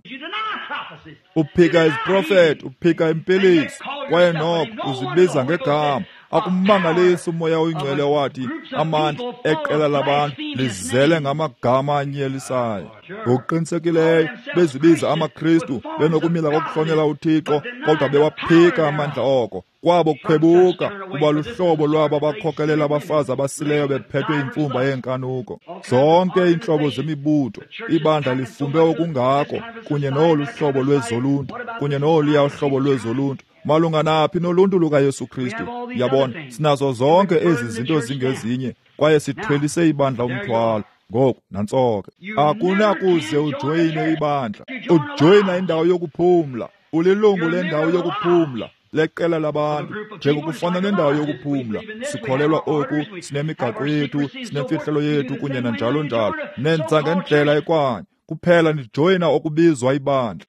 uphika iziprofeto, uphika impiliso, kwaye noko uzibiza ngegama. Akumangalisi umoya oyingcwele wathi amandla eqela labantu lizele ngamagama anyelisayo. Ngokuqinisekileyo bezibiza amaKristu benokumila kokuhlonela uThixo, kodwa bewaphika amandla oko. Kwabo kukhwebuka kuba luhlobo lwabo abakhokelela abafazi abasileyo bephethwe imfumba yeenkanuko. Zonke iintlobo zemibutho, ibandla lifumbe okungako kunye nolu hlobo lwezoluntu, kunye noluya uhlobo lwezoluntu. Malunga naphi noluntu lukaYesu Kristu? Yabona, sinazo zonke ezi zinto zingezinye, kwaye sithwelise ibandla umthwalo. Ngoku nantsoke, akunakuze ujoyine ibandla. Ujoyina indawo yokuphumla, ulilungu lendawo yokuphumla leqela labantu, njengokufana nendawo yokuphumla. Sikholelwa oku, sinemigaqo yethu, sinemfihlelo yethu kunye nanjalo njalo. Nenza ngendlela ekwanye kuphela nijoyina okubizwa ibandla.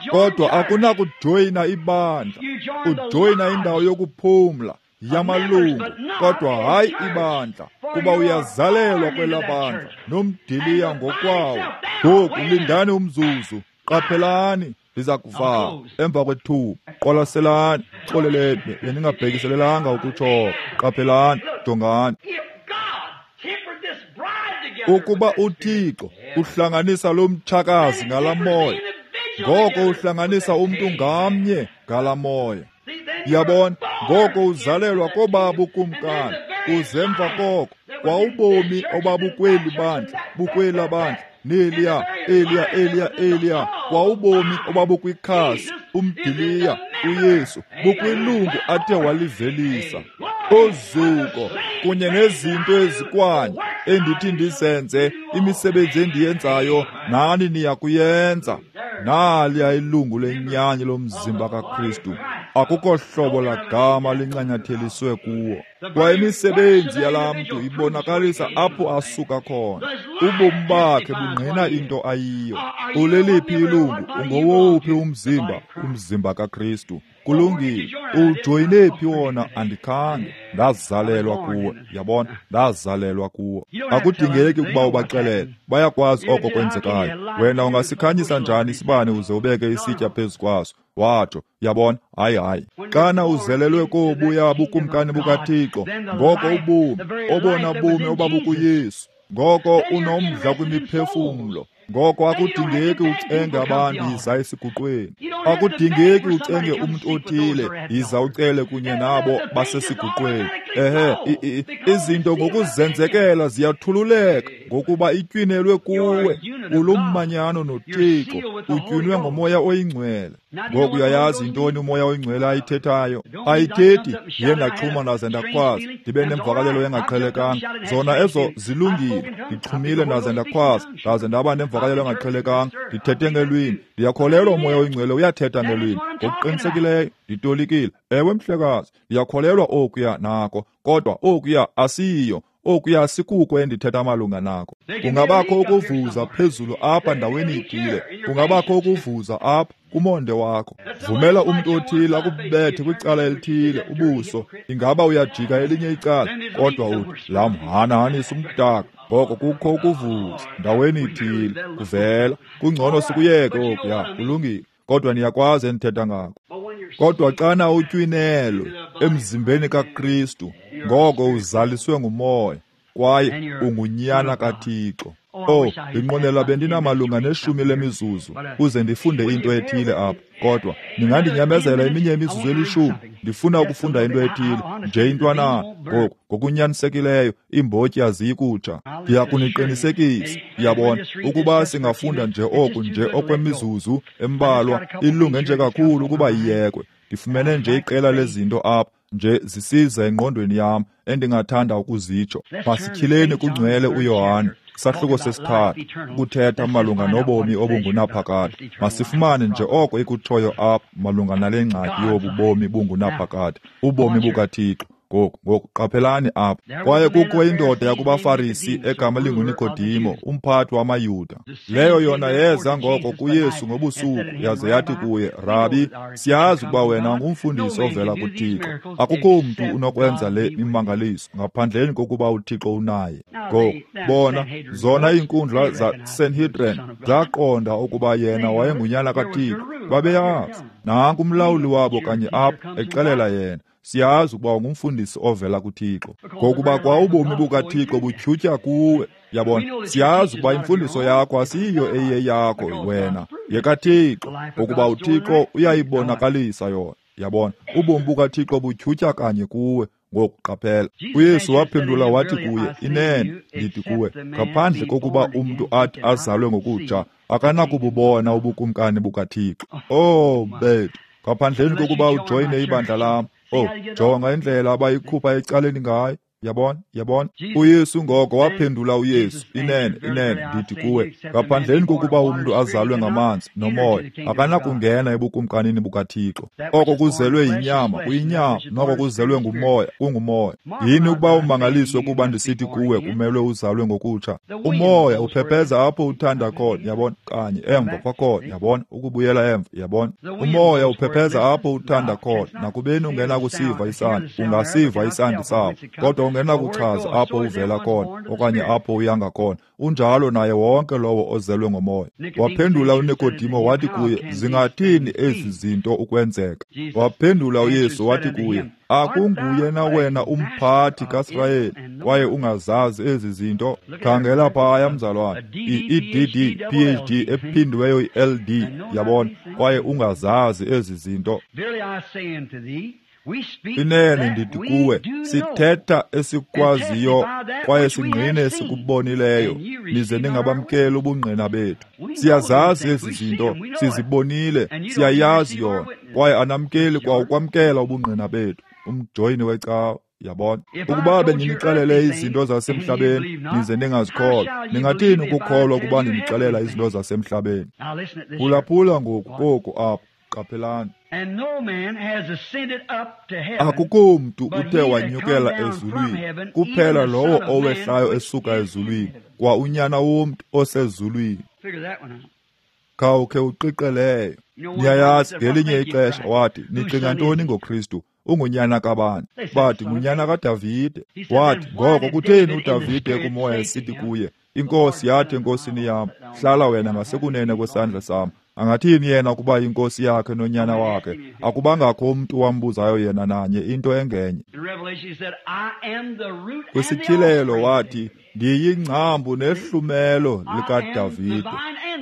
Kodwa akunakujoyina ibandla. Ujoyina indawo yokuphumla yamalungu, kodwa hayi ibandla, kuba uyazalelwa kwela bandla nomdiliya ngokwawo. Ngoku lindani umzuzu, qaphelani, ndiza kuvala emva kwethuba. Qwalaselani, xoleleni, bendingabhekiselelanga ukutsho. Qaphelani, jongani. Ukuba uThixo uhlanganisa lo mtshakazi ngala moya, ngoko uhlanganisa umntu ngamnye ngala moya. Yabona, ngoko uzalelwa kobaba ukumkani, uze emva koko kwawubomi obabukweli bandla, bukwela bandla, neliya, eliya, eliya, eliya, kwawubomi obabukwikhasi, umdiliya, uYesu, bukwilungu athe walivelisa. Ozuko kunye nezinto ezikwanye endithi ndizenze, imisebenzi endiyenzayo nani niya kuyenza. Naliya ilungu lenyani lomzimba kaKristu. Akukho hlobo lagama lincanyatheliswe kuwo. Kwaye imisebenzi yalaa mntu ibonakalisa apho asuka khona. Ubomi bakhe bungqina into ayiyo. Uleliphi ilungu? Ungowowuphi umzimba? Umzimba kaKristu. Kulungile. Ujoyine phi wona? Andikhange. Ndazalelwa kuwo. Yabona? Ndazalelwa kuwo. Akudingeki ukuba ubaxelele. Bayakwazi oko kwenzekayo. Wena ungasikhanyisa njani isibane uze ubeke isitya phezu kwaso? Watsho. Yabona? Hayi, hayi. Xana uzelelwe kobuya bukumkani bukaThixo, ngoko ubomi, obona bomi obabukuYesu, ngoko unomdla kwimiphefumlo. Ngoko akudingeki ucenge abantu yiza esiguqweni. Akudingeki ucenge umntu othile yiza ucele kunye nabo basesiguqweni. Ehe, izinto ngokuzenzekela ziyathululeka ngokuba itywinelwe kuwe. Ulumanyano noThixo, utywinwe ngoMoya oyiNgcwele. Ngoku uyayazi intoni uMoya oyiNgcwele ayithethayo? Ayithethi ndiye ndaxhuma ndaze ndakhwaza, ndibe nemvakalelo engaqhelekanga. Zona ezo zilungile. Ndixhumile ndaze ndakhwaza, ndaze ndaba nemvakalelo engaqhelekanga. Ndithethe ngelwimi. Ndiyakholelwa uMoya oyiNgcwele uyathetha ngelwimi. Ngokuqinisekileyo nditolikile. Ewe mhlekazi, ndiyakholelwa okuya nako, kodwa okuya asiyiyo. Okuya sikuko endithetha malunga nako. Kungabakho ukuvuza phezulu apha ndaweni ithile. Kungabakho ukuvuza apha kumonde wakho. Vumela umntu othile akubethe kwicala elithile ubuso. Ingaba uyajika elinye icala, kodwa uthi lamhanahanisa umdaka. Ngoko kukho ukuvuza ndaweni ithile kuvela. Kungcono sikuyeke okuya. Kulungile. Kodwa niyakwazi endithetha ngako. Kodwa xana utywinelwe emzimbeni kaKristu, ngoko uzaliswe nguMoya, kwaye ungunyana kaThixo. Oh, ndinqwenela bendinamalunga neshumi lemizuzu uze ndifunde into ethile apha. Kodwa ningandinyamezela eminye imizuzu elishumi. Ndifuna ukufunda into ethile nje intwana. Ngoku ngokunyanisekileyo iimbotyi aziyikutsha. Ndiyakuniqinisekisa, yabona, ukuba singafunda nje oku nje okwemizuzu embalwa, ilunge nje kakhulu ukuba iyekwe. Ndifumene nje iqela lezinto apha nje zisiza engqondweni yam endingathanda ukuzitsho. Masityhileni kungcwele uYohane isahluko sesithathu, ukuthetha malunga nobomi obungunaphakade. Masifumane nje oko ikutshoyo apha malunga nale ngxaki yobu bomi bungunaphakade, ubomi bukaThixo. Ngoku, ngoku qaphelani apha. Kwaye kukho indoda yakubaFarisi egama linguNikodimo, umphathi wamaYuda. Leyo yona yeza ngoko kuYesu ngobusuku, yaze yathi kuye, Rabi, siyazi ukuba wena ungumfundisi ovela kuThixo. Akukho mntu unokwenza le mimangaliso ngaphandleni kokuba uThixo unaye. Ngoku, bona, zona iinkundla zaSanhedrin zaqonda ukuba yena wayengunyana kaThixo. Babeyazi. Nanku umlawuli wabo kanye apha exelela yena, siyazi ukuba ungumfundisi ovela kuThixo, ngokuba kwa ubomi bukaThixo butyhutyha kuwe. Yabona, siyazi ukuba imfundiso yakho asiyiyo eyeyakho wena, yekaThixo, ngokuba uThixo uyayibonakalisa yona. Yabona, ubomi bukaThixo butyhutyha kanye kuwe. Ngoku qaphela, uYesu waphendula wathi kuye, inene ndithi kuwe, ngaphandle kokuba umntu athi azalwe ngokutsha, akanakububona ubukumkani bukaThixo. Oh bethu, ngaphandleni kokuba ujoyine ibandla lam. Oh, jonga indlela abayikhupha ecaleni ngayo. Yabona, yabona. uYesu ngoko waphendula uYesu, inene, inene ndithi kuwe, ngaphandleni kokuba umntu azalwe ngamanzi nomoya, akanakungena ebukumkanini bukaThixo. Oko kuzelwe yinyama kuyinyama, noko kuzelwe ngumoya kungumoya. Yini ukuba umangaliswe kuba ndisithi kuwe kumelwe uzalwe ngokutsha? Umoya uphepheza apho uthanda khona, yabona, kanye emva kwakhona, yabona, ukubuyela emva, yabona. Umoya uphepheza apho uthanda khona, nakubeni ungenakusiva isandi, ungasiva isandi sawo, kodwa ungenakuchaza apho uvela khona okanye apho uyanga khona. Unjalo naye wonke lowo ozelwe ngomoya. Waphendula uNikodimo wathi kuye, zingathini ezi zinto ukwenzeka? Waphendula uYesu wathi kuye, akunguye na wena umphathi kaSirayeli kwaye ungazazi ezi zinto? Khangela phaya mzalwane, i-E D D P H D ephindiweyo i-L D, yabona, kwaye ungazazi ezi zinto. Inene ndithi kuwe, sithetha esikwaziyo kwaye singqine esikubonileyo, nize ningabamkeli ubungqina bethu. Siyazazi ezi zinto, sizibonile, siyayazi yona, kwaye anamkeli kwa ukwamkela ubungqina bethu. Umjoyini wecawa, yabona. Ukuba bendinixelele izinto zasemhlabeni nize ningazikholwa, ningathini ukukholwa ukuba ndinixelela izinto zasemhlabeni? Phulaphula ngoku koku apha. Qaphelani. Akukho mntu uthe wanyukela ezulwini, kuphela lowo owehlayo esuka ezulwini, kwa uNyana womntu osezulwini. Khawukhe uqiqeleyo. Niyayazi, ngelinye ixesha wathi, nicinga ntoni ngoKristu? Ungunyana kabani? Bathi, ngunyana kaDavide. Wathi, ngoko kutheni uDavide kumoya esithi kuye, iNkosi yathi enkosini yam, hlala wena ngasekunene kwesandla sam. Angathini yena ukuba inkosi yakhe nonyana wakhe? Akubangakho umntu wambuzayo yena nanye into engenye. Kwisityhilelo wathi, ndiyingcambu nehlumelo likaDavide.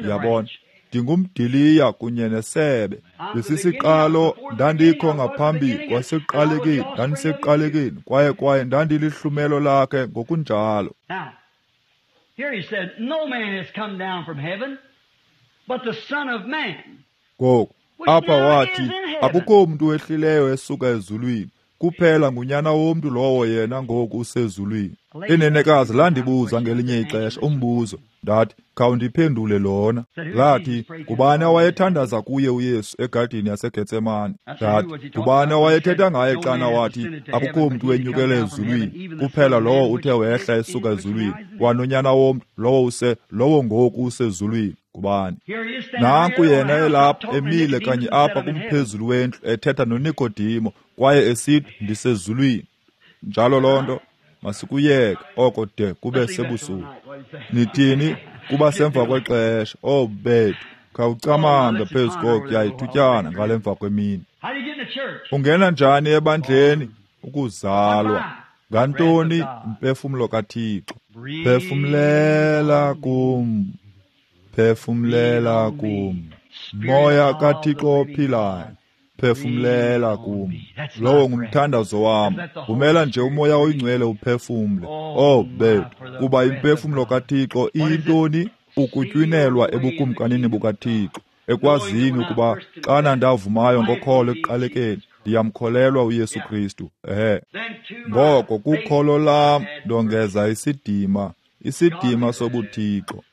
Yabona, ndingumdiliya kunye nesebe. Ndisisiqalo, ndandikho ngaphambi kwasekuqalekeni, ndandisekuqalekeni, kwaye kwaye ndandilihlumelo lakhe ngokunjalo. Ngoku apha wathi, akukho mntu wehlileyo esuka ezulwini, kuphela ngunyana womntu lowo yena ngoku usezulwini. Inenekazi landibuza ngelinye ixesha umbuzo, ndathi, khawundiphendule lona. Lathi, ngubani awayethandaza kuye uYesu egadini yaseGetsemane? Ndathi, ngubani awayethetha ngaye xana wathi, akukho mntu wenyukele ezulwini, kuphela lowo uthe wehla esuka ezulwini, kwanonyana womntu lowo use lowo ngoku usezulwini. Ngubani? Nanku yena elapha emile kanye apha kumphezulu wendlu ethetha noNikodimo kwaye esithi, ndisezulwini. Njalo loo nto masikuyeke oko de kube sebusuku. Nithini? Kuba semva kwexesha. Oh bethu, khawucamange phezu kokuya ithutyana ngale mva kwemini. Ungena njani ebandleni? Ukuzalwa. Ngantoni? Umphefumlo kaThixo. Phefumlela kum, phefumlela kum, Moya kaThixo ophilayo, phefumlela kum. Lowo ngumthandazo wam. Vumela nje uMoya oyiNgcwele uphefumle. Oh bethu, kuba imphefumlo kaThixo iyintoni? Ukutywinelwa ebukumkanini bukaThixo, ekwazini ukuba xana ndavumayo ngokholo ekuqalekeni, ndiyamkholelwa uYesu Kristu. Ehe. Ngoko kukholo lam ndongeza isidima, isidima sobuThixo.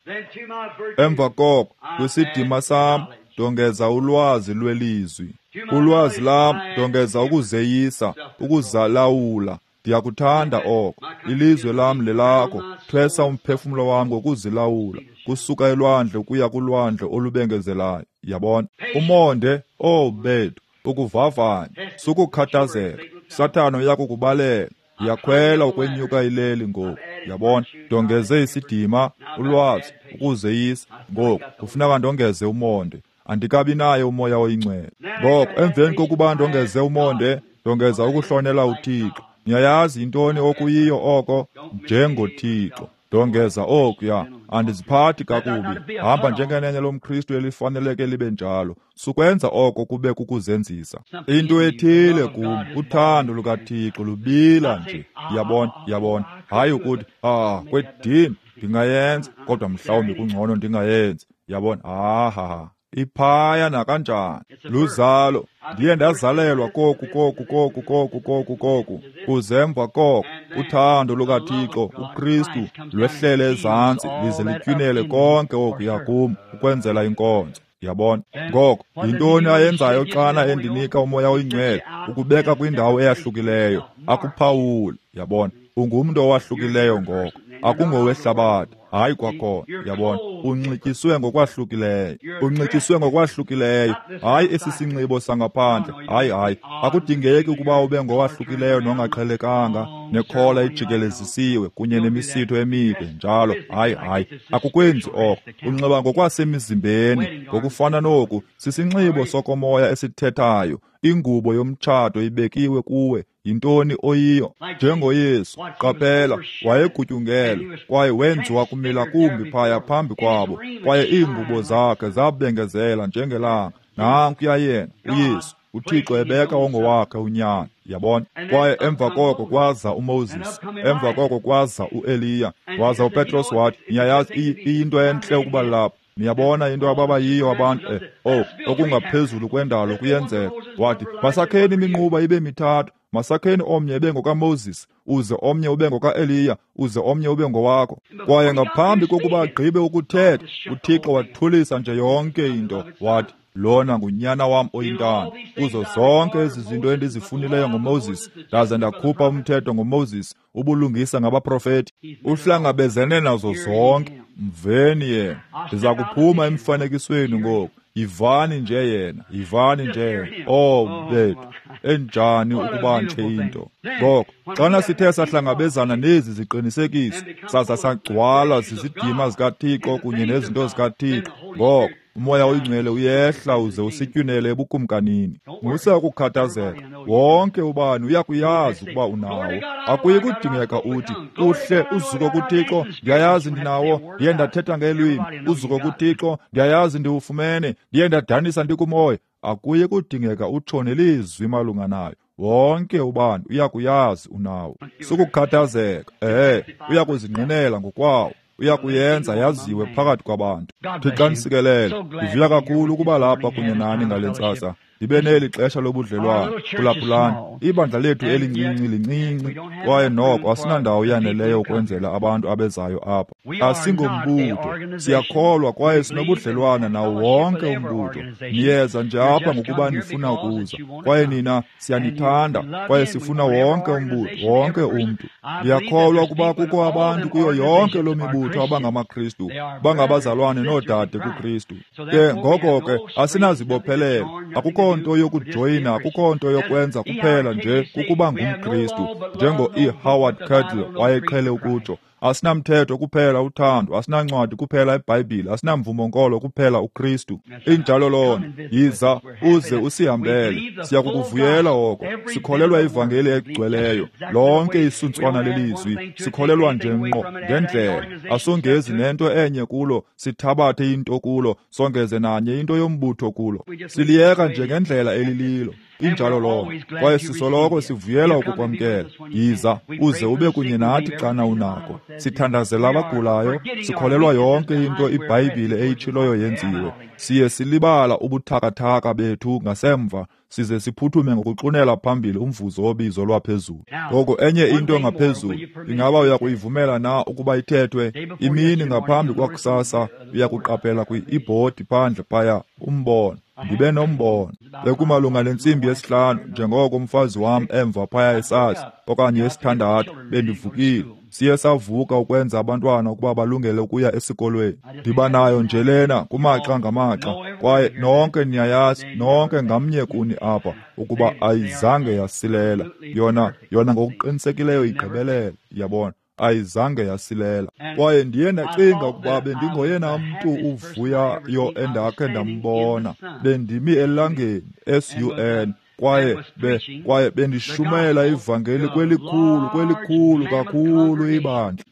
Emva koko, kwisidima sam ndongeza ulwazi lwelizwi. Kulwazi lam ndongeza ukuzeyisa, ukuzalawula. Ndiyakuthanda oko. Ilizwe lam lelakho. Thwesa umphefumlo wam ngokuzilawula, kusuka elwandle ukuya kulwandle olubengezelayo. Yabona? Umonde, oh bethu, ukuvavanya, sukukhathazeka. Sathana uyakukubalela. Ndiyakhwela ukwenyuka ileli ngoku. Yabona? Ndongeze isidima, ulwazi, ukuzeyisa. Ngoku kufuneka ndongeze umonde. Andikabi naye uMoya oyiNgcwele. Ngoko emveni kokuba ndongeze umonde, ndongeza ukuhlonela uThixo. Niyayazi yintoni okuyiyo oko? NjengoThixo. Ndongeza okuya, andiziphathi kakubi. Hamba njengenene lomKristu elifaneleke libe njalo. Sukwenza oko kube kukuzenzisa. Into ethile kum, uthando lukaThixo lubila nje. Yabona, yabona. Hayi ukuthi, ah, kwedini ndingayenza, kodwa mhlawumbi kungcono ndingayenzi. Yabona, ah ha ha. Iphaya nakanjani. Luzalo. Ndiye ndazalelwa koku koku koku koku koku koku. Kuze emva koko uthando lukaThixo uKristu lwehlele ezantsi lize litywinele konke okuya kum ukwenzela inkonzo. Yabona? Ngoko yintoni ayenzayo xana endinika uMoya oyiNgcwele? Ukubeka kwindawo eyahlukileyo, akuphawule. Yabona? Ungumntu owahlukileyo ngoko, akungowehlabathi. Hayi kwakhona. Yabona? Unxityiswe ngokwahlukileyo. Unxityiswe ngokwahlukileyo. Hayi esi sinxibo sangaphandle. Hayi hayi. Akudingeki ukuba ube ngowahlukileyo nongaqhelekanga, nekhola ijikelezisiwe kunye nemisitho emide njalo. Hayi hayi. Akukwenzi oko. Unxiba ngokwasemizimbeni, ngokufana noku sisinxibo sokomoya esithethayo. Ingubo yomtshato ibekiwe kuwe. Yintoni oyiyo? NjengoYesu, qaphela, wayegutyungelwe kwaye wenziwa kumila kumbi phaya phambi kwabo, kwaye iingubo zakhe zabengezela njengelanga. Nankuya yena uYesu, uThixo ebeka ongowakhe unyana. Yabona? Kwaye emva koko kwaza uMoses, emva koko kwaza uEliya, waza uPetros wathi, niyayazi iyinto entle ukuba lapha. Niyabona into ababayiyo abantu, eh, oh, okungaphezulu kwendalo kuyenzeka. Wathi, masakheni iminquba ibe mithathu, masakheni omnye ebe ngokaMoses, uze omnye ube ngokaEliya, uze omnye ube ngowakho. Kwaye ngaphambi kokuba agqibe ukuthetha, uThixo wathulisa nje yonke into. Wathi, Lona ngunyana wam oyintanda. Kuzo zonke ezi zinto endizifunileyo ngoMoses, ndaze ndakhupha umthetho ngoMoses, ubulungisa ngabaprofeti. Uhlangabezene nazo zonke. Mveni yena. Ndiza kuphuma emfanekisweni ngoku. Yivani nje yena, yivani nje. Oh bethu, enjani ukuba nje into. Ngoko xana sithe sahlangabezana nezi ziqinisekiso, saza sagcwala zizidima zikaThixo kunye nezinto zikaThixo, ngoko uMoya oyiNgcwele uyehla uze usitywinele ebukumkanini. Musa ukukhathazeka, wonke ubani uyakuyazi ukuba unawo. Akuyi kudingeka uthi, kuhle, uzuko kuThixo, ndiyayazi ndinawo, ndiye ndathetha ngelwimi. Uzuko kuThixo, ndiyayazi ndiwufumene, ndiye ndadanisa ndikumoya. Akuyi kudingeka utsho nelizwi malunga nayo. Wonke ubani uyakuyazi unawo. Sukukhathazeka, ehe, uyakuzingqinela ngokwawo. Uyakuyenza yaziwe phakathi kwabantu. Thixo anisikelele. Ndivuya kakhulu ukuba lapha kunye nani ngale ntsasa. Ndibe neli xesha lobudlelwane. Phulaphulani, ibandla lethu elincinci lincinci, kwaye noko asinandawo yaneleyo ukwenzela abantu abezayo apha. Asingombutho, siyakholwa kwaye sinobudlelwane nawo wonke umbutho. Niyeza nje apha ngokuba nifuna ukuza, kwaye nina siyanithanda, kwaye sifuna wonke umbutho, wonke umntu. Ndiyakholwa ukuba kukho abantu kuyo yonke loo mibutho abangamaKristu, bangabazalwane noodade kuKristu. Ke ngoko ke asinazibophelelo, akukho nto yokujoyina, akukho nto yokwenza, kuphela nje kukuba ngumKristu, njengo E. Howard Cadle wayeqhele ukutsho. Asinamthetho kuphela uthando, asinancwadi kuphela iBhayibhile, asinamvumo-nkolo kuphela uKristu. Injalo loo nto. Yiza uze usihambele, siyakukuvuyela oko. Sikholelwa ivangeli egcweleyo, lonke isuntswana lelizwi, sikholelwa nje ngqo ngendlela. Asongezi nento enye kulo, sithabathe into kulo, songeze nanye into yombutho kulo. Siliyeka nje ngendlela elililo. Injalo loo nto. Kwaye sisoloko sivuyela ukukwamkela. Yiza uze ube kunye nathi xana unako. Sithandazela abagulayo, sikholelwa yonke into iBhayibhile eyitshiloyo yenziwe. Siye silibala ubuthakathaka bethu ngasemva, size siphuthume ngokuxunela phambili umvuzo wobizo lwaphezulu. Ngoko enye into ngaphezulu, ingaba uyakuyivumela na ukuba ithethwe? Imini ngaphambi kwakusasa uyakuqaphela kwi-ibhodi phandle phaya umbono. Ndibe nombono. Bekumalunga nentsimbi yesihlanu, njengoko umfazi wam emva phaya esazi, okanye yesithandathu, bendivukile. Siye savuka ukwenza abantwana ukuba balungele ukuya esikolweni. Ndiba nayo nje lena kumaxa ngamaxa, kwaye nonke niyayazi, nonke ngamnye kuni apha, ukuba ayizange yasilela. Yona, yona ngokuqinisekileyo igqibelele, yabona. Ayizange yasilela. Kwaye ndiye ndacinga ukuba bendingoyena mntu uvuyayo endakhe ndambona. Bendimi elangeni, S U N, kwaye be kwaye bendishumayela ivangeli kwelikhulu, kwelikhulu kakhulu ibandla.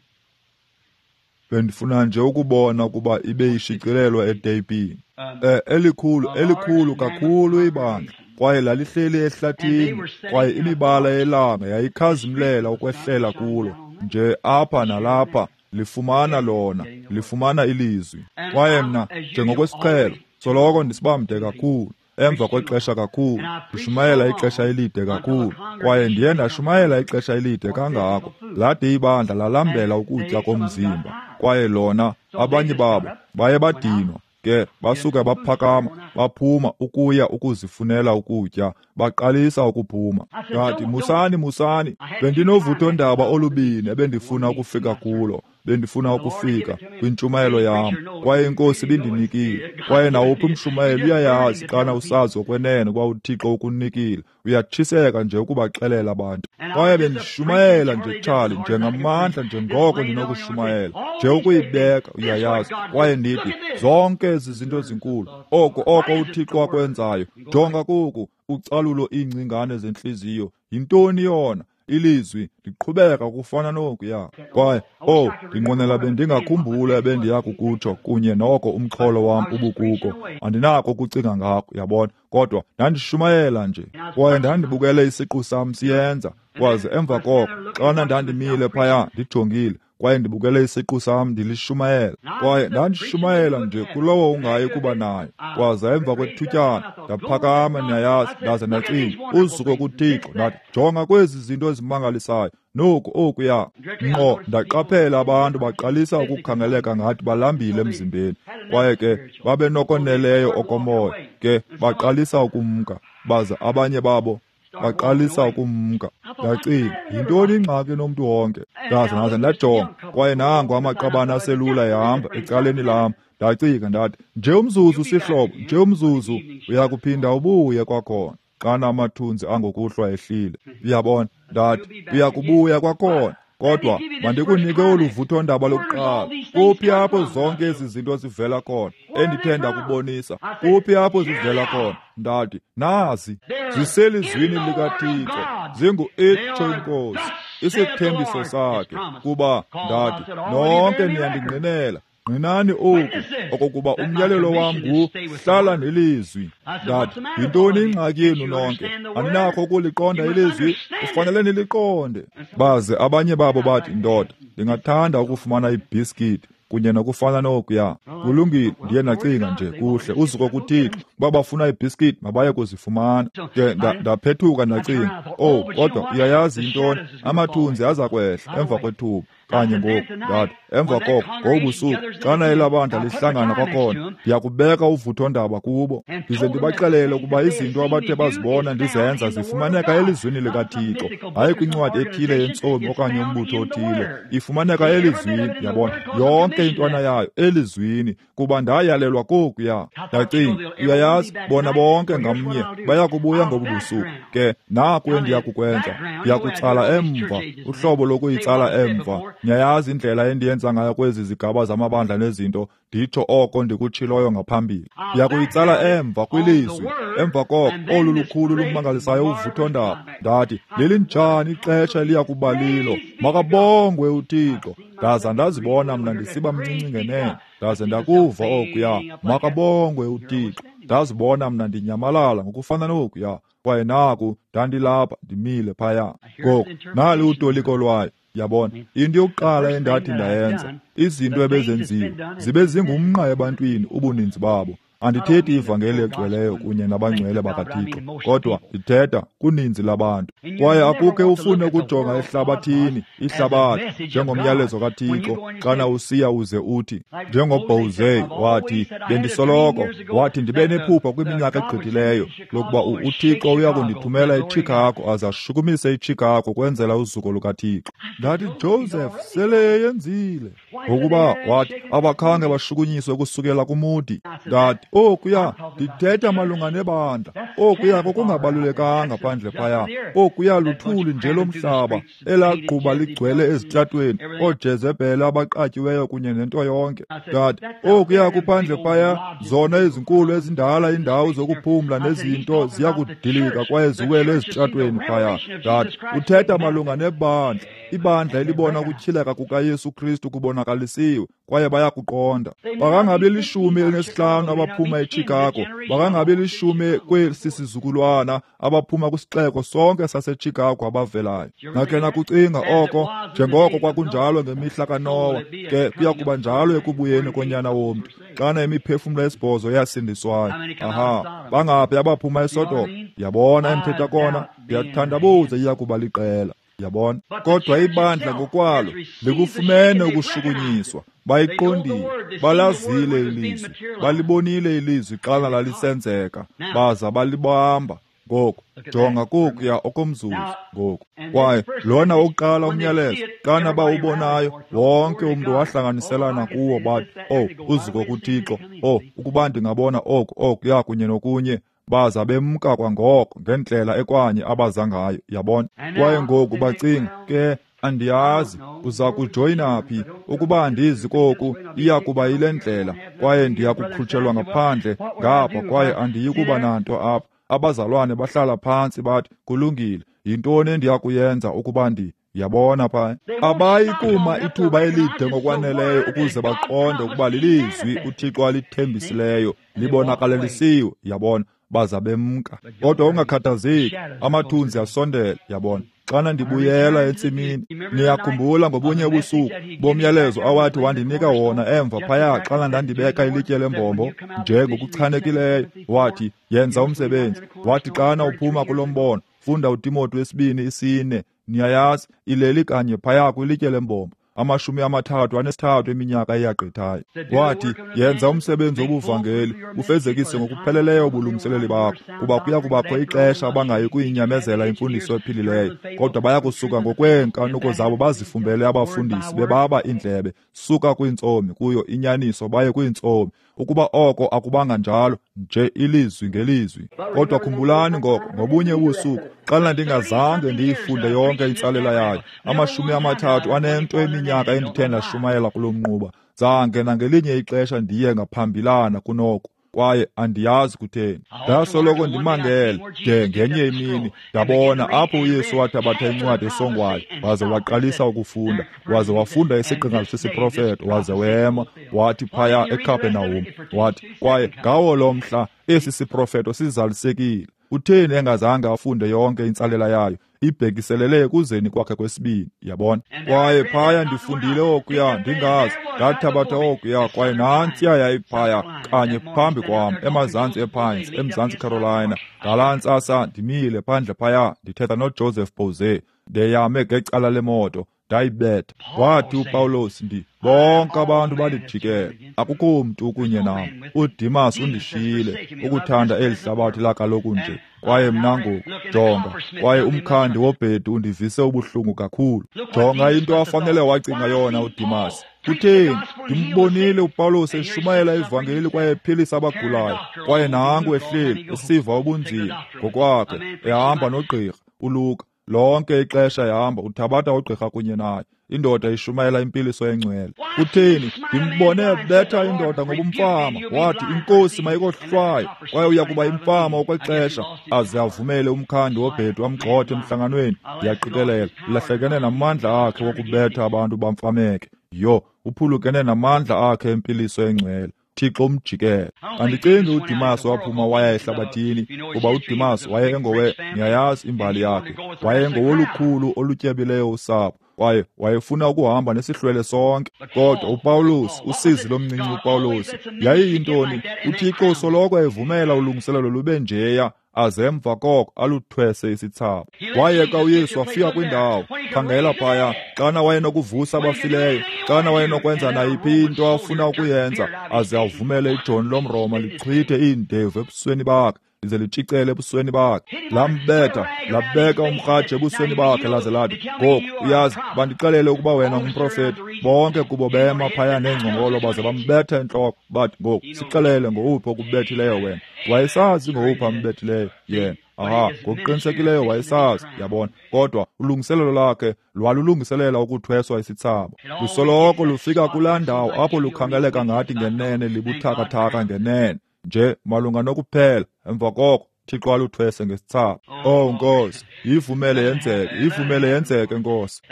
Bendifuna nje ukubona ukuba ibe ishicilelwa eteyipini. Eh, elikhulu, elikhulu kakhulu ibandla. Kwaye lalihleli ehlathini, kwaye imibala yelanga yayikhazimlela ukwehlela kulo. Nje apha nalapha lifumana lona, lifumana ilizwi. Kwaye mna, njengokwesiqhelo, soloko ndisibamde kakhulu, emva kwexesha kakhulu, ndishumayela ixesha elide kakhulu. Kwaye ndiye ndashumayela ixesha elide kangako, lade ibandla lalambela ukutya komzimba. Kwaye lona, abanye babo baye badinwa. Ke basuka baphakama, baphuma ukuya ukuzifunela ukutya, baqalisa ukuphuma. Ngathi, musani, musani, bendinovuthondaba olubini ebendifuna ukufika kulo. Bendifuna ukufika kwintshumayelo yam, kwaye iNkosi ibindinikile. Kwaye nawuphi umshumayeli uyayazi xana usazi okwenene ukuba uThixo ukunikile, uyatshiseka nje ukubaxelela abantu. Kwaye bendishumayela nje, Charlie, njengamandla njengoko ndinokushumayela, nje ukuyibeka, uyayazi. Kwaye ndithi, zonke ezi zinto zinkulu, oko oko uThixo akwenzayo, jonga koku, ucalulo iingcingane zentliziyo, yintoni yona? Ilizwi liqhubeka kufana nokuya. Kwaye, oh, ndinqwenela bendingakhumbula ebendiya kukutsho kunye noko umxholo wam ubukuko. Andinako ukucinga ngako, yabona. Kodwa ndandishumayela nje, kwaye ndandibukele isiqu sam siyenza. Kwaze emva koko, xana ndandimile phaya ndijongile, kwaye ndibukele isiqu sam ndilishumayela. Kwaye ndandishumayela nje kulowo ungayi kuba nayo. Kwaza emva kwethutyana ndaphakama, niyayazi, ndaze ndacinga, uzuko kuThixo. Ndathi, jonga kwezi zinto ezimangalisayo, noku okuya. Ngqo ndaqaphela abantu baqalisa ukukhangeleka ngathi balambile emzimbeni, kwaye ke babenokoneleyo okomoya, ke baqalisa ukumka, baza abanye babo baqalisa ukumka. Ndacinga, yintoni ingxaki nomntu wonke? Ndaza ndaza ndajonga, kwaye nango amaqabane aselula ehamba ecaleni lam. Ndacinga ndathi, nje umzuzu sihlobo, nje umzuzu, uyakuphinda ubuye kwakhona xana amathunzi angokuhlwa ehlile. Uyabona? Ndathi, uyakubuya kwakhona. Kodwa mandikunike olu vuthondaba lokuqala. Kuphi apho zonke ezi zinto zivela khona endithe ndakubonisa? Kuphi apho zivela khona? Ndathi, nazi ziselizwini likaThixo, zingu-itsho iNkosi, isithembiso sakhe. Kuba ndathi, nonke niyandingqinela, ngqinani oku, okokuba umyalelo wam ngu hlala nelizwi. Ndathi, yintoni ingxaki yenu nonke? Aninakho ukuliqonda ilizwi? Kufanele niliqonde. Baze abanye babo bathi, ndoda, ndingathanda ukufumana ibhiskithi kunye nokufana nokuya. Kulungile, ndiye ndacinga nje, kuhle, uzuko kuThixo. Uba bafuna ibhiskithi, mabaye kuzifumana. Ke ndaphethuka ndacinga, oh, kodwa uyayazi intoni? Amathunzi aza kwehla emva kwethuba. Kanye ngoku, ndathi, emva koko, ngobusuku, xana elabandla lihlangana kwakhona, ndiyakubeka uvuthondaba kubo, ndize ndibaxelele ukuba izinto abathe bazibona ndizenza zifumaneka elizwini likaThixo, hayi kwincwadi ethile yentsomi okanye umbutho othile. Ifumaneka elizwini, yabona, yonke intwana yayo elizwini, kuba ndayalelwa kokuya. Ndacinga, uyayazi, bona bonke ngamnye bayakubuya ngobu busuku. Ke naku endiyakukwenza, ndiyakutsala emva, uhlobo lokuyitsala emva. Niyayazi indlela endiyenza ngayo kwezi zigaba zamabandla nezinto, nditsho oko ndikutshiloyo ngaphambili. Ndiyakuyitsala emva kwilizwi. Emva koko, olu lukhulu lumangalisayo uvuthondaba. Ndathi, lelinjani ixesha eliyakuba lilo? Makabongwe uThixo. Ndaza ndazibona mna ndisiba mncinci ngenene. Ndaze ndakuva okuya, makabongwe uThixo. Ndazibona mna ndinyamalala ngokufana nokuya. Kwaye naku ndandilapha ndimile phaya. Ngoku nali utoliko lwayo. Yabona, into yokuqala endathi ndayenza, izinto ebezenziwe zibe zingumnqa ebantwini ubuninzi babo. Andithethi ivangeli egcweleyo kunye nabangcwele bakaThixo, kodwa ndithetha kuninzi labantu. Kwaye akukhe ufune ukujonga ehlabathini, ihlabathi njengomyalezo kaThixo, xana usiya uze uthi, njengoBozey wathi, bendisoloko, wathi ndibe nephupha kwiminyaka egqithileyo lokuba uThixo uya kundithumela eChicago aze ashukumise iChicago kwenzela uzuko lukaThixo. Ndathi, Joseph, sele yenzile. Ngokuba wathi abakhange bashukunyiswe kusukela kuMoody. Ndathi, okuya, ndithetha malunga nebandla. Okuya kokungabalulekanga phandle phaya. Okuya luthuli nje lomhlaba elagquba ligcwele ezitratweni, ooJezebhele abaqatyiweyo kunye nento yonke. Ndathi, okuya kuphandle phaya, zona ezinkulu ezindala indawo zokuphumla nezinto ziyakudilika kwaye ziwele ezitratweni phaya. Ndathi, uthetha malunga nebandla, ibandla elibona ukutyhileka kukaYesu Kristu kubonakalisiwe, kwaye bayakuqonda. Bakangabi lishumi elinesihlanu abaphuma eChicago, bakangabi lishumi kwesi sizukulwana abaphuma kwisixeko sonke saseChicago abavelayo. Nakhe nakucinga oko, njengoko kwakunjalo ngemihla kaNowa, ke kuya kuba njalo ekubuyeni konyana womntu, xana imiphefumlo esibhozo yasindiswayo. Aha, bangaphi abaphuma eSodoma? Yabona endithetha kona, ndiyathandabuza iya kuba liqela. Yabona, kodwa ibandla ngokwalo likufumene ukushukunyiswa. Bayiqondile, balazile ilizwi, balibonile ilizwi xana lalisenzeka, baza balibamba. Ngoku jonga kokuya okomzuzu ngoku. Kwaye lona wokuqala umyalezo, xana bawubonayo, wonke umntu wahlanganiselana kuwo, bathi, oh, uzuko kuThixo, oh, ukuba ndingabona oku, okuya kunye nokunye. Baza bemka kwangoko ngendlela ekwanye abaza ngayo, yabona. Kwaye ngoku bacinga, ke andiyazi uza kujoyina phi, ukuba andizi koku iya kuba yile ndlela, kwaye ndiya kukhutshelwa ngaphandle ngapha, kwaye andiyi kuba nanto apha. Abazalwane bahlala phantsi bathi, kulungile, yintoni endiya kuyenza ukuba ndi Yabona phaya, abayi kuma ithuba elide ngokwaneleyo ukuze baqonde ukuba lilizwi uThixo alithembisileyo libonakalelisiwe, yabona, baza bemka. Kodwa ungakhathazeki, amathunzi asondele, yabona, Xana ndibuyela entsimini, niyakhumbula ngobunye ubusuku bomyalezo awathi wandinika wona emva phaya xana ndandibeka ilitye lembombo nje ngokuchanekileyo. Wathi, yenza umsebenzi. Wathi xana uphuma kulo mbono, funda uTimoti wesibini isine, niyayazi, ileli kanye phaya kwilitye lembombo, amashumi amathathu anesithathu eminyaka eyagqithayo. Wathi, yenza umsebenzi wobuvangeli, ufezekise ngokupheleleyo ubulungiseleli bakho, kuba kuya kubakho ixesha abangayi kuyinyamezela imfundiso ephilileyo, kodwa baya kusuka ngokweenkanuko zabo bazifumbele abafundisi bebaba iindlebe, suka kwiintsomi kuyo inyaniso baye kwiintsomi. Ukuba oko akubanga njalo, nje ilizwi ngelizwi. Kodwa khumbulani ngoko, ngobunye ubusuku, xana ndingazange ndiyifunde yonke intsalela yayo, amashumi amathathu anento eminyaka endithe ndashumayela kulo mnquba, zange nangelinye ixesha ndiye ngaphambilana kunoko, kwaye andiyazi kutheni. Ndasoloko ndimangele de ngenye imini ndabona apho uYesu wathabatha incwadi esongwayo, waze waqalisa ukufunda, waze wafunda isiqingatha sesiprofeto, waze wema, wathi phaya eKapernaum, wathi, kwaye ngawo lo mhla esi siprofeto sizalisekile. Utheni engazange afunde yonke intsalela yayo? Ibhekiselele ekuzeni kwakhe kwesibini, yabona. Kwaye phaya ndifundile okuya, ndingazi, ndathabatha okuya, kwaye nantsiya yayiphaya kanye phambi kwam, emazantsi ePines, eMzantsi Carolina. Ngalaa ntsasa ndimile phandle phaya, ndithetha noJoseph Boze, ndeyame ngecala lemoto, ndayibetha. Wathi uPawulos, ndi bonke abantu bandijikela, akukho mntu kunye nam. UDimas undishiyile, ukuthanda eli hlabathi lakaloku nje. Kwaye mna ngoku, jonga, kwaye umkhandi wobhedu undivise ubuhlungu kakhulu. Jonga into afanele wacinga yona uDimas. Kutheni? Ndimbonile uPawulos eshumayela ivangeli kwaye ephilisa abagulayo, kwaye nangu ehleli esiva ubunzima ngokwakhe, ehamba nogqirha uLuka. Lonke ixesha ehamba uthabatha ugqirha kunye naye. Indoda ishumayela impiliso engcwele. Kutheni? Ndimbone ebetha indoda ngobumfama. Wathi, inkosi mayikohlwaye, kwaye uya kuba imfama okwexesha, aze avumele umkhandi wobhedu amgxothe emhlanganweni. Ndiyaqikelela ulahlekene namandla akhe wokubetha abantu bamfameke. Yho, uphulukene namandla akhe empiliso engcwele. Thixo umjikele. Andicingi uDimas waphuma waya ehlabathini, kuba uDimas wayengowe, niyayazi imbali yakhe, wayengowolukhulu olutyebileyo usapho, kwaye wayefuna ukuhamba nesihlwele sonke. Kodwa uPawulos, usizi lomncinci uPawulos, yayiyintoni? UThixo usoloko evumela ulungiselelo lube njeya, aze emva koko aluthwese isithsaba. Wayeka uYesu wafika kwindawo, khangela phaya, xana wayenokuvusa abafileyo, xana wayenokwenza nayiphi into afuna ukuyenza, aze avumele ijoni lomRoma lichithe iindevu ebusweni bakhe, lize litshicele ebusweni bakhe. Lambetha, labeka umrhaji ebusweni bakhe, laze lathi, ngoku uyazi, bandixelele ukuba wena ngumprofeti. Bonke kubo bema phaya neengcongolo baze bambetha entloko, bathi, ngoku sixelele ngowuphi okubethileyo wena. Wayesazi ngowuphi ambethileyo yena. Aha, ngokuqinisekileyo wayesazi, yabona. Kodwa ulungiselelo lakhe lwalulungiselela ukuthweswa isithsaba. Lusoloko lufika kulaa ndawo apho lukhangeleka ngathi ngenene libuthakathaka ngenene, nje malunga nokuphela. Emva koko Thixo aluthwese ngesithsaba. Oh Nkosi, yivumele yenzeke, yivumele yenzeke Nkosi.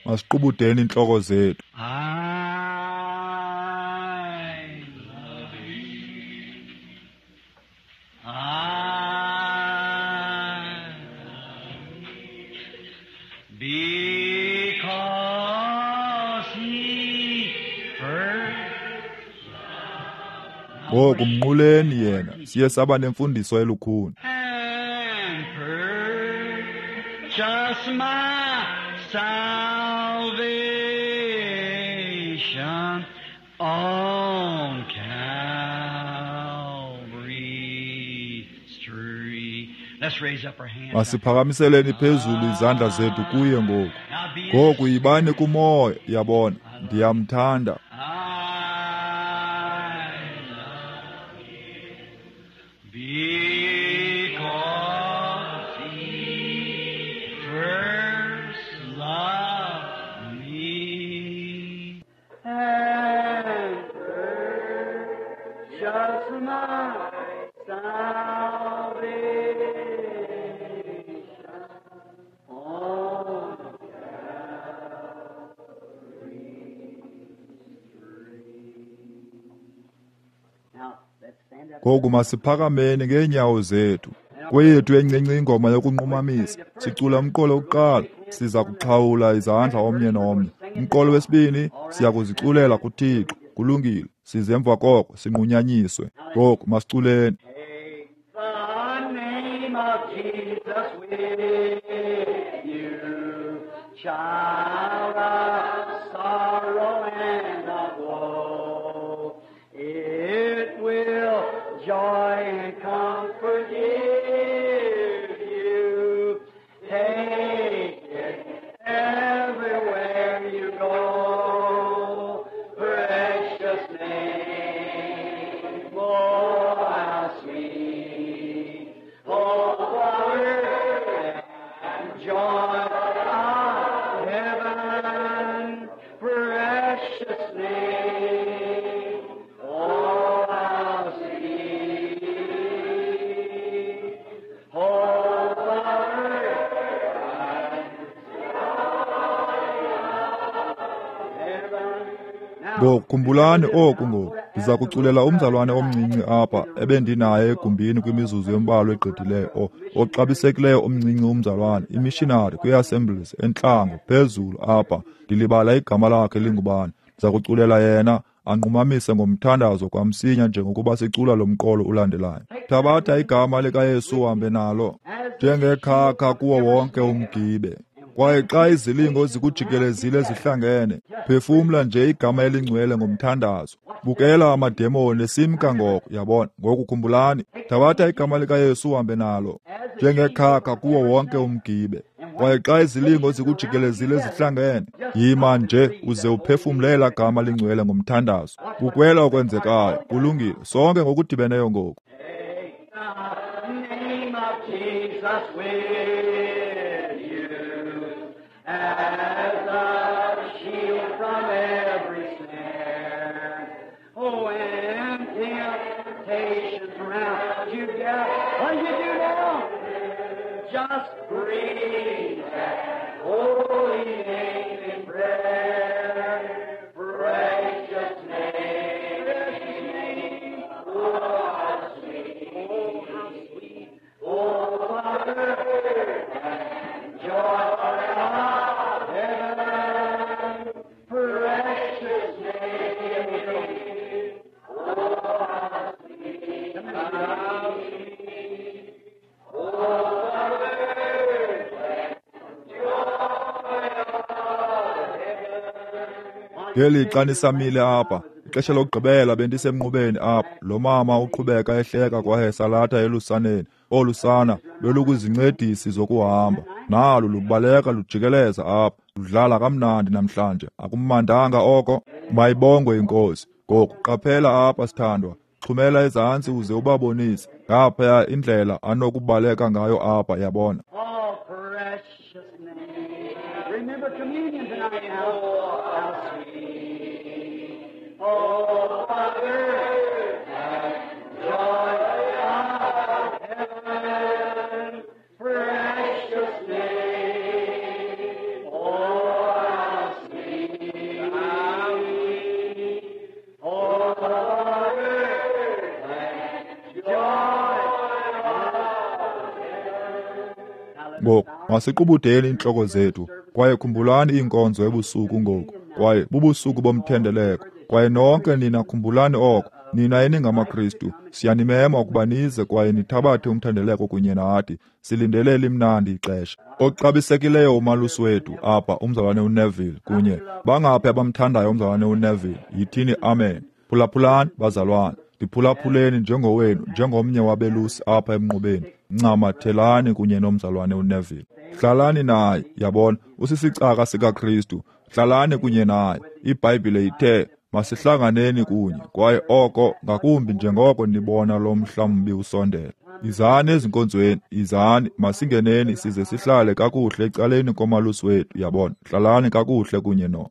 Masiqubudeni iintloko zethu. Ngoku mnquleni yena, siye saba nemfundiso elukhuni. And purchase my salvation on Calvary's tree. Let's raise up our hands. Masiphakamiseleni phezulu izandla zethu kuye ngoku. Ngoku yibani kumoya, yabona, ndiyamthanda. Because he first loved me and purchased my salvation on Calvary's tree. Now, let's stand up. Ngoku masiphakameni ngeenyawo zethu. Kweyethu encinci ingoma yokunqumamisa, sicula umqolo wokuqala, siza kuxhawula izandla omnye nomnye. Umqolo wesibini, siya kuziculela kuThixo. Kulungile, size emva koko sinqunyanyiswe. Ngoku masiculeni. The name of Jesus with you, child of sorrow and of woe. It will joy and comfort give you. Take it everywhere you go. Precious name, oh how sweet. Oh, power and joy of heaven, precious name, oh how sweet. Oh, power and joy of heaven. Now, Ngoku khumbulani oku ngoku. Ndiza kuculela umzalwane omncinci apha ebendinaye egumbini kwimizuzu embalwa egqithileyo, o- oxabisekileyo omncinci umzalwane, imishinari kwi-Assemblies entlango phezulu apha. Ndilibala igama lakhe lingubani. Ndiza kuculela yena anqumamise ngomthandazo kwamsinya njengokuba sicula lo mqolo ulandelayo. Thabatha igama likaYesu uhambe nalo njengekhakha kuwo wonke umgibe. Kwaye xa izilingo zikujikelezile zihlangene, phefumla nje igama elingcwele ngomthandazo. Bukela amademoni esimka ngoko, yabona. Ngoku khumbulani, thabatha igama likaYesu uhambe nalo njengekhakha kuwo wonke umgibe. Kwaye xa izilingo zikujikelezile zihlangene, yima nje uze uphefumle elaa gama lingcwele ngomthandazo. Bukela okwenzekayo. Kulungile, sonke ngokudibeneyo ngoku. Take the name of Jesus with you as a shield from every snare. Oh, and temptations round you gather. What do you do now? Just breathe that holy name in prayer. Precious name, precious name. Oh, how sweet, oh, how sweet. Oh, Father, and joy of heaven. Precious name. Oh, how sweet, how sweet. Oh, Father, joy of heaven. Ngelixa nisamile apha, ixesha lokugqibela bendisemnqubeni apha, lo mama uqhubeka ehleka kwaye esalatha elusaneni. Olu sana belukwizincedisi zokuhamba, nalu lubaleka lujikeleza apha, ludlala kamnandi namhlanje. Akumandanga oko? Mayibongwe iNkosi. Ngoku qaphela apha, sithandwa. Xhumela ezantsi uze ubabonise ngaphaya indlela anokubaleka ngayo apha, yabona. Oh, precious name. Remember communion tonight now. Oh, how sweet. Oh, Father, joy of heaven. Precious name. Oh, how sweet. How sweet. Oh, Father, joy of heaven. Ngoku masiqubudeni iintloko zethu kwaye khumbulani iinkonzo ebusuku ngoku, kwaye bubusuku bomthendeleko. Kwaye nonke nina khumbulani oko, nina eningamaKristu, siyanimema ukuba nize kwaye nithabathe umthendeleko kunye nathi. Silindele elimnandi ixesha. Oxabisekileyo umalusi wethu apha, umzalwane uNeville, kunye bangaphi abamthandayo umzalwane uNeville? Yithini amen. Phulaphulani bazalwane, ndiphulaphuleni njengowenu, njengomnye wabelusi apha emnqubeni. Ncamathelani kunye nomzalwane uNeville. Hlalani naye, yabona, usisicaka sikaKristu. Hlalani kunye naye. IBhayibhile ithe masihlanganeni kunye, kwaye oko ngakumbi njengoko nibona lo mhla mbi usondela. Izani ezinkonzweni, izani, masingeneni size sihlale kakuhle ecaleni komalusi wethu, yabona. Hlalani kakuhle kunye no.